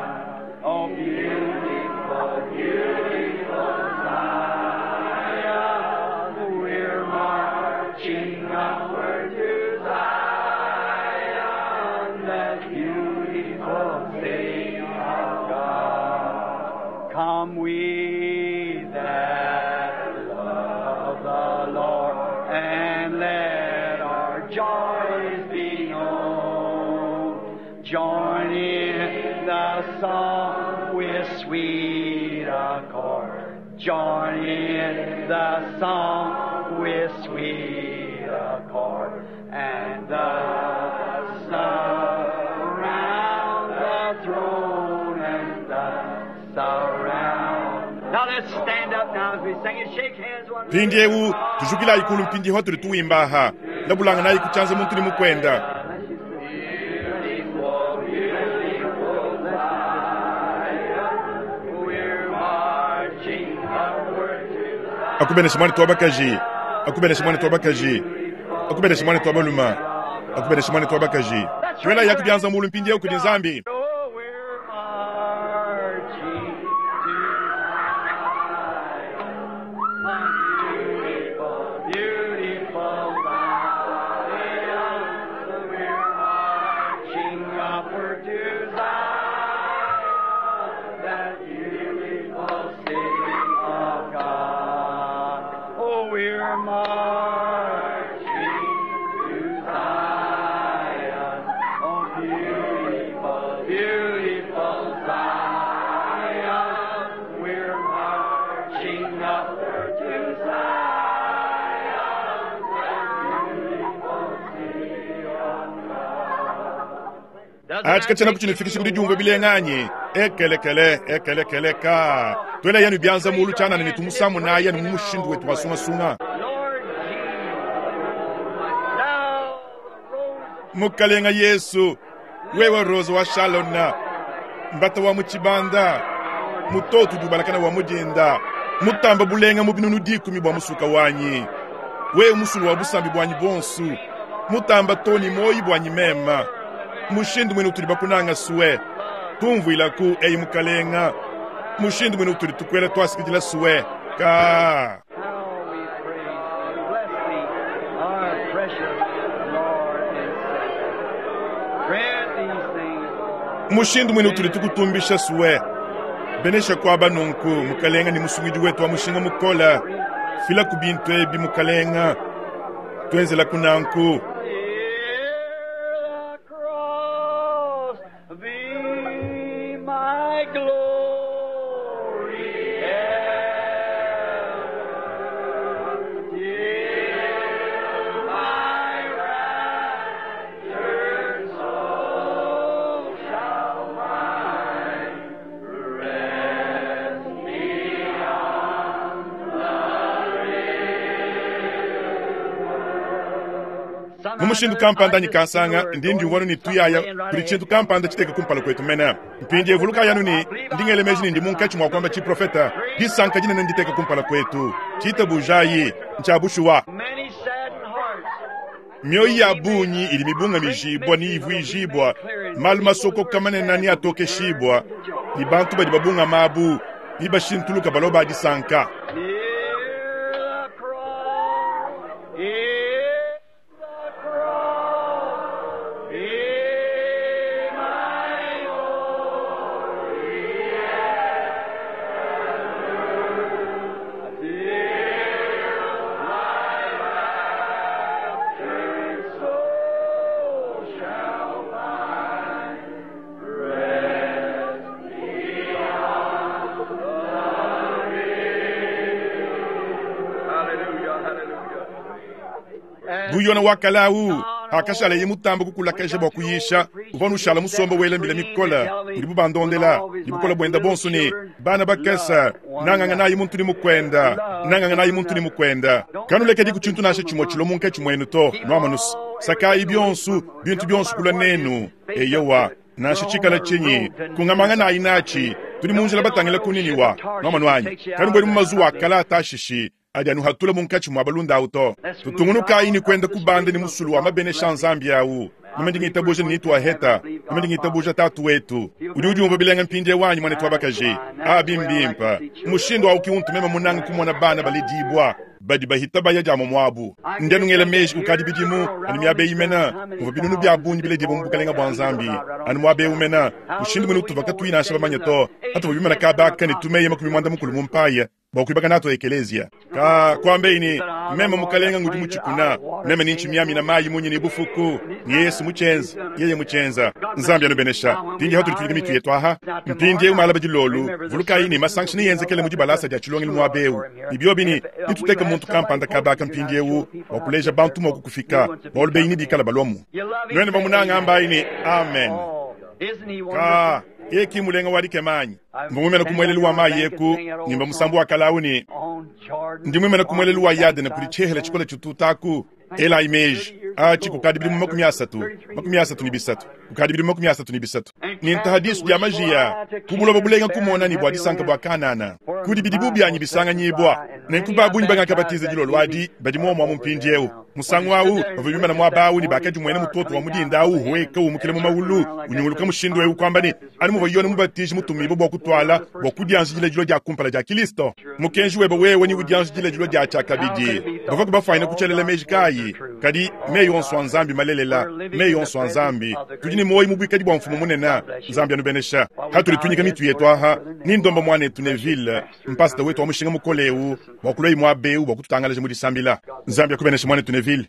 Oh, beautiful, beautiful Zion. We're marching upward to Zion, that beautiful city of God. Come we that love the Lord, and let our joys be known. Join in the song with sweet accord. Join in the song with sweet accord. And the surround the throne and the surround. Now let's stand up now as we sing and shake hands one another. Mpindiewu tujukilayi kulu mpindi hotuli tuwimbaha. Labulanga nayi kuchanza muntu ni mukwenda. Beautiful, beautiful Zion, we're marching upward to Akubenesha mwana twabakaji. Akubenesha mwana twabakaji. Akubenesha mwana twabaluma. Akubenesha mwana twabakaji. Twela yakubyanza mulu mpindiewu kudi Nzambi. Oh, we're marching to Zion, beautiful, beautiful Zion. We're marching upward to Zion, that beautiful city of God. Oh, we're marching to Zion, oh, beautiful, beautiful. Atshi katshienaku tshinufikisha ku didiumvua bilenga anyi? Ekelekele, ekelekele, ka. Tuelayi anu bianza muulu tshianana ne tumusamunayi anu mu mushindu wetu wa sungasunga. Mukalenga Yesu, wewe Rose wa Shalona, mbata wa mu tshibanda, mutoto udi ubalakana wa mu dinda, mutamba bulenga mu binunu dikumi bua musuka wanyi, wewe musulu wa busambi buanyi buonso, mutamba too ne muoyi buanyi mema, mushindu muine utudi bakunanga sue, tumvuilaku, eyi Mukalenga, mushindu muine utudi tukuela tuasakidila sue, ka. How we praise thee. Bless thee, our precious Lord and Savior. Grant these things, Lord. Mushindu muine utudi tukutumbisha sue, benesha kuaba nunku, Mukalenga ne Musungidi wetu wa mushinga mukole, filaku bintu ebi, Mukalenga, tuenzelaku nanku. Hear the cross be my glory ever, till my raptured soul shall find rest beyond the Mu mushindu kampanda anyi kansanga, ndi ndiumvua anu ne tuyaya kudi tshintu kampanda tshiteka kumpala kuetu mene. Mpindieu vulukayi anu ne, ndi ngela meji ne ndi munkatshi mua kuamba tshiprofeta. Disanka dinene nditeka kumpala kuetu. Tshitabujayi, ntshia bushuwa. Many saddened hearts. Mioyo ya bungi idi mibungamijibua ne ivuijibua, malu masokoka manene ne atokeshibua, ne bantu badi babungama abu ne bashintuluka balua ba disanka. Near the cross, near the cross, be my glory ever, till my raptured soul shall find rest beyond the Hallelujah, hallelujah. Bu Yona wa kale au hakashaleye mutamba kukulakaja bua kuyisha, uvua nushala musomba wela mbila mikole udibu bandondela ne bukole buenda bonso ne bana bakese nanganganayi muntu ne mukwenda, nanganganayi muntu ne mukwenda. Kanulekedi ku tshintu nansha tshimue tshilua munkatshi muenu to, nuamanuse sakayi bionso bintu bionso kulua nenu. Eyowa, nansha tshikala tshinyi, kungamanganayi natshi. Tudi mu njila batangila ku Niniwa, nuamanu anyi? Kanubuedi mu mazuwa a kale a Tashishi adi anuhatula munkatshi mua balunda awu to. Tutungunukayi ne kuenda kubanda ne musulu wa mabenesha a Nzambi awu. Meme ndi ngitabuja ne nituaheta. Meme ndi ngitabuja Tatu wetu. Udi udiumvua bilenga mpindieu anyi, muanetu wa bakaji? Abi mbimpe. Mushindu awu ki untu meme munange kumona bana baledibua badi bahita baya dia muabu. Ndi anu ngela meji kukadi bidimu anu miaba eyi mene muvua binunu bia bungi biledibua mu bukalenga bua Nzambi. Anu muaba eu mene, mushindu muine utuvua katuyi nansha bamanye to, patuvua bimana kaba aka ne tumeya makumi muanda mukulu mu mpaya bua kuibaka natu ekeleziya. Ka kuambeyi ne, meme mukalenga ngudi mutshikuna, meme ni ntshimiamina mayi munyi ne bufuku, ni Yesu mutshienza, yeye mutshienza. Nzambi anubenesha. Mpindieu hatudi tunyika mitu yetu aha. Mpindieu malaba dilolu, vulukayi ne masangisha neyenzekele mu dibalasa dia tshilongelu muaba eu. Ne biobi ne, nituteke muntu kampanda kaba aka mpindieu bua kuleja bantu mua kukufika, bualu benyi nebikale baluamu. Nuenu bamunanga ambayi ne, amen. Isn't he Ka, wonderful? yeye ki mulenga wa dikema anyi? Mvua muimane ku muelelu wa mayi eku, ngimba musambu wa kale au ne, On Jordan, ndi muimane ku muelelu wa Yadene kudi tshihela tshikole tshitutaku. Elayi meji, atshi kukadi bidimu makumi asatu, makumi asatu ne bisatu, kukadi bidimu makumi asatu ne bisatu. Ne ntaha disu dia majiya ku buloba bulenga kumona ne bua disanka bua Kanana, kudi bidibu bianyi bisanganyibua. Nenku ba bungi bangakabatiza dilolo adi badi muomu amu mpindieu. Musangu au bavua bimana muaba au ne bakadimuena mutoto wa mu dinda au uhueka umukila mu maulu unyunguluka mushindu eu kuamba ne, anu muvua Yone Mubatiji mutumibue bua kutuala bua kudianjidila dilua dia kumpala dia Kilisto. Mukenji webe wewe ni udianjidila dilua dia tshiakabidi. Bavua kubafuanyina kutshialela meji kayi? Kadi meyi onso a Nzambi malelela, meyi onso a Nzambi. Tudi ne muoyo mu buikadi bua Mfumu munene. Nzambi anubenesha. Hatudi tunyika mitu yetu aha, ni ndomba muanetu Neville, mpasita wetu wa mushinga mukole eu, bua kulua muaba eu bua kututangalaja mu disambila. Nzambi akubenesha muanetu Neville.